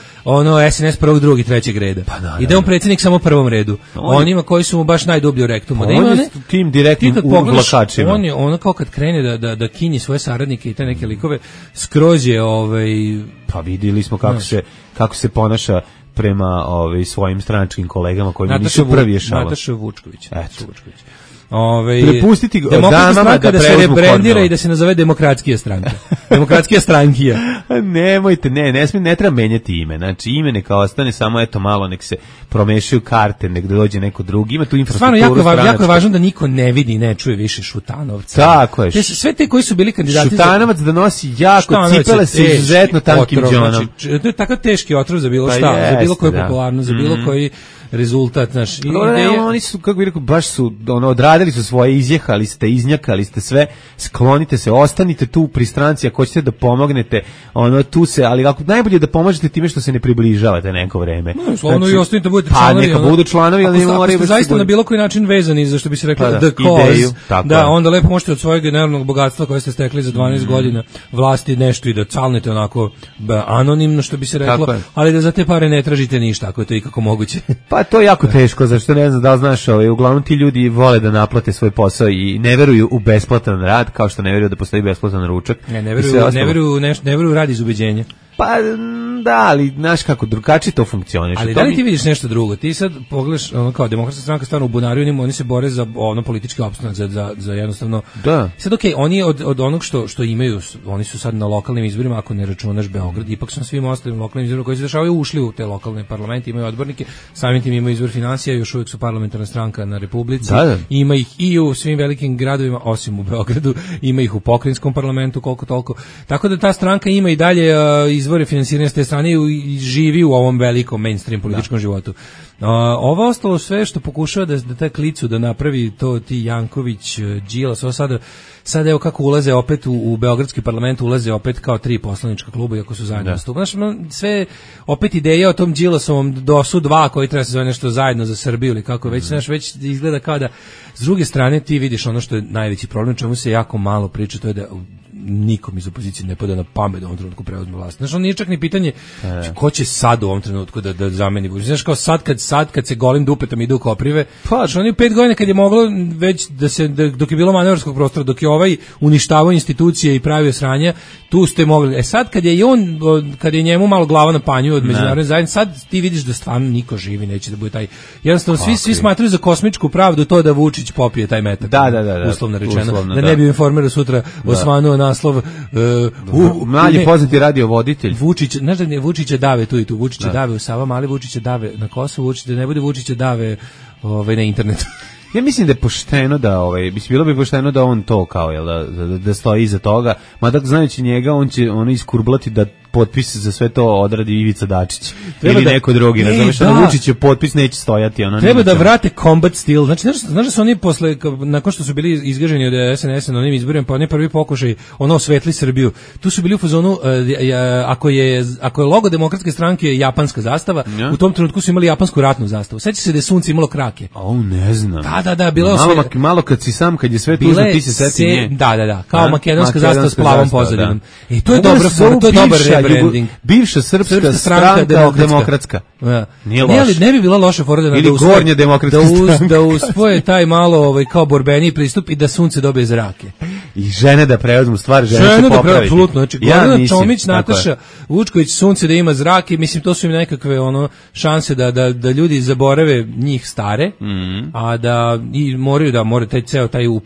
SNS prvog, drugog i trećeg reda. I da je on predsjednik samo u prvom redu. Onima koji su mu baš najdublje u rektumu.
On je tim direktnim uvlačačima.
On kao kad krene da kinji svoje saradnike i te neke likove, skroz je
Pa vidjeli smo kako se ponaša prema svojim stranačkim kolegama koji nisu prvi ješava.
Nataša Vučković.
Prepustiti
damama da se rebrandira i da se nazove Demokratskija stranka. Demokratskija strankija.
Nemojte, ne treba menjati ime. Znači ime neka ostane samo malo nek se promešaju karte, nek dođe neko drugi. Ima tu infrastrukturu.
Stvarno jako je važno da niko ne vidi i ne čuje više Šutanovca.
Tako je.
Sve te koji su bili kandidati
Šutanovac da nosi jako cipele sa izuzetno tankim džonom.
Znači, to je takav teški otrov za bilo šta, za bilo koju popularnost, za bilo koji rezultat naš.
Oni su, kako bih rekao, baš su odradili su svoje, izjehali ste, iznjakali ste sve, sklonite se, ostanite tu pri stranci ako hoćete da pomognete, tu se, ali ako najbolje da pomožete time što se ne približavate neko vreme.
No, slovno i ostanite da budete članovi.
Pa neka budu članovi, ali ne moraju.
Ako ste zaista na bilo koji način vezani, za što bi se reklo the cause, onda lepo možete od svojeg enormnog bogatstva koje ste stekli za 12 godina vlasti nešto i da calnete onako anonimno, što bi se reklo, ali da za te pare ne tražite ništa, ako je to ikako moguće.
Pa to je jako teško, zašto ne znam da li znaš, uglavnom ti ljudi vole da naplate svoj posao i ne veruju u besplatan rad, kao što ne veruju da postoji besplatan ručak.
Ne veruju rad iz ubeđenja.
Pa Da, ali znaš kako drugačije to funkcioniše.
Ali da li ti vidiš nešto drugo? Ti sad pogledaš, ono kao Demokratska stranka stvarno u bunariju, oni se bore za ono politički opstanak, za jednostavno.
Da.
Sad okej, oni od onog što imaju, oni su sad na lokalnim izborima, ako ne računaš Beograd, ipak su na svim ostalim lokalnim izborima koji se dešavaju ušli u te lokalne parlamente, imaju odbornike, samim tim imaju izvor finansija, još uvijek su parlamentarna stranka na Republici.
Da.
Ima ih i u svim velikim gradovima, osim u Beogradu, ima ih u pokrajinskom parlamentu koliko toliko. Tako da ta stranka ima i dalje izvore finansiranja s te strane i živi u ovom velikom mainstream političkom životu. Ovo ostalo sve što pokušava da ta klicu da napravi to ti Janković, Đilas, ovo sada evo kako ulaze opet u beogradski parlament, ulaze opet kao 3 poslanička kluba iako su zajedno nastupili. Znaš, sve opet ideja o tom Đilasovom DOS-u 2 koji treba se zove nešto zajedno za Srbiju ili kako već, znaš, već izgleda kao da s druge strane ti vidiš ono što je najveći problem, čemu se jako malo priča, to je da nikom iz opozicije ne pada na pamet da u ovom trenutku preuzme vlast. Znaš, on nije čak ni pitanje ko će sad u ovom trenutku da zameni Vučića. Znaš, kao sad kad se golim dupetom idu u koprive, pa oni 5 godina kad je moglo već dok je bilo manevarskog prostora, dok je ovaj uništavao institucije i pravio sranja, tu ste mogli. Sad kad je njemu malo glava na panju od međunarodne zajednice, sad ti vidiš da stvarno niko živi neće da bude taj. Jednostavno svi smatraju za kosmičku pravdu to da Vučić popije taj metak. Da. Uslovno rečeno. Da ne bi Informeru sutra osvanuo naslov
mladi poznati radiovoditelj
Vučić, znaš da je Vučića dave tu i tu, Vučića dave u Savamali, Vučića dave na Kosovu, Vučića da ne bude Vučića dave na internetu.
Ja mislim da je pošteno da bilo bi pošteno da on to kao da stoji iza toga, mada znajući njega on će iskurblati da potpis za sve to odradi Ivica Dačić ili neko drugi, razumeš, da Vučićev potpis neće stojati,
treba da vrate combat stil. Znači znaš da su oni posle nakon što su bili izgaženi od SNS-a na onim izborima, pa oni prvi pokušaj osvetli Srbiju, tu su bili u fazonu ako je logo Demokratske stranke japanska zastava, u tom trenutku su imali japansku ratnu zastavu. Seća se da je sunce imalo krake.
Ne znam.
Da, bilo
malo kad je sve tužno, ti se seti nje.
Da, kao makedonska zastava s plavom pozadinom. I to je dobro, to je dobar rebranding.
Bivša srpska stranka demokratska.
Ne bi bila loša fora
ili gornja demokratska stranka.
Da uspoje taj malo kao borbeni pristup i da sunce dobije zrake.
I žene da preuzmu stvar, žene će popraviti.
Apsolutno. Znači, Gordana Čomić, Nataša Vučković, sunce da ima zrake, mislim, to su im nekakve šanse da ljudi zaborave njih stare, a da i moraju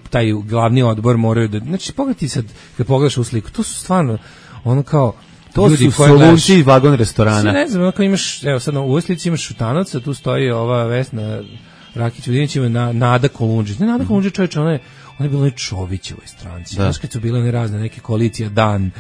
taj glavni odbor moraju da, znači, pogledaj sad, kad pogledaš u sliku, to su stvarno, kao,
to ljudi su soluciji vagon restorana.
Ne znam, ako imaš, evo sad u ovoj slici imaš Šutanac, a tu stoji ova Vesna Rakić-Vodinić, ima Nada Kolundžić. Ne, Nada Kolundžić, čovječe, ona je bila Čovićevoj stranci. Znaš kad su bile one razne neke koalicija Dan,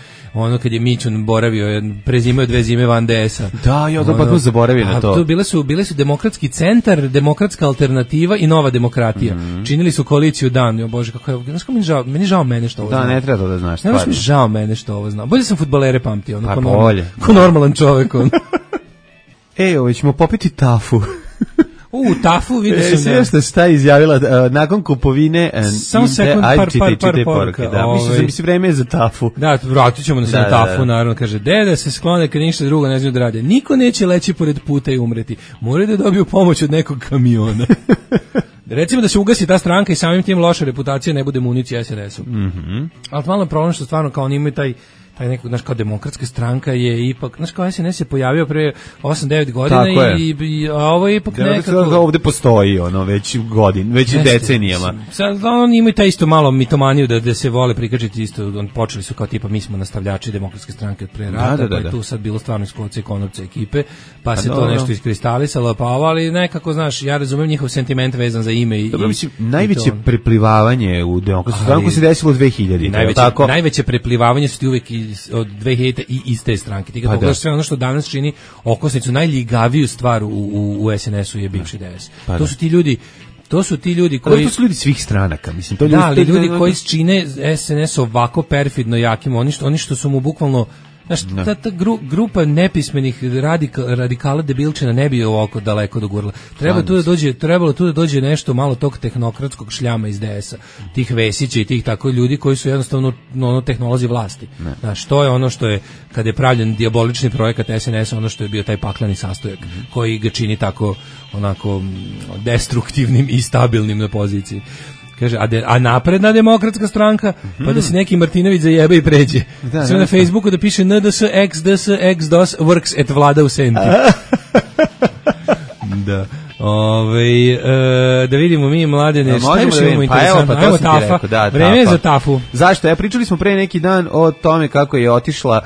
kad je Mićun boravio, prezimao 2 zime van DS-a.
Da, ja to pa zaboravio na to.
Bile su Demokratski centar, Demokratska alternativa i Nova demokratija. Činili su koaliciju Dan. Jo bože, kako je, znaš kako meni žao mene što ovo zna.
Da, ne treba to da znaš stvarno.
Ne, žao mene što ovo zna. Bolje sam fudbalere pamtio,
ko
normalan čovjek.
Ovo ćemo popiti tafu.
Tafu vidio sam
da šta je izjavila nakon kupovine
samo sekund, par poruka.
Mislim da vreme je za tafu.
Da, vratit ćemo se na tafu, naravno. Kaže, da se sklone kad ništa drugo ne znaju da rade. Niko neće leći pored puta i umreti. Moraju da dobiju pomoć od nekog kamiona. Recimo da se ugasi ta stranka i samim tim loša reputacija ne bude municija SNS-u. Ali malo problem što stvarno kao oni imaju taj nekog, znaš, kao Demokratska stranka je ipak, znaš, kao SNS je pojavio pre 8-9 godina a ovo je ipak nekako...
Ovde postoji već decenijama.
Sad oni imaju taj isto malo mitomaniju da se vole prikačiti isto, počeli su kao tipa mi smo nastavljači Demokratske stranke od pre rata, pa je tu sad bilo stvarno iskovce i konopce ekipe, pa se to nešto iskristalisalo, ali nekako, znaš, ja razumem njihov sentiment vezan za ime i...
Dobro, mislim, najveće preplivavanje u Demokratsku stranku se desilo 2000.
Najveće preplivavanje su ti uvek od 2000 i iz te stranke. Ti kad pogledaš sve ono što danas čini okosnicu, najljigaviju stvar u SNS-u je bivši DS. To su ti ljudi koji...
To su ljudi svih stranaka, mislim.
Ljudi koji čine SNS ovako perfidno jakim, oni što su mu bukvalno... Znaš, ta grupa nepismenih radikala debilčina ne bi ovako daleko dogurala. Trebalo tu da dođe nešto malo tog tehnokratskog šljama iz DS-a, tih Vesića i tih tako ljudi koji su jednostavno tehnolozi vlasti. Znaš, to je ono što je, kad je pravljen dijabolični projekat SNS-a, ono što je bio taj pakleni sastojak koji ga čini tako onako destruktivnim i stabilnim na poziciji. Kaže, a napredna demokratska stranka, pa da se neki Martinović zajebe i pređe. Sve na Facebooku da piše NDS, XDS, XDOS, works at Vlada u Senti. Da. Da vidimo mi mladene, šta još imamo interesantno? Ajmo Tafa, vreme je za Tafu.
Zašto? Pričali smo pre neki dan o tome kako je otišla,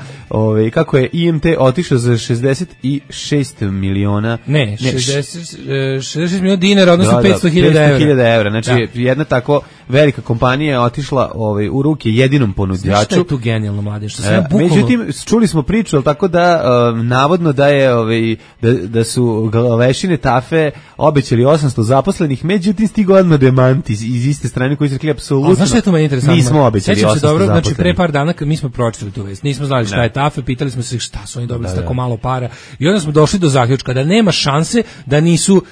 kako je IMT otišao za 66 miliona.
Ne, 66 miliona dinara, odnosno 500.000 evra.
Znači, jedna tako velika kompanija je otišla u ruke jedinom ponuđaču.
Znaš šta je tu genijalno, mlade?
Međutim, čuli smo priču, ali tako da navodno da je da su glavešine Tafe obećali 800 zaposlenih, međutim stigo odmah demant iz iste strane koji su rekli apsolutno.
Znaš što je to meni interesantno?
Nismo obećali 800 zaposlenih.
Znači pre par dana mi smo pročitali tu vest, nismo znali šta je Tafe, pitali smo se šta su oni dobili tako malo para i onda smo došli do zaključka da nema šanse da nisu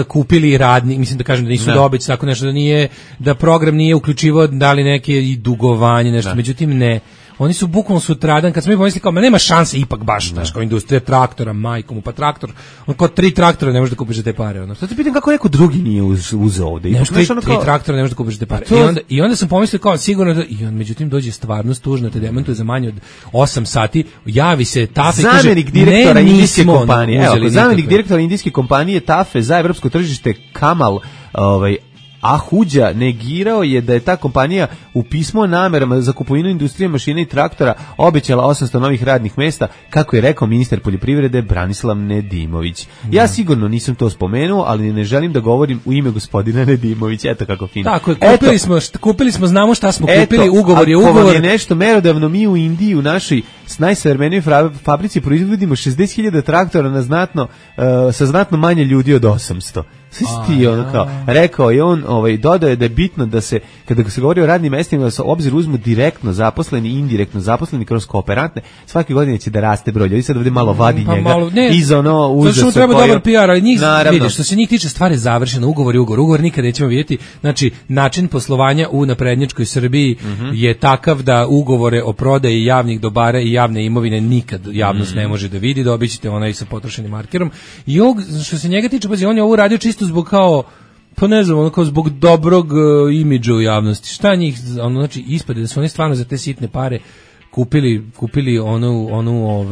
kupili radni, mislim da kažem da nisu dobić tako nešto, da nije, da program nije uključivao da li neke i dugovanje, nešto, međutim ne. Oni su bukvalno sutradan, kad smo mi pomislili kao, nema šanse ipak baš, znaš, kao industrija traktora, majkom, pa traktor, on kao 3 traktora ne možeš da kupiš za te pare. Ono.
Sad te pitam kako neko drugi nije uzeo ovde.
Ne, 3 traktora ne možeš da kupiš za te pare. I onda sam pomislio kao, sigurno da, i on, međutim, dođe stvarnost tužno, te demantuje za manje od 8 sati, javi se Tafe i kaže,
zamjenik direktora indijske kompanije, zamjenik direktora indijske kompanije Tafe za evropsko tržište Kamal, Ahuđa negirao je da je ta kompanija u pismu o namerama za kupovinu industrije mašina i traktora obećala 800 novih radnih mesta, kako je rekao ministar poljoprivrede Branislav Nedimović. Ja sigurno nisam to spomenuo, ali ne želim da govorim u ime gospodina Nedimovića. Eto kako fino.
Tako je, kupili smo, znamo šta smo kupili, ugovor je ugovor.
Ako vam je nešto merodavno, mi u Indiji, u našoj najsavremenijoj fabrici proizvodimo 60.000 traktora sa znatno manje ljudi od 800. Rekao je on, dodao je da je bitno da se, kada se govori o radnim mestima, da se obzir uzmu direktno zaposleni i indirektno zaposleni kroz kooperantne, svake godine će da raste broj ljudi. Sad ovdje malo vadi njega iz uzasa.
To treba dobar PR, ali njih, vidiš, što se njih tiče, stvar je završena, ugovor nikada nećemo vidjeti. Znači, način poslovanja u naprednjačkoj Srbiji je takav da ugovore o prodaji javnih dobara i javne imovine nikad javnost ne može da vidi, dobit ćete onaj sa potrošenim markerom. I što se njega tiče, pazi, on je ovo radio čisto zbog kao, pa ne znam, kao zbog dobrog imidža u javnosti. Šta njih, znači, ispade da su oni stvarno za te sitne pare kupili onu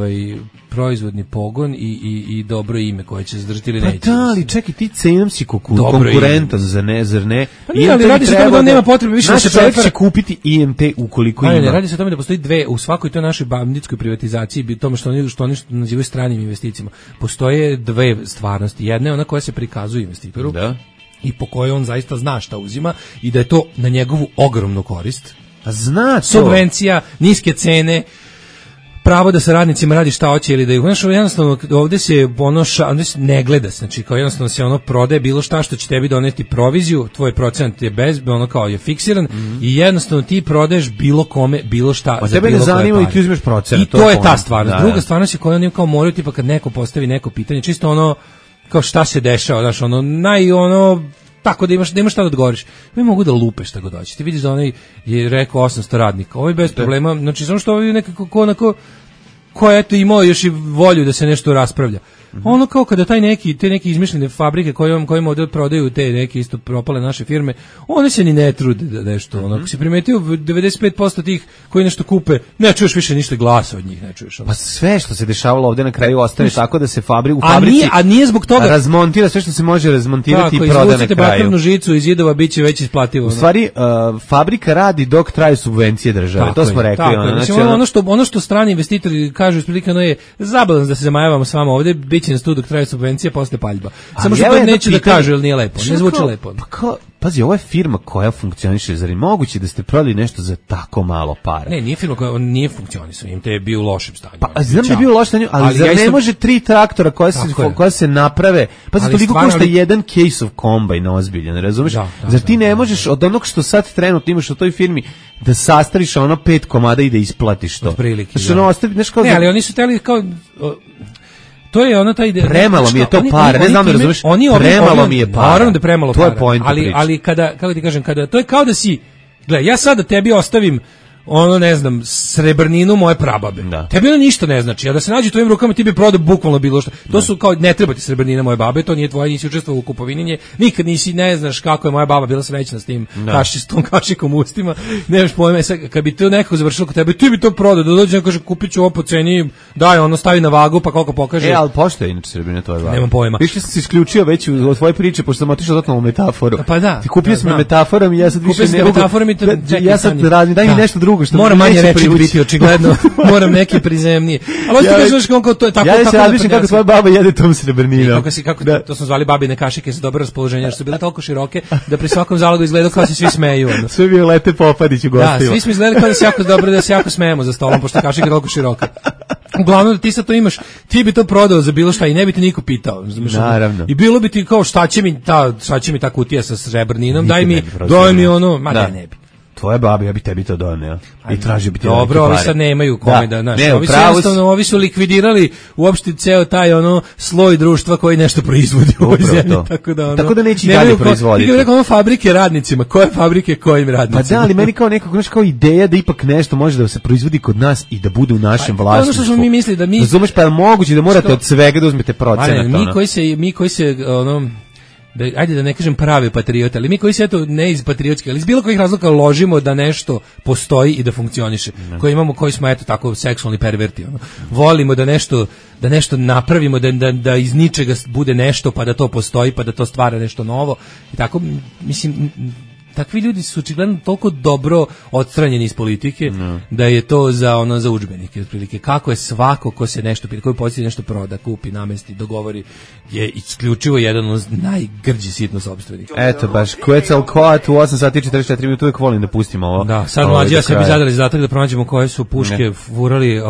proizvodni pogon i dobro ime koje će zadržati ili neće.
Pa da, ali čekaj, ti cenom si konkurentan, zar ne?
Pa nije, ali radi se o tome da nema potrebe više da se
čovjek će kupiti IMT ukoliko ima.
Ne, radi se o tome da postoji u svakoj toj našoj banditskoj privatizaciji, tome što oni nazivaju stranim investicijama, postoje dve stvarnosti. Jedna je ona koja se prikazuje investitoru i po kojoj on zaista zna šta uzima i da je to na njegovu ogromnu korist.
Zna to.
Subvencija, niske cene, pravo da sa radnicima radi šta hoće ili da ih, znaš, jednostavno ovdje se ovdje se ne gleda, znači kao jednostavno se prodaje bilo šta što će tebi doneti proviziju, tvoj procent je kao je fiksiran i jednostavno ti prodaješ bilo kome, bilo šta.
Pa tebe ne zanima i ti uzmeš procent.
I to je ta stvarnost. Druga stvarnost je koja oni kao moraju, tipa kad neko postavi neko pitanje, čisto kao šta se dešava, znaš, tako da imaš šta da odgovoriš. Mi mogu da lupe šta god hoće. Ti vidiš da onaj je rekao 800 radnika. Ovo je bez problema. Znači, samo što ovo je nekako ko je eto imao još i volju da se nešto raspravlja. Ono kao kada te neke izmišljene fabrike kojima ovdje prodaju te neke isto propale naše firme, one se ni ne trude da nešto. Ako si primetio 95% tih koji nešto kupe, ne čuješ više ništa glasa od njih, ne čuješ.
Pa sve što se dešavalo ovdje na kraju ostane tako da se u fabrici
nije zbog toga
razmontira sve što se može razmontirati i proda na kraju.
Izvucite bakarnu žicu iz zidova, bit će već isplativo.
U stvari, fabrika radi dok traju subvencije države, to smo rekli.
Ono što strani investitori kažu isprilikano je zabalans da se zamajavamo s vama ovdje, biće nas tu dok traje subvencija, posle paljba. Samo što to neće da kažu, jer nije lepo, ne zvuči lepo.
Pazi, ovo je firma koja funkcioniše, zar je moguće da ste prodali nešto za tako malo para?
Ne, nije firma koja nije funkcionisao, im te je bio u lošem stanju.
Pa znam da je bio u lošem stanju, ali zar ne može 3 traktora koja se naprave, pazi, toliko košta jedan case of combine ozbiljan, razumeš? Zar ti ne možeš od onog što sad trenutno imaš u toj firmi da sastariš 5 komada i da isplatiš to?
Otprilike,
ne,
ali oni su teli kao... To je ona taj
premalo mi je to para, ne znam da razumeš. Premalo mi je para.
Naravno da je premalo para.
To je point.
Ali kada, kako ti kažem, kada to je kao da si, gle, ja sad da tebi ostavim ono ne znam, srebrninu moje prababe. Tebi ono ništa ne znači, a da se nađe u tvojim rukama ti bi prodao bukvalno bilo što. To su kao, ne treba ti srebrnina moje babe, to nije tvoje, nisi učestvovao u kupovini nje, nikad nisi, ne znaš kako je moja baba bila srećna s tim kašistom, kašikom u ustima, nemaš pojma, kad bi to nekako završilo kod tebe, ti bi to prodao, da dođe kaže kupit ću ovo po ceni, daj ono stavi na vagu pa koliko pokaže.
Ali pošto je inače srebrnina tvoje babe?
Nemam pojma.
Više sam se isključio već u tvoje priče, pošto sam otišao totalno u metaforu.
Pa da.
Ti kupio sam metaforom i ja sad više ne mogu. Ja sad radim, daj mi nešto drugo što
moram manje reći biti očigledno. Moram neki prizemnije. Ali hoćeš ti kažeš kako to je tako.
Ja se razmišljam kako tvoja baba jede tom srebrninom.
Kako to smo zvali babine kašike sa dobro raspoloženje, jer su bile toliko široke da pri svakom zalogu izgledalo kao se svi smeju.
Sve bio Lete Popadić u gostima.
Da, svi smo izgledali kao da se jako dobro, da se jako smejemo za stolom, pošto kašika je toliko široka. Uglavnom da ti sad to imaš, ti bi to prodao za bilo šta i ne bi te niko pitao.
Naravno.
I bilo bi ti kao šta će mi ta kutija sa srebrninom, daj mi ono, ma da ne bi.
Tvoje babi, ja bi tebi to doneo. I tražio bi ti
dobro, ovi sad nemaju kome da, znaš, ovi su likvidirali uopšte ceo taj ono sloj društva koji nešto proizvodi u ovoj zemlji,
tako da neće i dalje proizvoditi.
Ti rekao ono fabrike radnicima, koje fabrike kojim radnicima?
Pa da, ali meni kao nekako, znaš, kao ideja da ipak nešto može da se proizvodi kod nas i da bude u našem vlasništvu.
Ono što smo mi mislili da mi...
Razumeš, pa je moguće da morate od svega da uzmete procenat.
Mi koji se ono... ajde da ne kažem pravi patrioti, ali mi koji se eto ne iz patriotski, ali iz bilo kojih razloga ložimo da nešto postoji i da funkcioniše, koji smo eto tako seksualni perverti, ono. Volimo da nešto napravimo, da iz ničega bude nešto, pa da to postoji, pa da to stvara nešto novo i tako, mislim, takvi ljudi su očigledno toliko dobro odstranjeni iz politike da je to za udžbenike otprilike. Kako je svako ko se nešto pita, koji poslije nešto proda, kupi, namesti, dogovori, je isključivo jedan od najgrđi sitnosopstvenika.
Eto baš, Quetzalcoatl u 8 sati 44 minuta, uvijek volim da pustimo ovo.
Da, sad mlađi ja sebi zadali zadatak da pronađemo koje su puške furali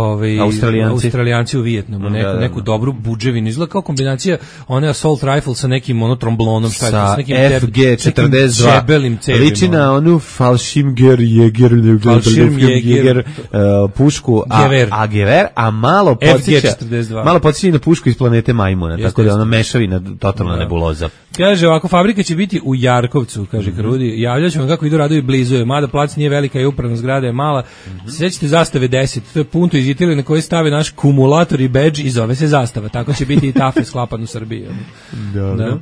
Australijanci u Vijetnamu, neku dobru budževinu, izgleda kao kombinacija one assault rifle sa nekim trombonom, šta je to, s nekim
FG-42. Liči na onu Fallschirmjäger pušku, a gever, a malo podsjeća na pušku iz planete Majmuna, tako da ono mešavina totalna nebuloza.
Kaže ovako, fabrika će biti u Jarkovcu, kaže Krudi, javljat ću vam kako idu radovi blizu je, mada plac nije velika i upravna zgrada je mala, sećate zastave 10, to je punto iz Italije na koji stave naš kumulator i badge i zove se zastava, tako će biti i Tafe sklapan u Srbiji. Da.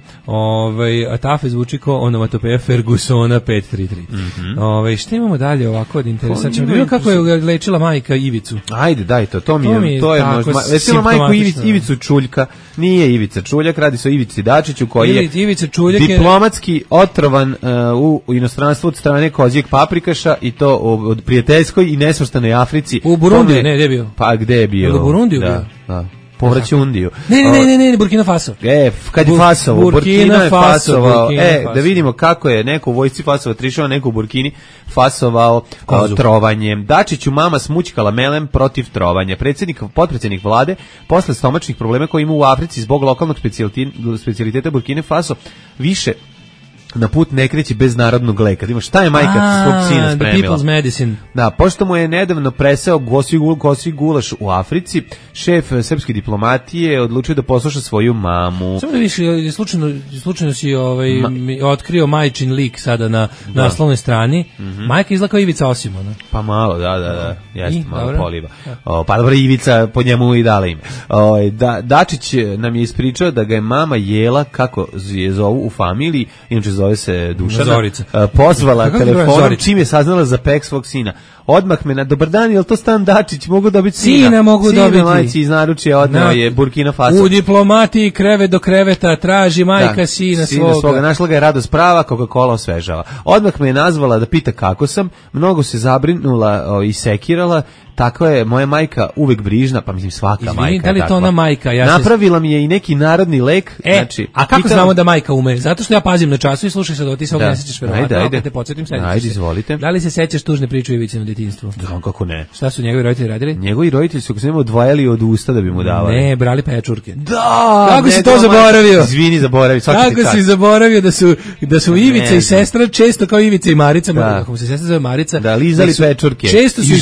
A Tafe zvuči kao onomatopeja Fergusona 533. Šta imamo dalje ovako od interesantno? Vidimo kako je lečila majka Ivicu.
Ajde, daj to mi je možda. Lečila majku Ivicu Čuljka, nije Ivica Čuljak, radi se o Ivici Dačiću koji je diplomatski otrovan u inostranstvu od strane kozijeg paprikaša i to od prijateljskoj i nesvrstanoj Africi.
U Burundi, ne, gde je bio?
Pa gde je bio?
U Burundiju bio?
Da. Povraća Undiju.
Ne, Burkina Faso.
Kad je Fasovo, Burkina je Fasovao. Da vidimo kako je neko u vojsci Fasova trišao, neko u Burkini Fasovao trovanjem. Dačiću mama smućkala melem protiv trovanja. Potpredsjednik vlade, posle stomačnih problema koje ima u Africi zbog lokalnog specijaliteta Burkine Faso, više na put ne kreći bez narodnog leka. Ima šta je majka svog sina spremila?
The people's medicine.
Da, pošto mu je nedavno presao gosi gulaš u Africi, šef srpske diplomatije odlučio da posluša svoju mamu.
Samo da viš, slučajno si otkrio majčin lik sada na naslovnoj strani. Majka izgleda kao Ivica Osimona.
Pa malo, da. Jeste, malo poliva. Pa dobro, Ivica po njemu i dala ime. Dačić nam je ispričao da ga je mama jela, kako je zovu u familiji, inače zove se Dušana, pozvala telefonom čim je saznala za pek svog sina. Odmah me na dobar dan, je li to Stan Dačić, mogu dobiti sina?
Sina mogu dobiti.
Majci iz naručja odneo je Burkina Faso.
U diplomatiji krevet do kreveta traži majka sina svoga.
Našla ga je radost prava, Coca-Cola osvežava. Odmah me je nazvala da pita kako sam, mnogo se zabrinula i sekirala. Tako je moja majka uvek brižna, pa mislim svaka majka.
Izvini, da li to ona majka?
Napravila mi je i neki narodni lek.
A kako znamo da majka ume? Zato što ja pazim na času i slušaj sad, ti se ovdje ne sećaš verovatno. Ajde. Te podsjetim,
ajde, izvolite.
Da li se sećaš tužne priče o Ivici na djetinjstvu?
Znam kako ne.
Šta su njegovi roditelji radili?
Njegovi roditelji su se odvajali od usta da bi mu davali.
Ne, brali pečurke.
Da!
Kako si to zaboravio?
Izvini, zaboravio.
Kako si zaboravio da su Ivica i sestra često kao Ivica i Marica, kako se sestra zove Marica.
Da, lizali pečurke.
Često su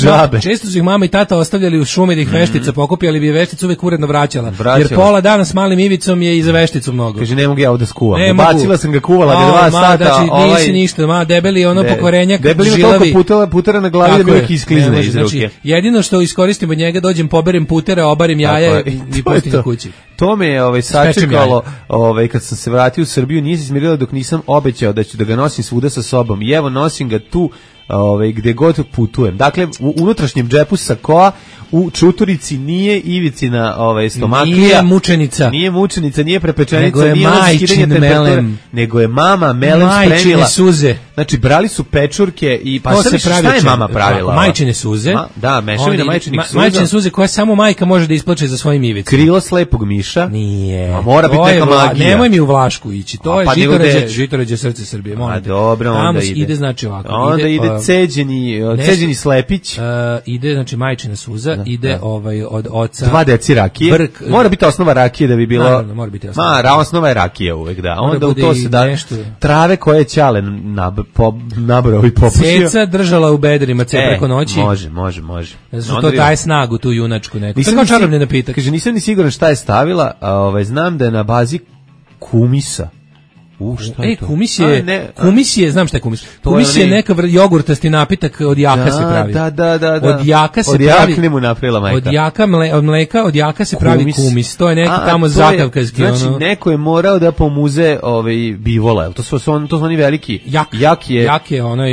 ih mama i tata ostavljali u šumi da ih veštica pokupi, ali bi je veštica uvek uredno vraćala. Jer pola dana s malim Ivicom je i za vešticu mnogo.
Kaže, ne mogu ja ovde skuvam. Bacila sam ga, kuvala ga 2 sata.
Znači, nisi ništa, debeli ono pokvarenjak,
debeli
žilavi.
Toliko putera na glavi da mi uvek isklizne iz ruke.
Znači, jedino što iskoristim od njega, dođem, poberem putera, obarim jaja i pustim ga kući.
To me je sačekalo, kad sam se vratio u Srbiju, nije se smirila dok nisam obećao da ću da ga nosim svuda sa sobom. I evo, nosim ga tu gde god putujem. Dakle, u unutrašnjem džepu sakoa, u čuturici nije Ivicina stomaklija. Nije mučenica, nije prepečenica, nije
majčin melem.
Nego je mama melem spremila.
Majčine suze.
Znači, brali su pečurke i
pa
šta je mama pravila?
Majčine suze.
Da, mešavina majčinih suza.
Majčine suze koje samo majka može da isplače za svojim Ivicom.
Krilo slepog miša.
Nije.
A mora biti neka magija.
Nemoj mi u Vlašku ići. To je Žitorađe srce Srbije.
A dobro, onda ide.
Ide znači ovako.
Onda ide ceđeni slepić.
Ide znači majčina suza, ide od oca
2 deci rakije. Mora biti osnova rakije da bi bilo.
Naravno, mora biti osnova.
Osnova je rakija uvek, da. Onda u to se da trave koje ćale nabrao i popušio.
Ceca držala u bedrima preko noći.
Može.
Znači to daje snagu tu junačku neku. To je kao čarobni napitak.
Kaže, nisam ni siguran šta je stavila, znam da je na bazi kumisa. Šta je to?
Kumis je, znam šta je kumis. Kumis je neka jogurtasti napitak, od jaka se pravi.
Da.
Od jaka se pravi.
Od jakne mu napravila majka.
Od mleka, od jaka se pravi kumis. To je neki tamo zakavkazki.
Znači, neko je morao da pomuze bivola. To su oni veliki.
Jak je onaj,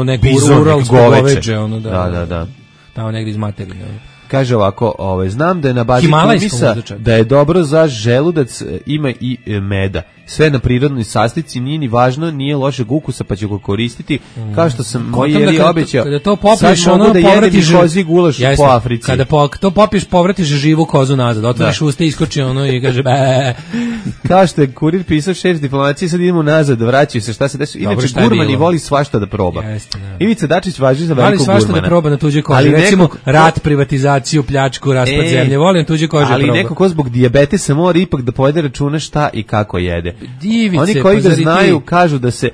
neko uralsko goveđe.
Da.
Tamo negdje iz materine.
Kaže ovako, znam da je na bazi kumisa, da je dobro za želudac, ima i meda. Sve na prirodnoj sastojci, nije ni važno, nije lošeg ukusa, pa ću ga koristiti. Kao što sam moj jeli obećao,
kada to popiješ,
sad mogu da jedem i kozi gulaš po Africi.
Kada to popiješ, povratiš živu kozu nazad, otvoriš usta, iskoči i kaže
Kao što je kurir pisao, šef diplomacije, sad idemo nazad, vraćaju se, šta se desi. Inače, gurman voli svašta da proba. Ivica Dačić važi za velikog gurmana.
Voli svašta da proba na tuđoj koži. Recimo, rat, privatizaciju, pljačku, raspad zemlje, volim tuđe kože proba.
Ali neko ko zbog dijabetesa mora ipak da povede računa šta i kako jede.
Divice,
oni koji ga znaju kažu da se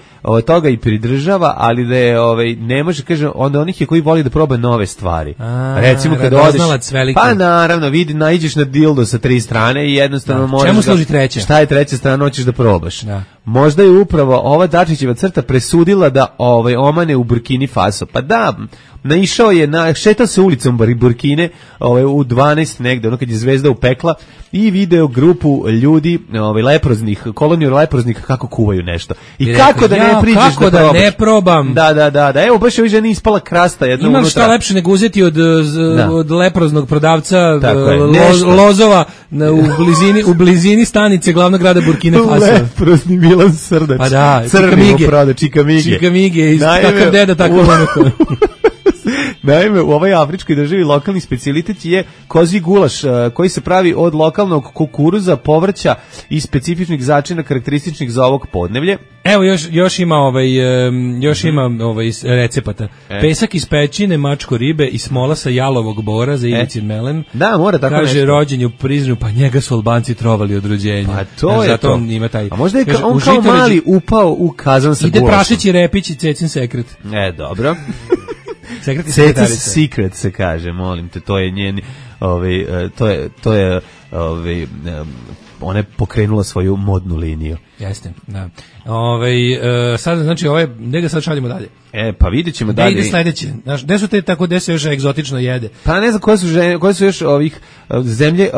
toga i pridržava, ali da je ne može, kaže, onda onih je koji voli da proba nove stvari. Recimo kada odeš, pa naravno, naiđeš na dildo sa 3 strane i jednostavno možeš.
Čemu služi treća?
Šta je treća strana, hoćeš da probaš. Možda je upravo ova Dačićeva crta presudila da omane u Burkini Faso. Pa da, naišao je, šetao se ulicom Burkine u 12 negde, ono kad je zvezda upekla, i video grupu ljudi, leproznih, koloniju leproznih, kako kuvaju nešto. I kako da ne priđeš
kako da ne probam.
Da. Evo, baš je ženi ispala krasta jedna unutra.
Imam šta lepše nego uzeti od leproznog prodavca lozova u blizini stanice glavnog grada Burkine Faso.
Leprozni Milan Srdač.
Pa da, Čikamige. Takav deda, tako onako.
Naime, u ovoj afričkoj državi lokalni specijalitet je kozi gulaš, koji se pravi od lokalnog kukuruza, povrća i specifičnih začina karakterističnih za ovog podneblje.
Evo još ima recepata. Pesak iz pećine, mačko ribe i smola sa jalovog bora za Ivicin melem.
Da, mora tako nešto.
Kaže, rođen je u Prizrenu, pa njega su Albanci trovali od rođenja.
Pa to je
zato
to.
On ima taj.
A možda je on kao mali upao u kazan sa gulašom.
Ide prašeći repić i Cecin sekret.
Dobro.
Cecin
secret se kaže, molim te, to je njen, to je ona je pokrenula svoju modnu liniju.
Jeste, da. Sad, znači, gde ga sad šaljemo dalje?
Pa vidjet ćemo dalje.
Gde ide sledeće? Gde su te tako, gde se još egzotično jede?
Pa ne znam koje su još ovih zemlje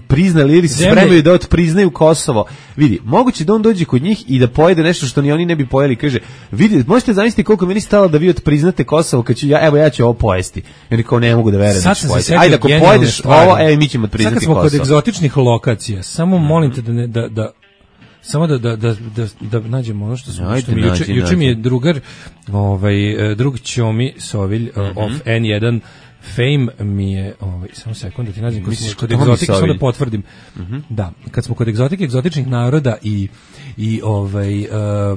priznali ili se spremaju da otpriznaju Kosovo. Vidi, moguće da on dođe kod njih i da pojede nešto što ni oni ne bi pojeli. Kaže, vidi, možete zamisliti koliko meni stalo da vi otpriznate Kosovo kad ću ja ću ovo pojesti. I oni kao ne mogu da verujem da ću pojesti. Ajde, ako pojedeš ovo, mi ćemo otpriznati Kosovo.
Sad kad smo kod egzotičnih lokacija, samo molim te samo da nađemo ono što mi juče mi je drugar, drug Ćomi Sovilj of N1 Fame mi je, samo sekund da ti nađem kod egzotike, samo da potvrdim. Da, kad smo kod egzotičnih naroda i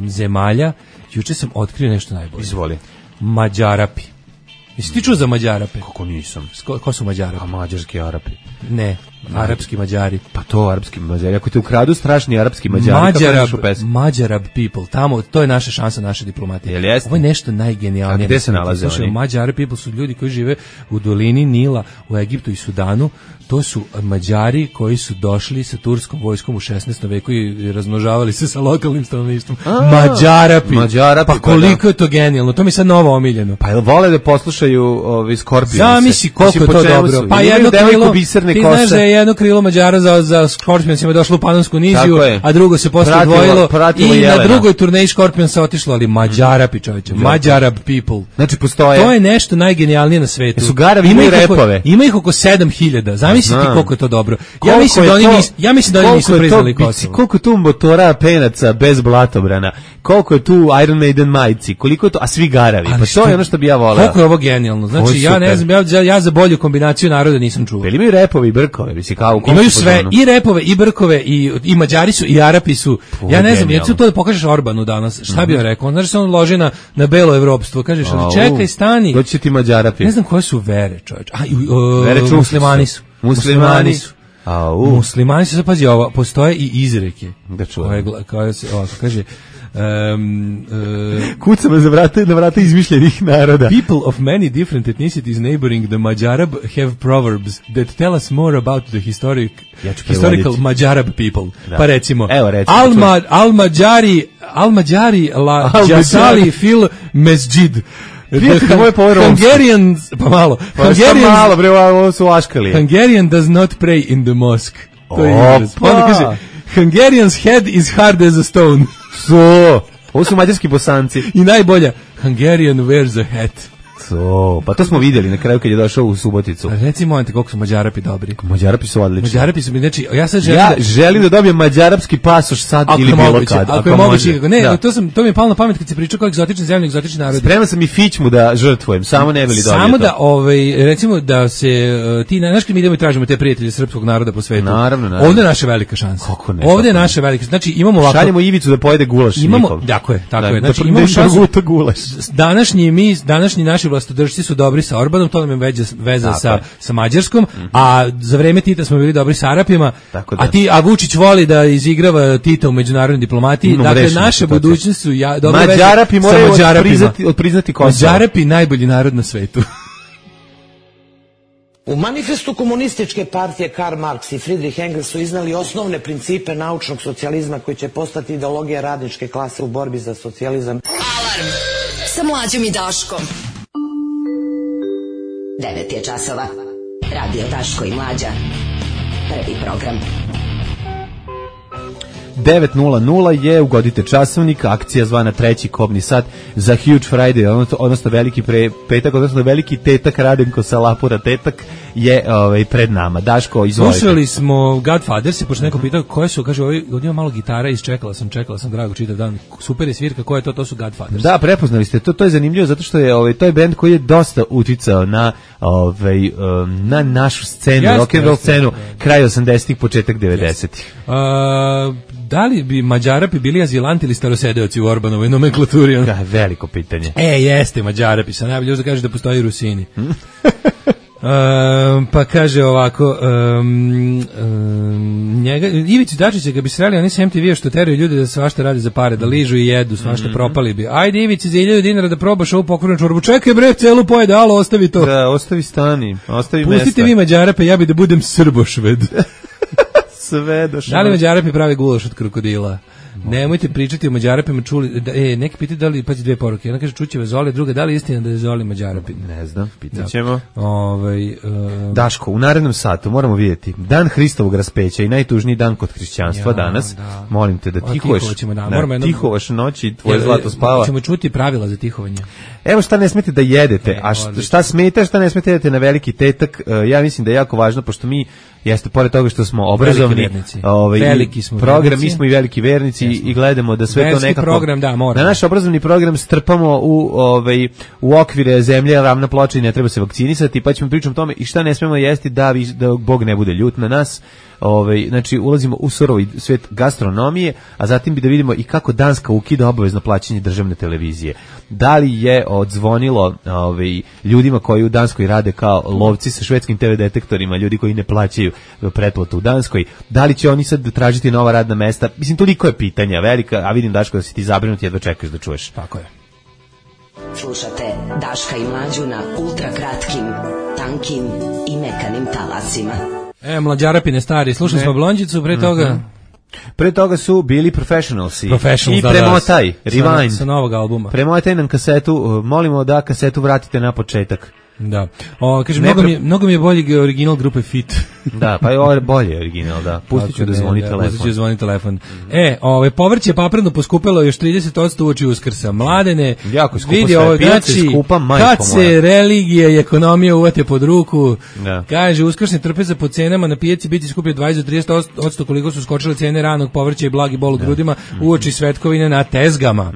zemalja, juče sam otkrio nešto najbolje.
Izvoli.
Mađarapi. Jesi ti čuo za Mađarape?
Kako nisam?
Ko su Mađarapi?
A mađarski Arapi.
Ne. Arapski Mađari.
Pa to arapski Mađari. Ako te ukradu strašni arapski Mađari,
Mađarab people. Tamo, to je naša šansa, naše diplomatije. Ovo je nešto najgenijalnije.
A gde se nalaze oni?
Mađarab people su ljudi koji žive u dolini Nila, u Egiptu i Sudanu. To su Mađari koji su došli sa turskom vojskom u 16. veku i razmnožavali se sa lokalnim stanovništvom. Mađarapi. Pa koliko je to genijalno. To mi je sad novo omiljeno.
Pa jel vole da poslušaju Scorpions?
Zamisli koliko je to dobro. Pa jedno krilo, ti znaš da je jedno krilo Mađara za Scorpionsima došlo u Panonsku niziju, a drugo se posle odvojilo i na drugoj turneji Scorpionsa otišlo, ali Mađarapi, čoveče. Mađarab people.
Znači postoje.
To je nešto najgenijalnije na svetu.
Su Garavi imaju repove.
Ima ih oko 7000. Zamislite koliko je to dobro. Ja mislim da oni nisu priznali Kosovo.
Koliko je tu motora penaca bez blatobrana, koliko je tu Iron Maiden majici, koliko je to, a svi Garavi. Pa to je ono što bi ja voleo.
Koliko je ovo genijalno. Znači ja ne znam, ja za bolju kombinaciju naroda nisam čuo.
Imaju repove i brkove, mislim kao
imaju sve, i repove i brkove i Mađari su i Arapi su. Ja ne znam, ja ću to da pokažeš Orbanu danas. Šta bi on rekao? Znaš se on loži na belo evropstvo. Kažeš, ali čekaj, stani.
Doći ti Mađarapi.
Ne znam koje su vere, čoveče. Muslimani su. Muslimani su, pazi ovo, postoje i izreke. Koje se ovako kaže,
kucamo na vrata izmišljenih naroda.
People of many different ethnicities neighboring the Mađarab have proverbs that tell us more about the historical Mađarab people. Da. Pa recimo, Al-Mađari la jasali fil mesđid. Hungarians, pa malo.
Ovo su aškali.
Hungarian does not pray in the mosque. To je izraz. Onda kaže, Hungarian's head is hard as a stone.
Ovo su mađarski Bosanci.
I najbolja, Hungarian wears a hat.
Pa to smo vidjeli na kraju kad je došao u Suboticu.
Reci momenti koliko su Mađarapi dobri.
Mađarapi su odlični.
Mađarapi su, znači,
ja želim da dobijem mađarapski pasoš sad ili bilo kad.
Ako je moguće. Ne, to mi je palo na pamet kad se pričao kao egzotične zemlje, egzotični narodi.
Spreman sam i fićmu da žrtvujem, samo ne bili dobio.
Samo da, recimo da se ti, znaš kad mi idemo i tražimo te prijatelje srpskog naroda po svetu.
Naravno.
Ovdje je naša velika šansa. Ovdje je naša velika. Znači imamo ovako.
Šaljemo Ivicu da pojede gulaš.
Imamo, tako je. Znači imamo šansu. Današnji naši vlastodržci su dobri sa Orbanom, to nam je veza sa Mađarskom, a za vreme Tita smo bili dobri sa Arapima, a Vučić voli da izigrava Tita u međunarodnoj diplomatiji, dakle naše budućnosti su dobre veze
Mađarapi moraju priznati Kosovo.
Mađarapi najbolji narod na svetu.
U manifestu komunističke partije Karl Marx i Friedrich Engels su iznali osnovne principe naučnog socijalizma koji će postati ideologija radničke klase u borbi za socijalizam.
Alarm sa Mlađom i Daškom. 9 je časova. Radio Daško i Mlađa. Prvi program.
9:00 je, ugodite časovnik, akcija zvana treći kobni sat za Huge Friday, odnosno veliki petak, odnosno veliki tetak Radenko Salapura tetak je pred nama. Daško, izvolite.
Slušali smo Godfather, se pošto neko pitao koje su, kaže, ovdje ima malo gitara, čekala sam Drago čitav dan, super je svirka, koje to su Godfathers.
Da, prepoznali ste, to je zanimljivo zato što je to je bend koji je dosta uticao na našu scenu, rock'n'roll scenu, kraj 80-ih, početak 90-ih.
Da li bi Mađarapi bili azilanti ili starosedeoci u Orbanovoj nomenklaturi?
Veliko pitanje.
Jeste Mađarapi, sad najbolje još da kaže da postoji Rusini. Pa kaže ovako, Ivici Dačića ga bi sreli, oni se MTV što teraju ljudi da svašta radi za pare, da ližu i jedu, svašta propali bi. Ajde Ivici za 1000 dinara da probaš ovu pokvarnu čorbu. Čekaj bre, celu pojede, alo, ostavi to.
Da, ostavi stani, ostavi mesta.
Pustite vi Mađarape, ja bi da budem Srbošved. Da li Mađarapi pravi gulaš od krokodila? Nemojte pričati o Mađarapima, čuli, neki pitaju da li, pazi dve poruke, jedna kaže Čućeva Zoli, druga da li je istina da je Zoli Mađarapi?
Ne znam, pitat ćemo.
Daško,
u narednom satu moramo vidjeti dan Hristovog raspeća i najtužniji dan kod hrišćanstva danas. Da. Molim te da tihovaš noći, tvoje zlato spava.
Ćemo čuti pravila za tihovanje.
Evo šta ne smete da jedete, a šta smete, šta ne smete jedete na veliki tetak, ja mislim da je jako važno, pošto mi jeste, pored toga što smo obrazovni,
veliki smo
program, mi smo i veliki vernici i gledamo da sve to nekako
program, da
naš obrazovni program strpamo u okvire zemlje, ravna ploča i ne treba se vakcinisati, pa ćemo pričati o tome i šta ne smemo jesti da Bog ne bude ljut na nas. znači ulazimo u surovi svet gastronomije, a zatim bi da vidimo i kako Danska ukida obavezno plaćanje državne televizije. Da li je odzvonilo ljudima koji u Danskoj rade kao lovci sa švedskim TV detektorima, ljudi koji ne plaćaju pretplatu u Danskoj, da li će oni sad tražiti nova radna mesta? Mislim, toliko je pitanja velika, a vidim, Daško, da si ti zabrinut, jedva čekaš da čuješ.
Tako je.
Slušate Daška i Mlađu na ultra kratkim, tankim i mekanim talasima.
Mlađarapine stari, slušali smo Blondjicu, pre toga...
Pre toga su bili Professionalsi i
da,
premotaj, Rewind.
Sa novog albuma.
Premotaj nam kasetu, molimo da kasetu vratite na početak.
Da. Kaže, mnogo mi je bolji original grupe Fit.
Da, pa je ovo bolje original, da. Pustit ću da zvoni telefon.
Pustit ću da zvoni telefon. Povrće papreno poskupelo još 30% uoči Uskrsa. Mladene,
jako skupo
vidi
sve.
ovo,
Pijaca je skupa, majko
kad se
moja.
religija i ekonomija uvate pod ruku,
da.
Kaže, uskrsne trpeze po cenama na pijaci biti skuplje 20-30% koliko su skočile cene ranog povrća i blagi bol u grudima uoči svetkovine na tezgama.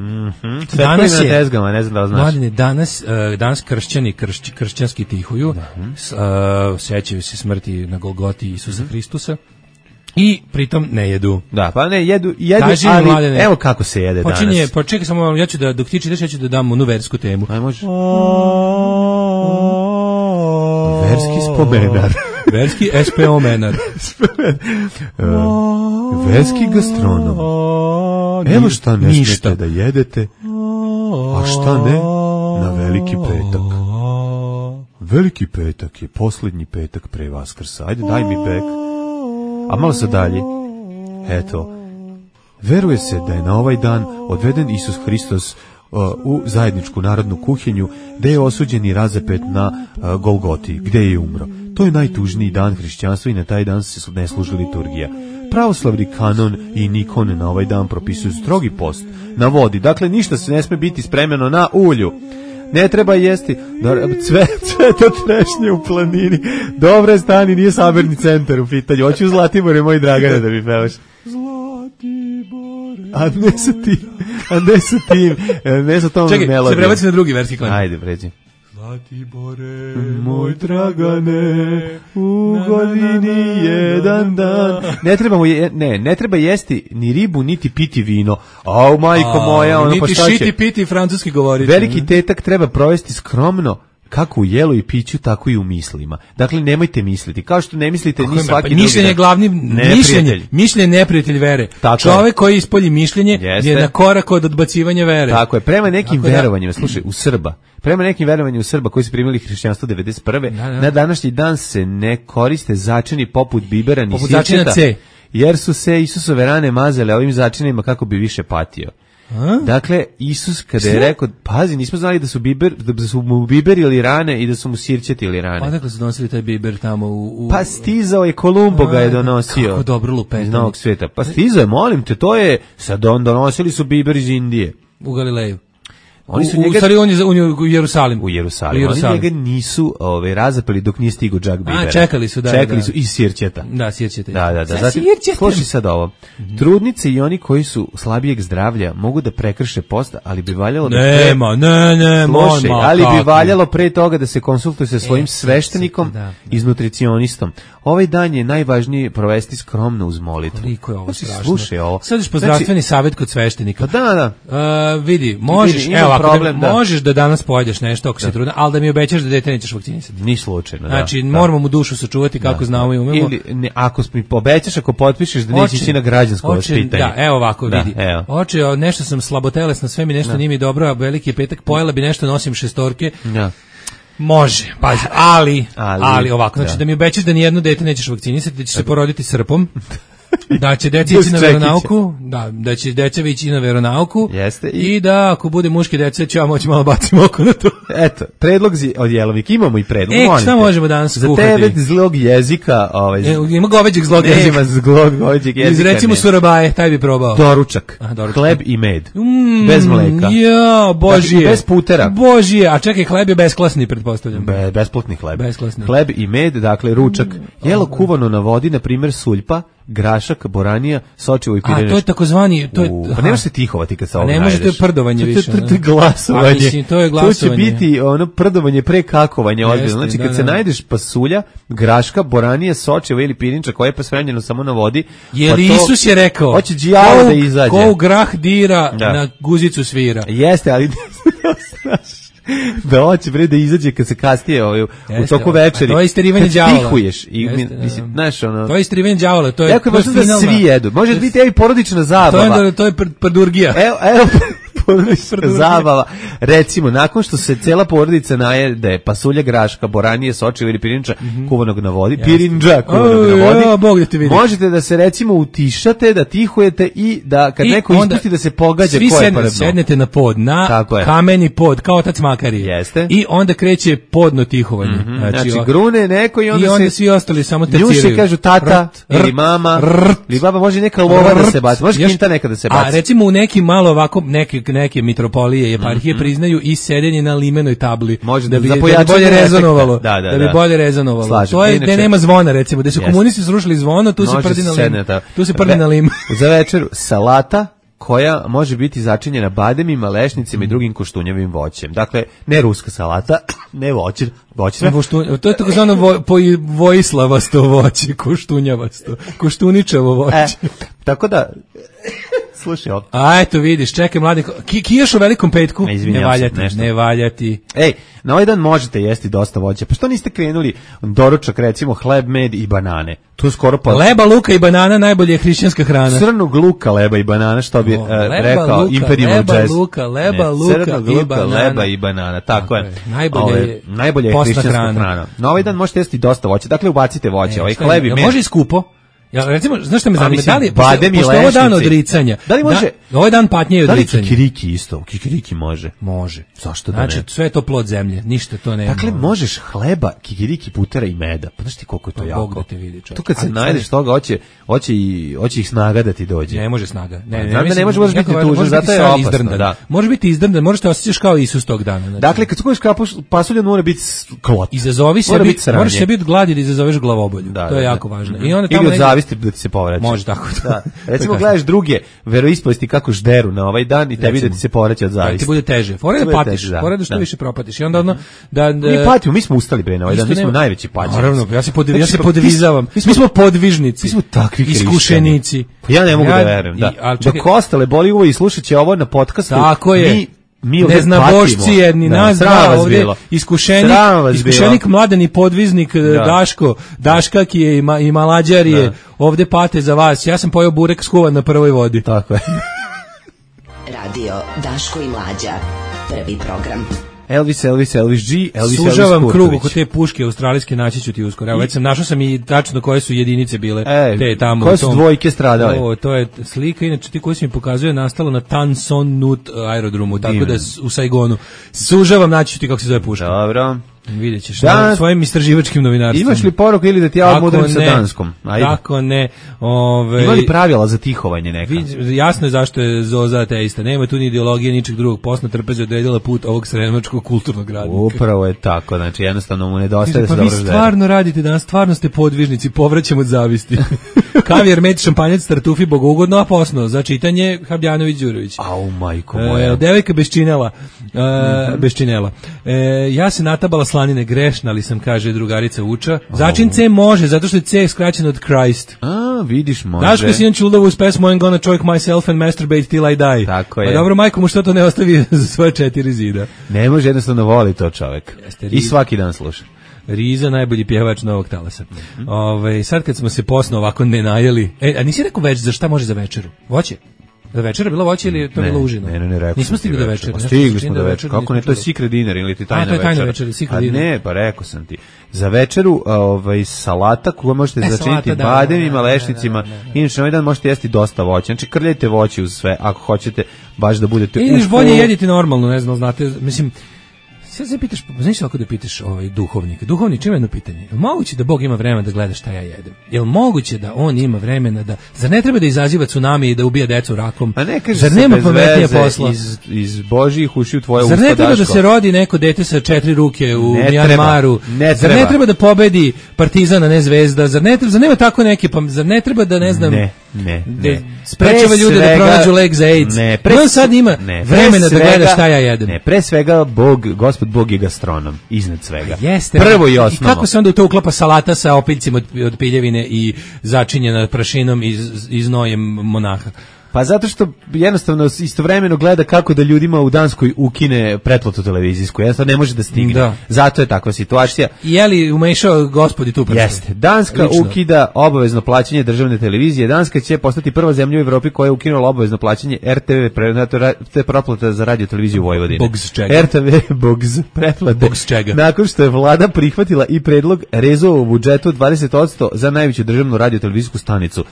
Danas je na tezgama, ne znam da li znaš.
Mladene, danas kršćanski tihuju, sećaju se smrti na Golgoti Isusa Hristusa i pritom ne jedu.
Da, pa ne jedu, ali Mladene, evo kako se jede danas.
Pa čekaj samo, ja ću da, dok ti čitaš, ja ću da dam onu versku temu.
Aj, može. Verski spomenar.
Verski SPO menar.
Verski gastronom. Evo šta ne smijete da jedete, a šta ne na Veliki petak. Veliki petak je posljednji petak pre Vaskrsa. Ajde, daj mi bek. A malo se dalje. Eto. Veruje se da je na ovaj dan odveden Isus Hristos u zajedničku narodnu kuhinju, gde je osuđen i razapet na Golgoti, gde je umro. To je najtužniji dan hrišćanstva i na taj dan se ne služi liturgija. Pravoslavni kanon i Nikon na ovaj dan propisuju strogi post na vodi. Dakle, ništa se ne sme biti spremljeno na ulju. Ne treba jesti cveta trešnje u planini. Dobre stani, nije sabirni centar u pitanju. Hoću Zlatibore, moj Dragane, da mi pevaš. Zlatibore. A ne sa tim. Ne sa tom melodijom.
Čekaj, se prebaci na drugi verski klan.
Ajde, pređi.
Zlatibore,
moj Dragane, u godini jedan dan. Ne treba jesti ni ribu, niti piti vino. Au, majko moja, ono pa šta će?
Niti šiti, piti francuski govoriti.
Veliki tetak treba provesti skromno, kako u jelu i piću, tako i u mislima. Dakle, nemojte misliti. Kao što ne mislite ni svaki drugi.
Mišljenje je glavni mišljenje neprijatelj vere. Čovek koji ispolji mišljenje je na korak od odbacivanja vere.
Tako je. Prema nekim verovanjima, slušaj, prema nekim verovanjima u Srba koji su primili hrišćanstvo 91. Na današnji dan se ne koriste začini poput bibera ni sirćeta, jer su se Isusove rane mazale ovim začinima kako bi više patio. Dakle, Isus kada je rekao, pazi, nismo znali da su mu biber ili rane i da su mu sirćeti ili rane.
Odakle su donosili taj biber tamo
Pa stizao je, Kolumbo ga je donosio.
Kako dobro lupetanje.
Iz Novog sveta. Pa stizao je, molim te, to je, sad donosili su biber iz Indije.
U Galileju.
Oni su njega,
on je u Jerusalim.
Oni njega nisu razapeli dok nije stigo džak bibera.
Čekali su
i sirćeta.
Da, sirćeta.
Da. Slušaj sad ovo. Trudnice i oni koji su slabijeg zdravlja mogu da prekrše post, ali bi valjalo ali bi valjalo pre toga da se konsultuje sa svojim sveštenikom i nutricionistom. Ovaj dan je najvažnije provesti skromno uz molitvu.
Koliko je ovo strašno.
Slušaj ovo.
Sad ćeš po zdravstveni savjet kod sveštenika.
Pa da.
Vidi, možeš, možeš da danas pojedeš nešto ako se trudna, ali da mi obećaš da dete nećeš vakcinisati.
Ni slučajno,
Znači, moramo mu dušu sačuvati kako znamo i umemo.
Ili, ako mi obećaš, ako potpišeš da nećeš ići na građansko vaspitanje.
Da, evo ovako, vidi. Oče, nešto sam slabotelesna, sve mi nešto nije mi dobro, a veliki je petak, pojela bi nešto, nosim šestorke.
Da.
Može, pazi, ali ovako, znači da mi obećaš da nijedno dete nećeš vakcinisati, da ćeš se poroditi srpom, da će deca ići na veronauku, da će deca ići na veronauku, i da ako bude muške dece, ću ja moći malo bacim oko na to.
Eto, predlog od Jelovnik, imamo i predlog.
Šta možemo danas skuhati?
Za tebe zlog jezika.
Ima goveđeg zlog jezika.
Nema goveđeg jezika.
Recimo surabaje, taj bi probao.
Doručak, hleb i med, bez mleka.
Ja, božije.
Bez putera.
Božije, a čekaj, hleb je besklasni, pretpostavljam.
Besplatni hleb. Hleb i med, dakle ručak. Jelo kuvano na vodi, na primjer suljpa, grašak, boranija, sočivo i pirinč.
A to je takozvani, to je
pa nemaš se tihovati kad se ovog
najdeš. Ne može, to je prdovanje više.
To je glasovanje.
Mislim, to je glasovanje.
To će biti ono prdovanje pre kakovanja ozbiljno. Znači kad se najdeš pasulja, graška, boranija, sočivo ili pirinča koja je pospremljeno samo na vodi.
Jer Isus je rekao,
hoće đavo da izađe.
Ko u grah dira, na guzicu svira.
Jeste, ali da hoće bre da izađe kad se kasnije u toku večeri.
To je isterivanje đavola.
Tihuješ i mislim, znaš ono.
To je isterivanje đavola, to je.
Jako je važno da svi jedu. Može biti i porodična zabava.
To je prdurgija.
Evo porodična zabava. Recimo, nakon što se cela porodica najede pasulja, graška, boranije, sočivo ili pirinča kuvanog na vodi, pirinđa kuvanog na vodi, možete da se recimo utišate, da tihujete i da kad neko ispusti da se pogađa ko je poredno.
Svi sednete na pod, na kameni pod, kao otac Makari.
Jeste.
I onda kreće podno tihovanje.
Znači grune neko i onda
svi ostali samo teciraju.
Njuše kažu tata ili mama ili baba, može neka lova da se baci, može kinta neka da se baci.
A recimo u nekim malo ovako neke mitropolije i eparhije priznaju i sedenje na limenoj tabli da bi bolje rezonovalo. Da bi bolje rezonovalo. To je gde nema zvona, recimo, gde su komunisti srušili zvono, tu se prdi na limen.
Za večeru salata koja može biti začinjena bademima, lešnicima i drugim koštunjavim voćem. Dakle, ne ruska salata, ne voće.
To je takozvano vojislavasto voće, koštunjavasto, koštuničavo voće.
Tako da, slušaj ovo.
A eto vidiš, čekaj mladi, kijaš u Velikom petku, ne valjati.
Ej, na ovaj dan možete jesti dosta voća, pa što niste krenuli doručak, recimo hleb, med i banane? To je skoro pa...
Leba, luka i banana najbolje je hrišćanska hrana.
Crnog luka, leba i banana, što bi rekao Imperium Jazz.
Leba, luka,
leba i banana, tako je.
Najbolje
je hrišćanska hrana. Na ovaj dan možete jesti dosta voća, dakle ubacite voće, ovaj hleb i med.
Može i skupo? Ja recimo, znaš šta me zanima, da li pošto ovo dan odricanja,
da li može,
ovaj dan patnje i odricanja.
Da li kikiriki isto? Kikiriki može.
Može.
Zašto da ne?
Znači, sve je to plod zemlje, ništa to nema.
Dakle, možeš hleba, kikiriki, putera i meda. Pa znaš ti koliko je to jako?
Bog da te vidi, čovjek.
Tu kad se najdeš toga, hoće ih snaga da ti dođe.
Ne može snaga.
Ne može biti tužan, zato je opasno. Da.
Može biti izdrndan, možeš te osjećaš kao Isus tog dana.
Dakle, kad skupiš pasulja, mora biti klot.
Izazovi sebi, moraš sebi od gladi da izazoveš glavobolju. To je jako važno.
I onda tamo od zavisti da ti se povrati.
Može tako.
Da. Recimo gledaš druge veroispovesti kako žderu na ovaj dan i tebi da ti se povraća od zavisti.
Ti bude teže. Fore da patiš, fore da što više propatiš. I onda ono da
mi patimo, mi smo ustali bre na ovaj dan, mi smo najveći paćenci.
Naravno, ja se podvizavam. Mi smo podvižnici.
Mi smo takvi
iskušenici.
Ja ne mogu da verujem, da. Dok ostale boli uvo i slušaće ovo na podcastu.
Tako je. Mi ne zna bošci jedni, nas dva ovdje, iskušenik mladeni podviznik Daška ki je i Malađar je ovdje pate za vas. Ja sam pojeo burek skuvan na prvoj vodi.
Tako je.
Radio Daško i Mlađa, prvi program.
Elvis G,
sužavam krug oko te puške australijske, naći ću ti uskoro. Evo, već sam našao sam i tačno koje su jedinice bile te tamo.
Koje su dvojke stradale?
To je slika, inače ti koji se mi pokazuje nastalo na Tan Son Nut aerodromu, tako da u Saigonu. Sužavam, naći ću ti kako se zove puška.
Dobro.
Vidjet ćeš svojim istraživačkim novinarstvom.
Imaš li poruku ili da ti ja odmoderim sa danskom?
Ajde. Tako ne.
Ima li pravila za tihovanje neka?
Jasno je zašto je Zoza ateista. Nema tu ni ideologije, ničeg drugog. Posna trpeze odredila put ovog sremačkog kulturnog radnika.
Upravo je tako. Znači jednostavno mu nedostaje da se dobro ždere.
Pa vi stvarno radite danas, stvarno ste podvižnici, povraćamo od zavisti. Kavijer, med, šampanjac, tartufi, bogougodno, a posno. Za čitanje Habjanović Đurović.
Au, majko moja.
Devojka bez činela. Bez činela. Ja se natabala slanine, grešna li sam, kaže drugarica Uča. Začin C može, zato što je C skraćen od Christ.
A, vidiš, može.
Daško si Čuldovu uz pesmu I'm gonna choke myself and masturbate till I die.
Tako je.
Pa dobro, majko mu što to ne ostavi za svoje 4 zida.
Ne može, jednostavno voli to čovjek. I svaki dan sluša.
Riza, najbolji pjevač novog talasa. Sad kad smo se posno ovako ne najeli. A nisi rekao već za šta može za večeru? Voće? Da večera bilo voće ili je to bilo užino?
Ne, rekao.
Nismo stigli do večera.
Stigli smo do večera. Kako ne, to je secret dinner ili ti tajna večera?
To je tajna večera, secret dinner.
Ne, pa rekao sam ti. Za večeru salata koju možete začiniti bademima, lešnicima. Inače, na ovaj dan možete jesti dosta voća. Znači, krljajte voće uz sve, ako hoćete baš da budete
bolje jedite normalno, ne znam, znate, mislim, Sad se pitaš, znaš ako da pitaš duhovnika. Duhovnik ima jedno pitanje. Je li moguće da Bog ima vremena da gleda šta ja jedem? Je li moguće da on ima vremena da... Zar ne treba da izaziva tsunami i da ubija decu rakom?
A ne kaže
zar nema pametnije posla?
Iz Božjih ušiju tvoje usta.
Zar ne treba da se rodi neko dete sa 4 ruke u Mjanmaru? Zar ne treba da pobedi Partizan, a ne Zvezda? Zar nema tako neke... Zar ne treba da, ne znam...
Ne.
Sprečava ljude da pronađu lek za AIDS. On sad ima vremena da gleda šta ja jedem.
Ne, pre svega Gospod Bog je gastronom, iznad svega.
Jeste.
Prvo i osnovno.
I kako se onda u to uklapa salata sa opiljcima od piljevine i začinjena prašinom i znojem monaha?
Pa zato što jednostavno istovremeno gleda kako da ljudima u Danskoj ukine pretplatu televizijsku. Jednostavno ne može da stigne. Da. Zato je takva situacija.
Je li umešao gospodi tu prstu?
Jeste. Danska ukida obavezno plaćanje državne televizije. Danska će postati prva zemlja u Evropi koja je ukinula obavezno plaćanje RTV pretplata za radio televiziju Vojvodine.
Bogs čega?
RTV Bogs pretplate.
Bogs čega?
Nakon što je vlada prihvatila i predlog rezova u budžetu 20% za najveću državnu radio televizijsku stanicu.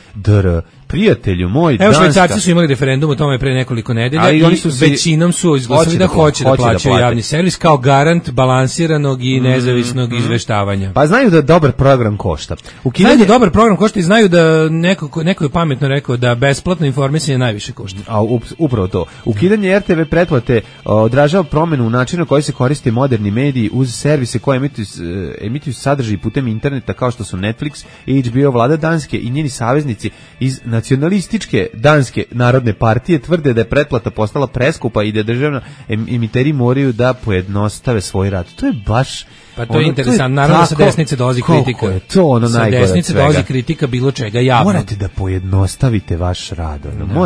Prijatelju moj,
evo Švajcarci su imali referendum o tome pre nekoliko nedelja i većinom su izglasali da hoće da plaćaju javni servis kao garant balansiranog i nezavisnog izveštavanja.
Pa znaju da dobar program košta.
Znaju da dobar program košta i znaju da neko je pametno rekao da besplatno informisanje najviše košta.
A upravo to. Ukidanje RTV pretplate odražava promenu u načinu na koji se koriste moderni mediji uz servise koje emituju sadržaj putem interneta kao što su Netflix i HBO. Vlada Danske i njeni saveznici iz nacionalističke Danske narodne partije tvrde da je pretplata postala preskupa i da državni emiteri moraju da pojednostave svoj rad. To je baš...
Pa to je interesantno, naravno sa desnice dolazi kritika.
Je to ono najgore od svega. Sa desnice
dolazi kritika bilo čega javno.
Morate da pojednostavite vaš rad.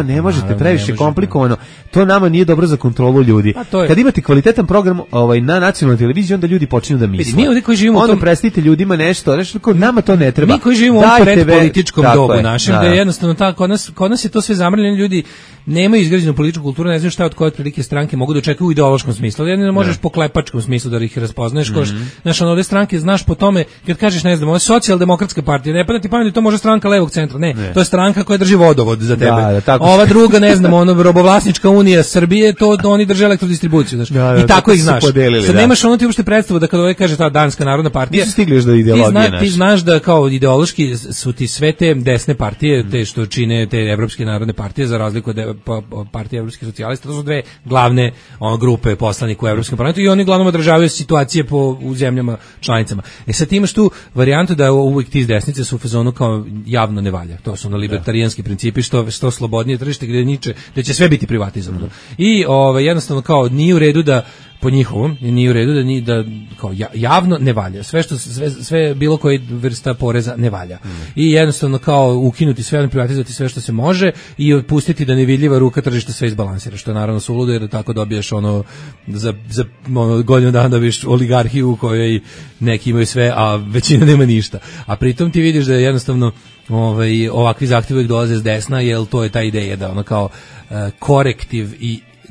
Ne možete previše komplikovano. To nama nije dobro za kontrolu ljudi. Kad imate kvalitetan program na nacionalnoj televiziji, onda ljudi počinju da misle.
Mi ovdje koji živimo
onda predstavite ljudima nešto nama to ne treba.
Mi koji živimo u predpolitičkom dobu našem, da je jednostavno tako, kod nas je to sve zamrljeno, ljudi nemaju izgrađenu političku kulturu, ne znaju šta od koje otprilike stranke mogu da očekuju u ideološkom smislu. Jedino možeš po klepačkom smislu da ih razpoznaješ. Znaš, ove stranke znaš po tome, kad kažeš, ne znam, ovo je socijaldemokratska partija, ne pada ti pamet, to može stranka levog centra, ne, to je stranka koja drži vodovod za tebe. Ova druga, ne znam, robovlasnička unija Srbije, to oni drže elektrodistribuciju, znaš. I tako ih znaš. Sad nemaš ono ti uopšte predstavu da kada ovaj kaže ta Danska narodna partija,
nisu stigli još do ideologije naše.
Ti znaš da kao ideološki su ti sve te desne partije, te što čine te evropske narodne partije, za razliku od partije evropskih socijalista, to su dve glavne grupe poslanika u Evropskom parlamentu i oni uglavnom održavaju situacije u zemljama članicama. Sad ti imaš tu varijantu da uvijek ti iz desnice su u fazonu kao javno ne valja. To su libertarijanski principi, što slobodnije tržište gdje će sve biti privatizovano. I jednostavno kao nije u redu da po njihovom nije u redu da kao javno ne valja. Sve bilo koji vrsta poreza ne valja. I jednostavno kao ukinuti sve, privatizovati sve što se može i otpustiti da nevidljiva ruka tržišta sve izbalansira, što je naravno suludo jer tako dobiješ za godinu dana dobiješ oligarhiju u kojoj neki imaju sve, a većina nema ništa. A pritom ti vidiš da je jednostavno ovakvi zahtjevi uvijek dolaze s desna, jer to je ta ideja da ono kao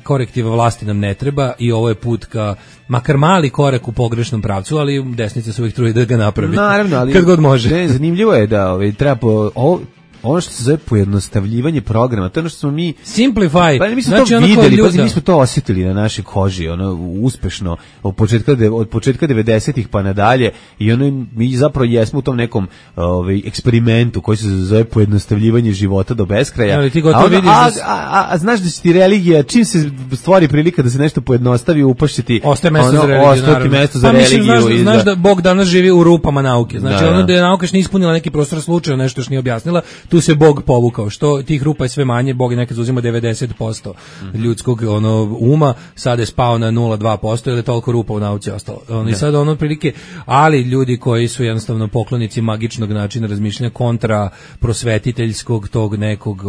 korektiva vlasti nam ne treba i ovo je put ka makar mali korak u pogrešnom pravcu, ali desnica se uvijek trudi da ga napravi.
Naravno, ali
kad god može.
Ne, zanimljivo je da treba ono što se zove pojednostavljivanje programa, to je ono što smo mi
simplify.
Pa mi smo to videli, mi smo to osjetili na našoj koži, uspešno od početka 90-ih pa nadalje i mi zapravo jesmo u tom nekom eksperimentu koji se zove pojednostavljivanje života do beskraja. A znaš da će ti religija, čim se stvori prilika da se nešto pojednostavi, upašće ti
ostaje mesto za religiju. Znaš da Bog danas živi u rupama nauke. Znači da je nauka što nije ispunila neki prostor slučaja, nešto što nije objasnila, tu se Bog povukao, što tih rupa je sve manje, Bog je nekad zauzima 90% ljudskog uma, sada je spao na 0,2%, jer je toliko rupa u nauci ostalo. I sad prilike, ali ljudi koji su jednostavno poklonici magičnog načina razmišljanja kontra prosvetiteljskog tog nekog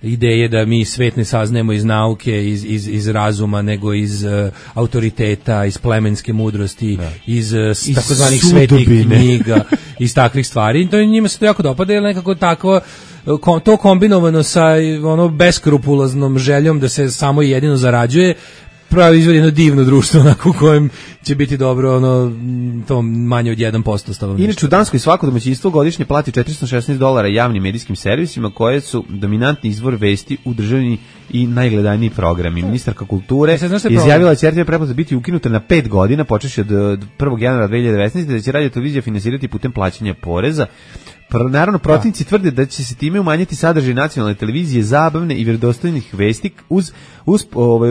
ideje da mi svet ne saznajemo iz nauke, iz razuma, nego iz autoriteta, iz plemenske mudrosti, iz takozvanih svetih knjiga, iz takvih stvari. To njima se to jako dopada, jer nekako to kombinovano sa beskrupuloznom željom da se samo i jedino zarađuje, pravi izvod jedno divno društvo onako u kojem će biti dobro ono to manje od 1% stanovništva.
Inače u Danskoj svako domaćinstvo godišnje plati $416 javnim medijskim servisima koje su dominantni izvor vesti u državni i najgledaniji programi. Ministarka kulture izjavila da će RTV pretplata biti ukinuta na 5 godina počevši od 1. januara 2019. da će radio televizija finansirati putem plaćanja poreza. Naravno, protivnici tvrde da će se time umanjiti sadržaj nacionalne televizije, zabavne i vjerodostojnih vesti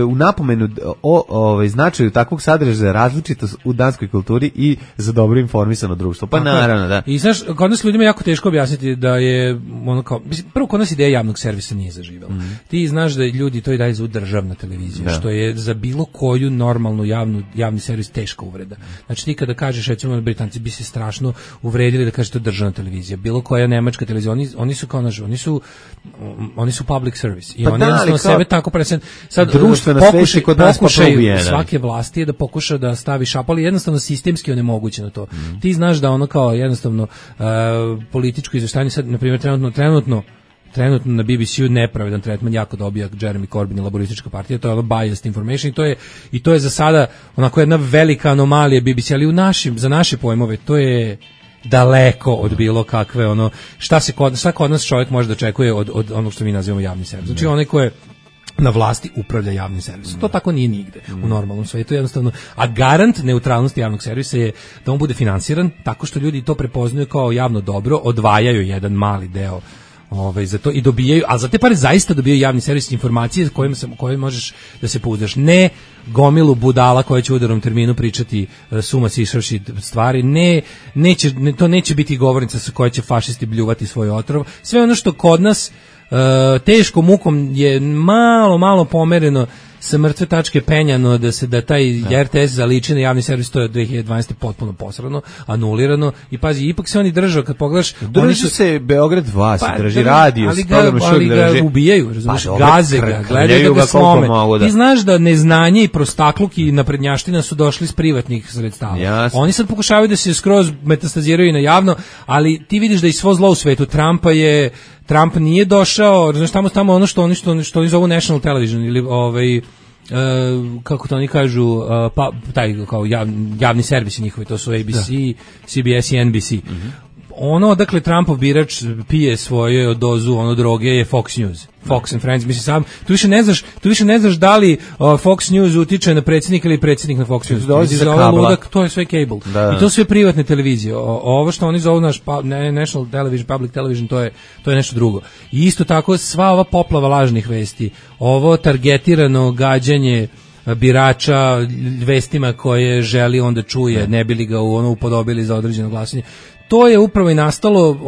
u napomenu o značaju takvog sadržaja za različitost u danskoj kulturi i za dobro informisano društvo. Pa naravno, da.
I znaš, kod nas ljudima je jako teško objasniti da je ono kao, prvo kod nas ideja javnog servisa nije zaživela. Ti znaš da ljudi to i daje za državna televizija, što je za bilo koju normalnu javni servis teška uvreda. Znači ti kada kažeš, recimo Britanci bi se strašno uvredili da kažeš to državna televizija, bilo koja nemačka televizija, oni su kao naš, oni su public service i oni jednostavno sebe tako present. Sad
društvena svest kod nas
pokušaj svake vlasti je da pokuša da stavi šapu, ali jednostavno sistemski onemogućeno to. Ti znaš da ono kao jednostavno političko izveštanje sad, na primjer, trenutno na BBC-u nepravedan tretman jako dobija Jeremy Corbyn i Laboristička partija, to je ono biased information i to je za sada onako jedna velika anomalija BBC, ali za naše pojmove to je daleko od bilo kakve ono šta kod nas čovjek može da očekuje od onog što mi nazivamo javni servis. Znači onaj ko je na vlasti upravlja javnim servisom. To tako nije nigde u normalnom svijetu jednostavno. A garant neutralnosti javnog servisa je da on bude finansiran tako što ljudi to prepoznaju kao javno dobro, odvajaju jedan mali deo za to i dobijaju, a za te pare zaista dobijaju javni servis informacije koje možeš da se pouzdaš. Ne gomilu budala koja će u udarnom terminu pričati suma sišavši stvari, to neće biti govornica sa kojoj će fašisti bljuvati svoj otrov. Sve ono što kod nas teškom mukom je malo pomereno sa mrtve tačke penjano da taj RTS zaliči na javni servis, to je od 2012. potpuno posrano, anulirano i pazi, ipak se oni držao, kad pogledaš
drži se Beograd 2, drži radio,
ali ga ubijaju, razumiješ, gaze ga, gledaju da ga slome. Ti znaš da neznanje i prostakluk i naprednjaština su došli iz privatnih sredstava. Oni sad pokušavaju da se skroz metastaziraju na javno, ali ti vidiš da i svo zlo u svetu Trump nije došao, znaš, tamo ono što oni zovu National Television ili kako to oni kažu, taj kao javni servisi njihovi, to su ABC, CBS i NBC. Ono, dakle, Trumpov birač pije svoju dozu droge je Fox News. Fox and Friends, mislim sam, tu više ne znaš da li Fox News utiče na predsjednika ili predsjednik na Fox News. To je sve cable. I to su sve privatne televizije. Ovo što oni zovu naš National Television, Public Television, to je nešto drugo. I isto tako sva ova poplava lažnih vesti, ovo targetirano gađanje birača vestima koje želi onda čuje, ne bi li ga upodobili za određeno glasanje. To je upravo i nastalo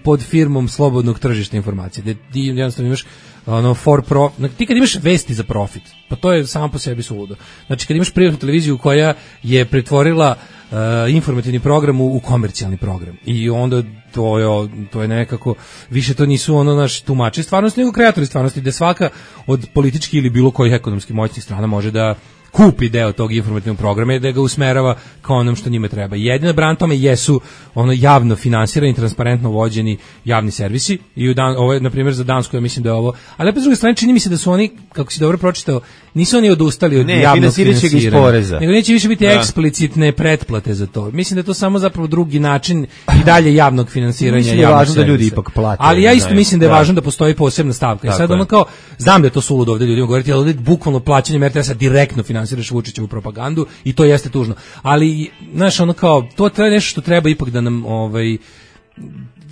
pod firmom slobodnog tržišta informacije. Da ti jednostavno imaš ti kad imaš vesti za profit, pa to je samo po sebi suludo. Znači kad imaš privatnu televiziju koja je pretvorila informativni program u komercijalni program i onda to je nekako, više to nisu naš tumači stvarnosti, nego kreatori stvarnosti, gde svaka od političkih ili bilo kojih ekonomski moćnih strana može da kupi deo tog informativnog programa i da ga usmerava kao onom što njima treba. Jedina bran tome jesu javno finansirani, transparentno vođeni javni servisi i ovo je, na primjer, za Dansku, ja mislim da je ovo, ali opet s druge strane čini mi se da su oni, kako si dobro pročitao, nisu oni odustali od javnog finansiranja, nego neće više biti eksplicitne pretplate za to. Mislim da je to samo zapravo drugi način i dalje javnog finansiranja javnog servisa. Važno da ljudi ipak plate. Ali ja isto mislim da je važno da postoji posebna stavka. I sad kao, znam da je to suludo ovdje ljudima govoriti, ali ovdje bukvalno plaćanjem RTS-a direktno finansiraš Vučićevu propagandu i to jeste tužno. Ali, znaš, to je nešto što treba ipak da nam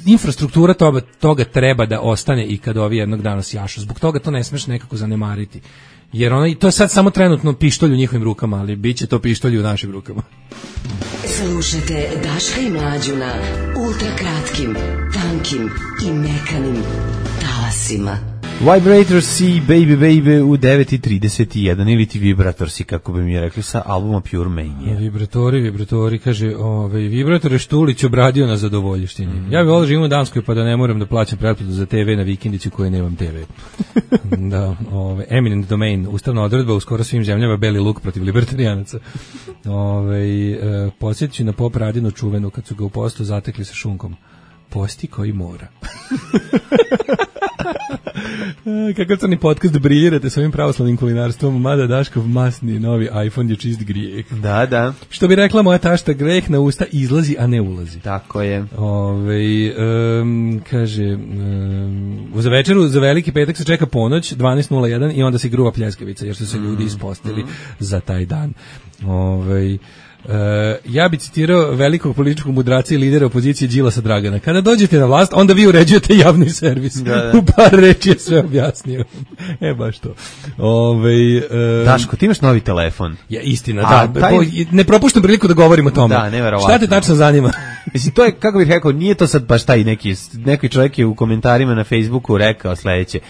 infrastruktura toga treba da ostane i kad ovi jednog dana sjašu. Zbog toga to ne smeš nekako zanemariti. Jer to je sad samo trenutno pištolj u njihovim rukama, ali bit će to pištolj u našim rukama.
Slušajte Daška i Mlađu na ultrakratkim, tankim i mekanim talasima.
Vibratorsi, Baby Baby u 9:31 ili ti Vibratorsi, kako bi mi rekli, sa albuma Pure Mania.
Vibratori, kaže, Vibratore Štulić obradio na zadovoljštini. Ja bih volio živim u Danskoj pa da ne moram da plaćam pretplatu za TV na vikendici u kojoj nemam TV. Da, eminent domain, ustavna odredba u skoro svim zemljama, beli luk protiv libertarijanaca. Podsjetit ću na Pop Radinu čuvenu kad su ga u postu zatekli sa šunkom. Posti koji mora. Kakav crni podcast briljirate s ovim pravoslavnim kulinarstvom, mada Daškov masni novi iPhone je čist grijeh.
Da.
Što bi rekla moja tašta, greh na usta izlazi, a ne ulazi.
Tako je.
Kaže, za večeru, za veliki petak se čeka ponoć, 12.01 i onda se gruva pljeskavica, jer su se ljudi ispostili za taj dan. Ja bi citirao velikog političkog mudraca i lidera opozicije Đilasa Dragana. Kada dođete na vlast, onda vi uređujete javni servis. Da. U par reči je sve objasnio. Baš to.
Daško, ti imaš novi telefon.
Ja, istina, ne propuštam priliku da govorim o tome.
Da, neverovatno.
Šta te tačno zanima?
Mislim, to je, kako bih rekao, nije to sad baš taj neki čovjek je u komentarima na Facebooku rekao sledeće.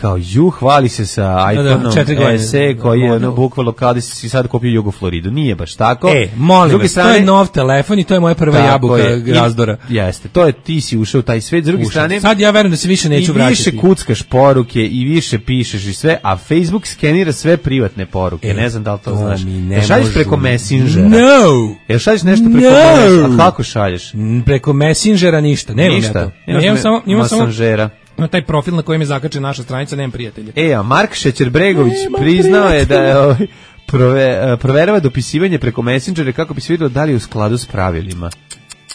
Kao hvali se sa iPhone-om SE koji je bukvalno kao da si sad kupio Jugofloridu. Nije baš tako.
Molim vas, to je nov telefon i to je moja prva jabuka razdora.
Jeste, to je, ti si ušao u taj svet. S druge strane,
sad ja verujem da se više neću vraćati.
I više kuckaš poruke i više pišeš i sve, a Facebook skenira sve privatne poruke. Ne znam da li to znaš. Šalješ preko Messengera?
No!
Šalješ nešto preko Messengera? A kako šalješ?
Preko Messengera ništa. Nemam ja to. Imam samo na taj profil na kojem je zakačena naša stranica, nemam prijatelja.
A Mark Šećer-Bregović priznao je da je proverava dopisivanje preko Messengera kako bi se vidjelo da li je u skladu s pravilima.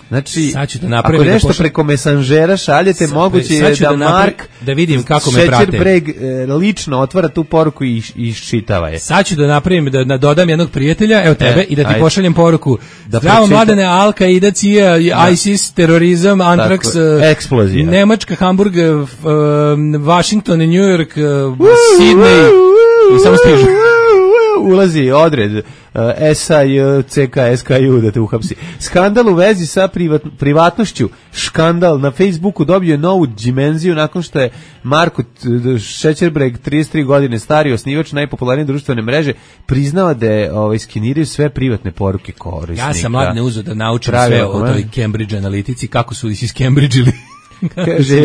Znači, ako nešto preko Messengera šaljete, moguće je da Mark
da vidim kako me prate.
Šećer-Breg lično otvara tu poruku i iščitava je.
Sad ću da napravim, da dodam jednog prijatelja, evo tebe, i da ti pošaljem poruku. Zdravo mladene, Al-Qaida, CIA, ISIS, terorizam, Antrax,
eksplozija.
Nemačka, Hamburg, Washington, New York, Sydney, i samo stižu.
Ulazi odred SAJ, CK, SKU da te uhapsi. Skandal u vezi sa privatnošću. Škandal na Facebooku dobio novu dimenziju nakon što je Marko Šećerbreg, 33 godine stari, osnivač najpopularnije društvene mreže, priznao da je skeniraju sve privatne poruke korisnika.
Ja sam mladne uzeo da naučim sve o toj Cambridge analitici, kako su iz Cambridge-ili.
Kaže,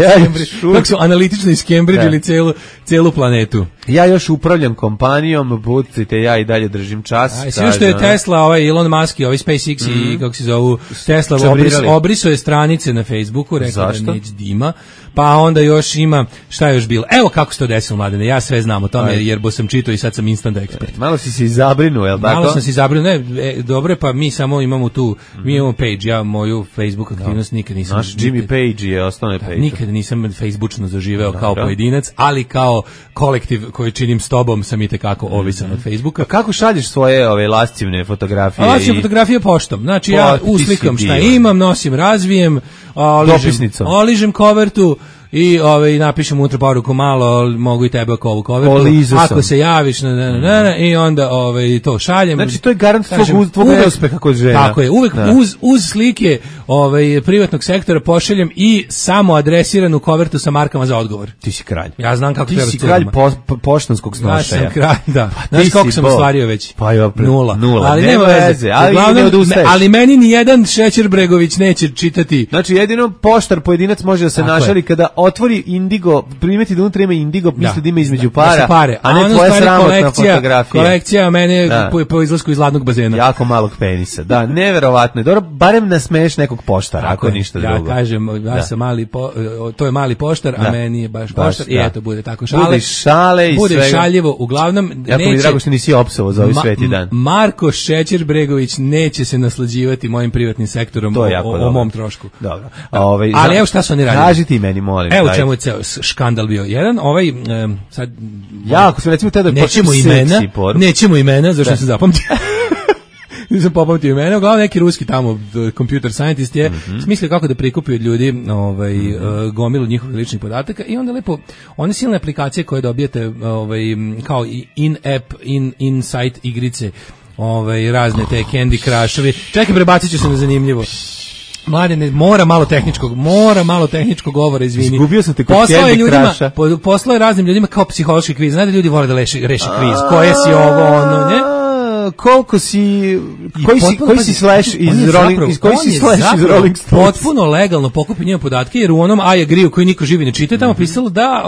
kako su analitično iz Cambridge-ili celu planetu.
Ja još upravljam kompanijom, budite, ja i dalje držim čas.
Sve što je Tesla, Elon Musk i SpaceX i kako se zovu, Tesla obrisao je stranice na Facebooku, rekao da neće dima, pa onda još ima, šta je još bilo? Evo kako se to desilo, mladene, ja sve znam o tome, jer bo sam čitao i sad sam instant ekspert.
Malo si se izabrinuo, je li tako?
Malo sam se izabrinuo, dobro, pa mi samo imamo tu, mi imamo page, ja moju Facebook aktivnost nikad nisam...
Naš Jimmy Page je osnovne page.
Nikad nisam Facebookčno zaživeo kao pojedinac, ali kao kolektiv koji činim s tobom sam i tekako ovisan od Facebooka.
Kako šalješ svoje lascivne fotografije?
Lascivne fotografije poštom. Znači ja uslikam šta imam, nosim, razvijem, oližem kovertu i napišem unutra poruku malo, mogu i tebe oko ovu kovertu. Ako se javiš, i onda to šaljem.
Znači to je garant tvog uspeha kod žena.
Tako je, uvek uz slike privatnog sektora pošaljem i samo adresiranu kovertu sa markama za odgovor.
Ti si kralj.
Ja znam kako treba.
Ti si kralj poštanskog snošaja.
Ja sam kralj, da. Znaš koliko sam ostvario već?
Pa je nula.
Ali nema veze. Ali meni ni jedan Šećer-Bregović neće čitati.
Znači jedino poštar pojedinac može da se našali kada otvori Indigo, primeti da unutra ima Indigo, misli da ima između para, a ne tvoja sramotna fotografija.
Kolekcija mene po izlasku iz ladnog bazena.
Jako malog penisa. Da, neverovatno je. Dobro, barem nasmeješ nekog poštara, ako ništa drugo.
Ja kažem, ja sam to je mali poštar, a meni je baš poštar. I eto, bude tako šale.
Bude šale i
bude svega. Bude šaljivo, uglavnom
jako mi drago što nisi opsovao za ovaj sveti dan.
Marko Šećer-Bregović neće se naslađivati mojim privatnim sektorom o mom trošku.
Dobro.
Ali evo šta su oni radili.
Kaži ti meni, molim.
Evo čemu je ceo škandal bio. Jedan, sad...
Jako se recimo tada
nećemo imena, zašto sam zapamtio. Nisam popamtio imena, uglavnom neki ruski tamo computer scientist je smislio kako da prikupi od ljudi gomilu njihovih ličnih podataka i onda lepo, one silne aplikacije koje dobijete kao in-app, in-site igrice, razne te Candy Crushovi. Čekaj, prebacit ću se na zanimljivo. Mladene, mora malo tehničkog govora, izvini.
Izgubio sam te kod Candy Crusha.
Poslao je raznim ljudima kao psihološki kviz. Znate, ljudi vole da reše kviz. Koje si ovo, ono, ne?
koliko si koji si slash iz Rolling Stones.
Potpuno legalno pokupio njene podatke, jer u onom I agree koji niko živi ne čita, tamo pisalo da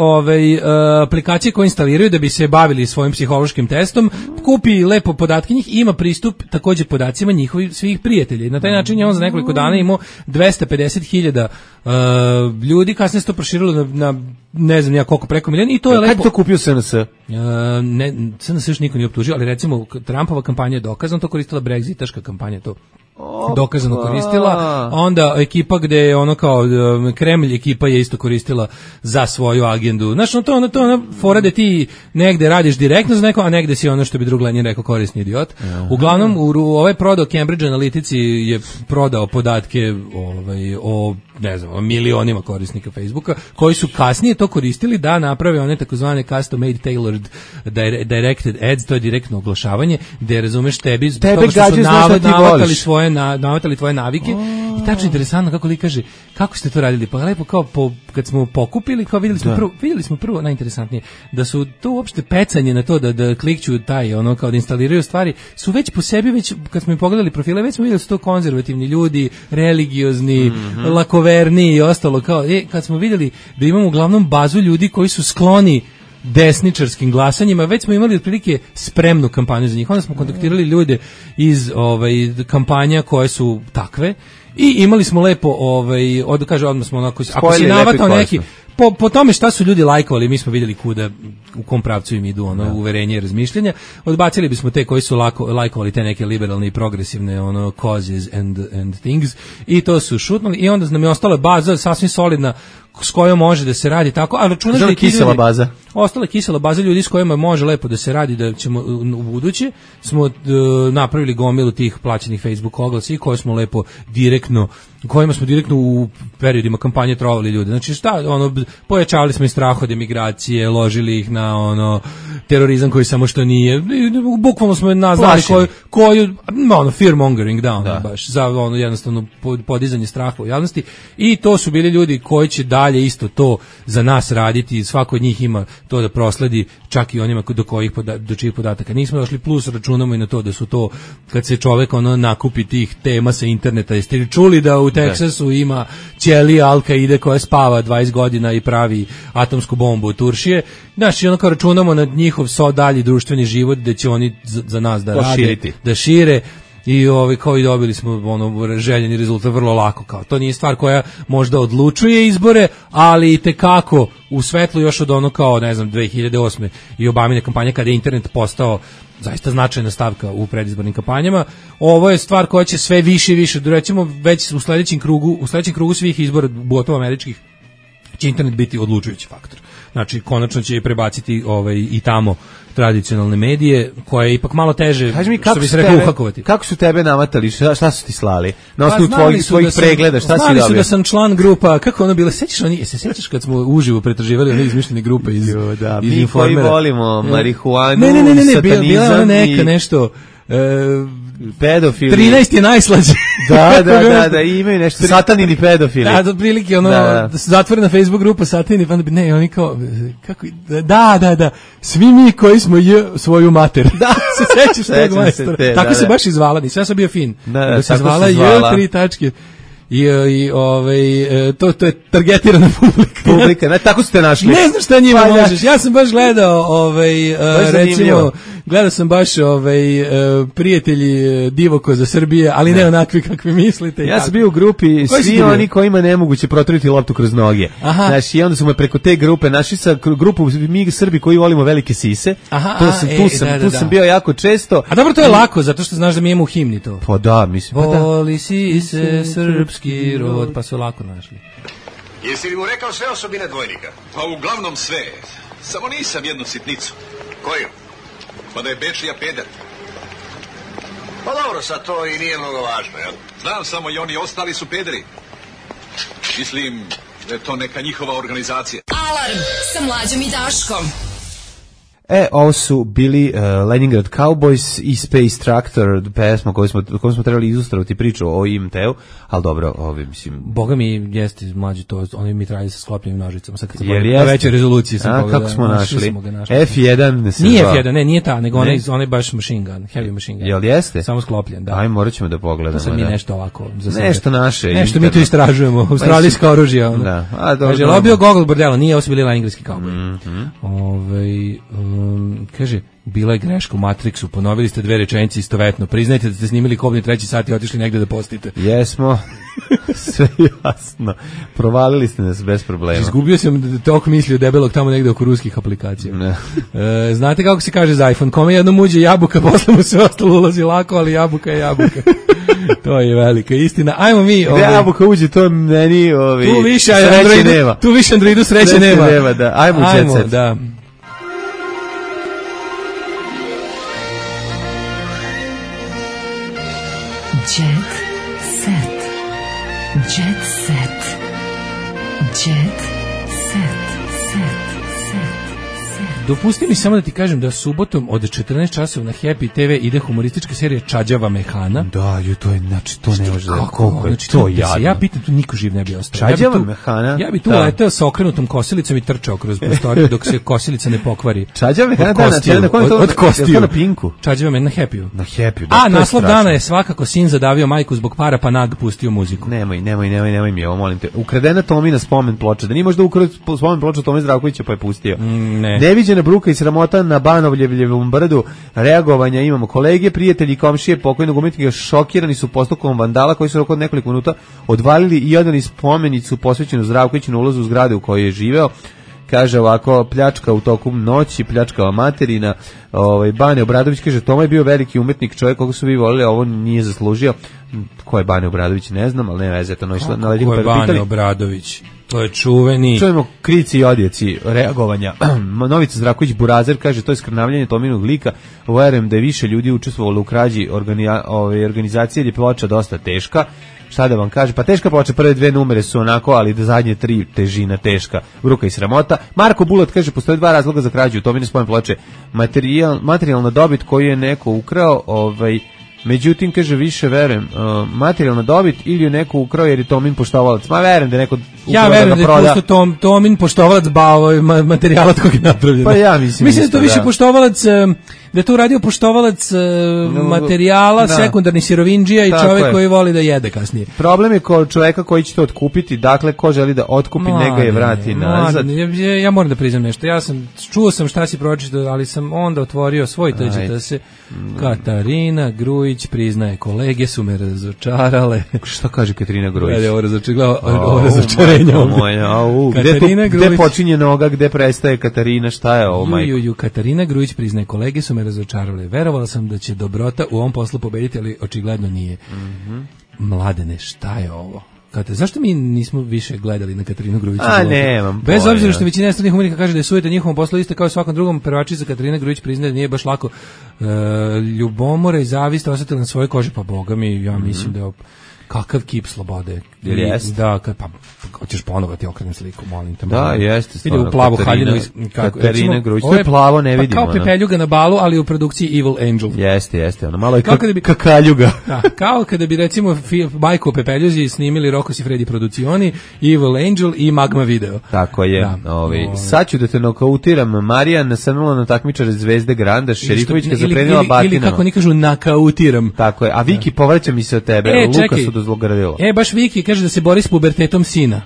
aplikacije koje instaliraju da bi se bavili svojim psihološkim testom, kupi lepo podatke njih i ima pristup takođe podacima njihovih svih prijatelja. I na taj način je on za nekoliko dana imao 250.000 ljudi, kasnije se to proširilo na ne znam ja koliko, preko milion, i to je lepo.
Kako to kupio SNS?
SNS još niko nije optužio, ali recimo Trumpova kampanja je dokazano to koristila, Brexitaška kampanja to dokazano koristila, onda ekipa gde je ono kao Kremlj ekipa je isto koristila za svoju agendu. Znaš, to ono fora da ti negde radiš direktno za neko, a negde si ono što bi drug Lenin rekao korisni idiot. Uglavnom, ovaj prodao Cambridge Analytici je prodao podatke o ne znam, o milionima korisnika Facebooka, koji su kasnije to koristili da naprave one takozvane custom made tailored directed ads, to je direktno oglašavanje, gde razumeš tebe što su navatali tvoje navike. I tačno interesantno kako li kaže, kako ste to radili? Pa lepo kao kad smo pokupili, kao vidjeli smo prvo najinteresantnije, da su to uopšte pecanje na to da klikću taj, ono kao da instaliraju stvari, su već po sebi, već kad smo im pogledali profile, već smo vidjeli da su to konzervativni ljudi, religiozni, lakoverni i ostalo, kao, kad smo vidjeli da imamo uglavnom bazu ljudi koji su skloni desničarskim glasanjima, već smo imali otprilike spremnu kampanju za njih. Onda smo kontaktirali ljude iz kampanja koje su takve i imali smo lepo, odmah smo onako, ako si navatao neki, po tome šta su ljudi lajkovali, mi smo vidjeli u kom pravcu im idu uverenje i razmišljenja, odbacili bismo te koji su lajkovali te neke liberalne i progresivne causes and things, i to su šutnuli, i onda nam je ostala baza sasvim solidna s kojom može da se radi tako, a računaš da je
kisela baza.
Ostala kisela baza ljudi s kojima može lepo da se radi, da ćemo u buduće smo napravili gomilu tih plaćenih Facebook oglasa i koje smo lepo kojima smo direktno u periodima kampanje trovali ljude. Znači pojačavali smo i strah od emigracije, ložili ih na terorizam koji samo što nije. Bukvalno smo nazvali koju fear mongering baš za jednostavno podizanje straha u javnosti, i to su bili ljudi koji će dalje isto to za nas raditi. Svako od njih ima to da prosledi, čak i onima do čijih podataka nismo došli, plus računamo i na to da su to, kad se čovek nakupi tih tema sa interneta. Jeste li čuli da u Teksasu ima ćelija Al-Kaide koja spava 20 godina i pravi atomsku bombu u Turšije? Znaš, i kao računamo na njihov dalji društveni život, da će oni za nas da rade, da šire. I kao i dobili smo željeni rezultat vrlo lako. Kao to nije stvar koja možda odlučuje izbore, ali itekako u svetlu još od 2008. i Obamine kampanje, kada je internet postao zaista značajna stavka u predizbornim kampanjama. Ovo je stvar koja će sve više i više, recimo već u sledećem krugu svih izbora, gotovo američkih, će internet biti odlučujući faktor. Znači, konačno će prebaciti i tamo tradicionalne medije, koje je ipak malo teže, što bi se rekao, uhakovati.
Kako su tebe namatali? Šta su ti slali? Na osnovu tvojih pregleda, šta si dobio?
Znali su da sam član grupa, kako ono bilo, sećaš kad smo uživo pretraživali one izmišljene grupe iz Informera?
Mi koji volimo marihuanu,
satanizam. Bila je ona neka nešto...
pedofili.
13 je najslađe.
Da, imaju nešto satanini pedofili.
Da, prilike zatvorena Facebook grupa satanini, pa ne, oni kao kako da, svi mi koji smo svoju mater. Da, se sećaš tog majstora. Tako se baš izvala, nisam sam bio fin. Da se zvala J3 tačke. To je targetirana publika.
Tako ste našli.
Ne znam šta njima možeš. Ja sam baš gledao recimo gledao sam baš prijatelji Divoko za Srbije, ali ne onakvi kakvi mislite.
Ja sam bio u grupi svi oni kojima nemoguće proturiti loptu kroz noge. Znači, i onda su me preko te grupe našli sa grupu mi Srbi koji volimo velike sise. Tu sam bio jako često.
A dobro, to je lako, zato što znaš da mi imamo u himni to.
Pa da, mislim.
Voli sise srpski rod, pa su lako našli.
Jesi li mu rekao sve osobine dvojnika?
Pa uglavnom sve. Samo nisam jednu sitnicu.
Koju?
Pa da je Bečija peder.
Pa dobro, sad to i nije mnogo važno, jel?
Znam, samo i oni ostali su pederi. Mislim da je to neka njihova organizacija.
Alarm sa Mlađom i Daškom.
Ovo su bili Leningrad Cowboys i Space Tractor, pesma koju smo trebali izustravati priču o IMT-u, ali dobro, mislim...
Boga mi jeste mlađi to, oni mi trajali sa sklopljenim nožicama, sad kad sam na većoj rezoluciji sam pogledao.
Kako smo našli? F1 se
nije F1, nije ta, nego onaj baš machine gun, heavy machine gun.
Jel jeste?
Samo sklopljen, da.
Aj, morat ćemo da pogledamo.
To sad mi nešto ovako za sebe.
Nešto naše.
Nešto mi tu istražujemo, australijska oružja.
Da.
Kaže, lobio Gogol bordela, nije, ovo su bili lengrijski cowboy. Kaže, bila je greška u Matrixu, ponovili ste 2 rečenice istovetno, priznajte da ste snimili Kobni 3. sat i otišli negde da postite.
Jesmo, sve jasno, provalili ste nas bez problema.
Izgubio sam tok misli od debelog tamo negde oko ruskih aplikacija. Znate kako se kaže za iPhone, kome jednom uđe jabuka, posle mu sve ostalo ulazi lako, ali jabuka je jabuka. To je velika istina. Ajmo mi...
Gde jabuka uđe, to meni
tu više
sreće nema.
Tu više Androidu sreće nema.
Da. Ajmo u jet set.
Da.
Jet set. Jet set. Jet set.
Dopusti mi samo da ti kažem da subotom od 14 časova na Happy TV ide humoristička serija Čađava mehana.
Da, to je, znači, to ne može da...
Kako je to jadno? Ja pitam, tu niko živ ne bi ostao.
Čađava mehana?
Ja bi tu letao sa okrenutom kosilicom i trčao kroz prostoriju dok se kosilica ne pokvari.
Čađava mehana
od kostiju.
Je to na Pinku?
Čađava mehana na Happy-u.
Na Happy-u, da.
A naslov dana je svakako sin zadavio majku zbog para pa nag pustio muziku.
Nemoj mi ovo, molim te. Ukradena Tomina spomen ploča. Da nije možda ukrao spomen ploča Tome Zdravkovića pa je pustio. Neviđena bruka i sramota na Banovljevom brdu, reagovanja imamo kolege, prijatelji i komšije pokojnog umetnika šokirani su postupkom vandala koji su od nekoliko minuta odvalili i odali spomenicu posvećenu Zdravkoviću na ulazu u zgrade u kojoj je živeo. Kaže ovako, pljačka u toku noći, pljačkava materina. Bane Obradović kaže, Toma je bio veliki umetnik, čovjek koga su vi volili, ovo nije zaslužio. Ko je Bane Obradović, ne znam, ali ne veze, to išla na ledinu.
Ko je Bane Obradović? To je čuveni.
Čujemo krici i odjeci reagovanja. Novica Zdravković Burazer kaže, to je skrnavljanje Tominog lika. Verujem da je više ljudi učestvovalo u krađi organizacije, jer je ploča dosta teška. Šta da vam kaže, pa teška ploča, prve 2 numere su onako, ali da zadnje 3 težina teška, bruka i sramota. Marko Bulat kaže, postoje 2 razloga za krađu Tomine spomen ploče. Materijalna dobit koju je neko ukrao, međutim, kaže, više verujem, materijalna dobit ili je neko ukrao jer je Tomin poštovalac. Ma verujem da je neko ukrao.
Ja verujem da je pusto Tomin poštovalac materijala od kog je napravljeno.
Pa ja mislim
da je to više poštovalac, da je to uradio poštovalac materijala, sekundarni sirovinđija i čovjek koji voli da jede kasnije.
Problem je kod čovjeka koji će to otkupiti, dakle, ko želi da otkupi, neka je vrati nazad.
Ja moram da priznam nešto. Čuo sam šta si pročitao, ali sam onda otvorio svoj tuđi da se Katarina Grujić priznaje, kolege su me razočarale.
Šta kaže Katarina Grujić?
Ovo razočarenje.
Gde počinje noga, gde prestaje Katarina, šta je ovo, majko?
Katarina Grujić priznaje, kolege su me razočarale. Verovala sam da će dobrota u ovom poslu pobediti, ali očigledno nije. Mladene, šta je ovo? Zašto mi nismo više gledali na Katarinu Grujić? Bez obzira što većina stranih umetnika kaže da je sujeta njihovom poslu isto kao i svakom drugom, prvačica Katarina Grujić priznaje da nije baš lako. Ljubomora i zavist osetila na svojoj koži, pa boga mi, ja mislim da je kakav kip slobode. Da, pa hoćeš ponovo ti okrenem sliku, molim te.
Da, jeste stvarno.
Ide u plavu haljinu.
Katarina Grujić, to je plavo, ne vidimo.
Kao Pepeljuga na balu, ali u produkciji Evil Angel.
Jeste, ono malo je kakaljuga.
Da, kao kada bi recimo Majko Pepeljuzi snimili Rokos i Fredi Producioni, Evil Angel i Magma Video.
Tako je. Sad ću da te nokautiram. Marijan nasrnula na takmičare Zvezde Granda, Šerifovićka zaprenila batinama.
Ili kako oni kažu, nakautiram.
Tako je. A Viki, povraća mi se od tebe. Luka su dozlogradila.
Baš Viki kaže da se bori s pubertetom sina.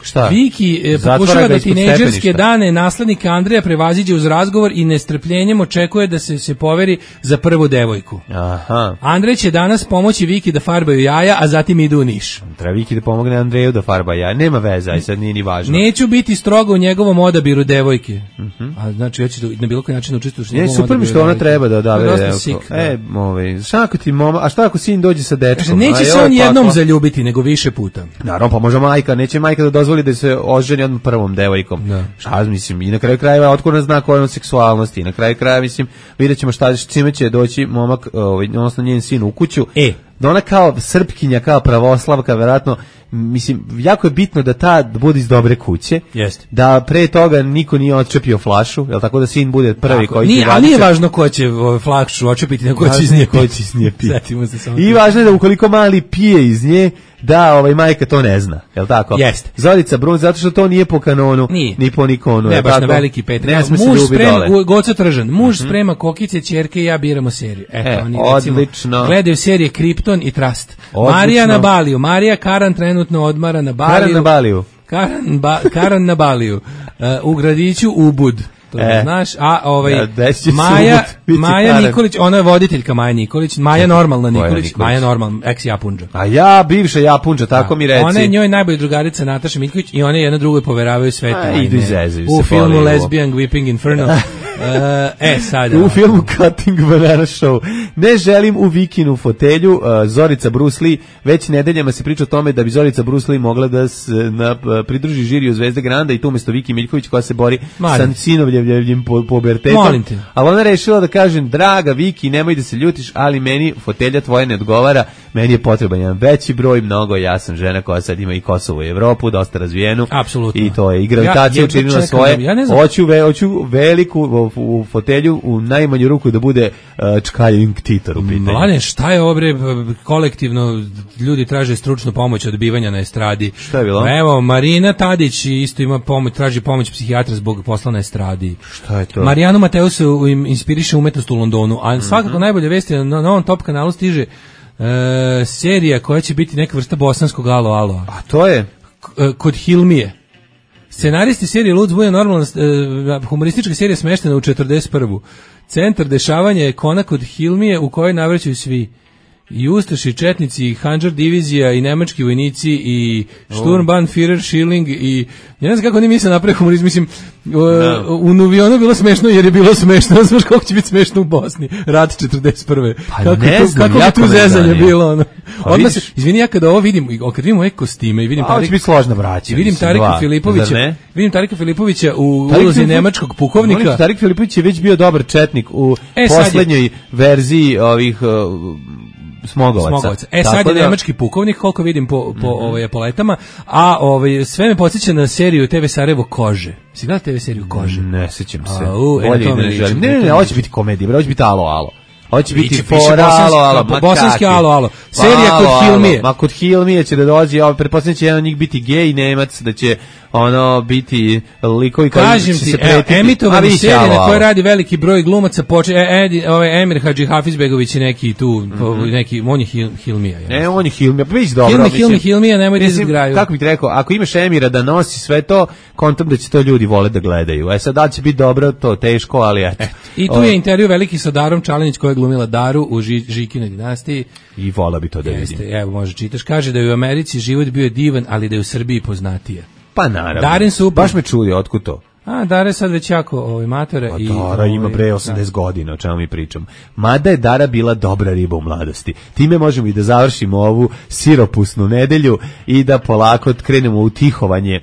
Šta?
Viki pokušava da tinejdžerske dane naslednika Andreja prevaziđe uz razgovor i nestrpljenjem očekuje da se poveri za prvu devojku.
Aha.
Andrej će danas pomoći Viki da farbaju jaja, a zatim idu u Niš.
Treba Viki da pomogne Andreju da farba jaja. Nema veze, aj sad nije ni važno.
Neću biti strogo u njegovom odabiru devojke. A znači ja ću na bilo koji način učestvovati u njegovom odabiru.
Super mi što ona treba da odabere devojku. Šta ako sin dođe sa dečkom?
Neće se on jednom zaljubiti, nego više puta.
Naravno, pa može neće majka da dozvoli da se oženi odmah prvom devojkom. Šta mislim, i na kraju krajeva otvoreno zna kojom seksualnosti, i na kraju krajeva mislim, vidjet ćemo čime će doći momak, odnosno njen sin u kuću. da ona kao Srpkinja, kao pravoslavka, verovatno, mislim, jako je bitno da bude iz dobre kuće.
Jeste.
Da pre toga niko nije odčepio flašu, jel tako da sin bude prvi koji će
raditi. Nije važno ko će flašu odčepiti, nego ko će iz nje piti.
I važno je da ukoliko mali pije iz nje, da majka to ne zna, jel tako?
Jeste.
Zorica Brun, zato što to nije po kanonu, ni po nikonu.
Ne, baš na veliki Petar. Muž sprema, Goca Tržan, muž sprema kokice, ćerke i ja biramo seriju. Eto, oni
odlično.
Gledaju serije Krypton i Trust. Odlično. Marija na Baliju, Marija Karan trenutno odmara na Baliju. Karan na Baliju. U gradiću Ubud. To znaš, a Maja Nikolić, ona je voditeljka Maja Nikolić, Maja normalna Nikolić, Maja normalna, ex Japunđa.
A ja, bivša Japunđa, tako mi reci.
Ona je njoj najbolja drugarica Nataša Miljković i one jedna drugoj poveravaju sve
tajne.
U filmu Lesbian Weeping Inferno. Sada.
U filmu Cutting Banana Show. Ne želim u Vikinu fotelju, Zorica Bruce Lee, već nedeljama se priča o tome da bi Zorica Bruce Lee mogla da se pridruži žiriju Zvezde Granda i tu umesto Viki Miljković koja se bori sa sinovljevljivim pubertetom. Ali ona rešila da kažem, draga Viki, nemoj da se ljutiš, ali meni fotelja tvoja ne odgovara, meni je potreban jedan veći broj, mnogo, ja sam žena koja sad ima i Kosovo i Evropu, dosta razvijenu.
Apsolutno.
I to je, i gravitacija učinila svoje. Hoću veliku u fotelju, u najmanju ruku da bude Čkajin Titor u pitanju.
Mladen, šta je ovo bre, kolektivno ljudi traže stručnu pomoć odbivanja na estradi.
Šta je bilo?
Evo, Marina Tadić isto ima pomoć, traži pomoć psihijatra zbog posla na estradi.
Šta je to?
Marijanu Mateusu inspiriše umetnost u Londonu, a svakako najbolje vesti na novom Top kanalu stiže serija koja će biti neka vrsta bosanskog alo.
A to je?
Kod Hilmije. Scenaristi serije Lud zbuja normalna humoristička serija smeštena u 41. Centar dešavanja je Kona kod Hilmije u kojoj navraćaju svi. I Ustaši, i Četnici, i Handžar divizija, i nemački vojnici, i Sturmbannführer, Schilling, i ja ne znam kako oni misle napravi humorizm, mislim, u Nuvionu bilo smešno jer je bilo smešno, ne znaš kako će biti smešno u Bosni, rat 41.
Pa ne znam,
kako bi tu zezanje bilo, ono. Odmah se, izvini, ja kada ovo vidim, kad vidim ove kostime i vidim Tarika Filipovića u ulozi nemačkog pukovnika.
Tarik Filipović je već bio dobar četnik u poslednjoj verziji ovih Smogovaca.
Sad je nemački pukovnik, koliko vidim po letama, a sve me podsjeća na seriju TV Sarajevo Kože. Si gledao TV seriju Kože?
Ne sećam se. Ne, hoće biti komedija, hoće biti alo. Hoće biti
bosanski alo. Serija kod Hilmije.
Ma kod Hilmije će da dođe, pretpostavljam će jedan od njih biti gej Nemac, da će biti likovi koji će se pretiti.
Emitovani serije na kojoj radi veliki broj glumaca, Emir Hadži Hafizbegović i neki tu, on je Hilmija.
Ne, on je Hilmija, pa vidiš dobro.
Hilmija, nemoj da izgraju.
Kako bih ti rekao, ako imaš Emira da nosi sve to, kontam da će to ljudi vole da gledaju. Sad da će biti dobro, to teško, ali eto.
I tu je intervju veliki sa Darom Čalinić koja je glumila Daru u Žikinoj dinastiji.
I vola bi to da vidim.
Evo, može čitaš. Kaže da je u Americi život bio divan, ali da je u Srbiji poznatije.
Pa naravno.
Darin super.
Baš me čudi, otkud to?
Dara je sad već jako matore.
Dara ima pre 80 godina, o čemu mi pričam. Mada je Dara bila dobra riba u mladosti. Time možemo i da završimo ovu siropusnu nedelju i da polako krenemo u tihovanje,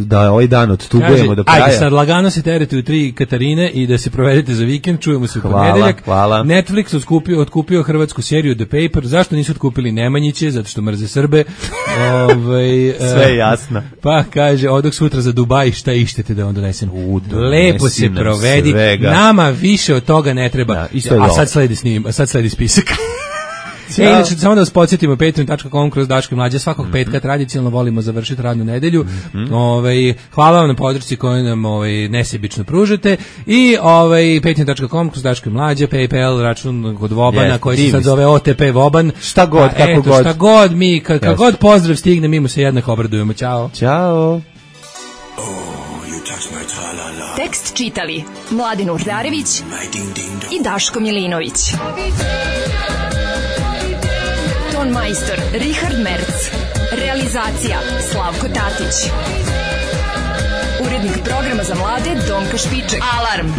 da ovaj dan odstupujemo do kraja.
Ajde sad, lagano se terete u 3 Katarine i da se provedete za vikend, čujemo se u ponedeljak.
Hvala.
Netflix otkupio hrvatsku seriju The Paper. Zašto nisu otkupili Nemanjiće? Zato što mrze Srbe.
Sve je jasno.
Pa kaže, odok sutra za Dubaj, šta ištete da vam donesem? Lepo se provedi. Nama više od toga ne treba. A sad sledi spisak. Inače, samo da vas podsjetimo, patreon.com kroz Daško i Mlađa, svakog petka tradicionalno volimo završiti radnu nedelju. Hvala vam na podršci koju nam nesebično pružate i patreon.com kroz Daško i Mlađa, PayPal, račun kod Vobana koji se sad zove OTP Voban.
Šta god, kako god.
Šta god mi, kako god pozdrav stigne, mi mu se jednako obradujemo. Ćao.
Ćao.
Tekst čitali Mladin Urdarević i Daško Milinović. Ton majstor Richard Merc. Realizacija Slavko Tatić. Urednik programa za mlade Donka Špiček. Alarm!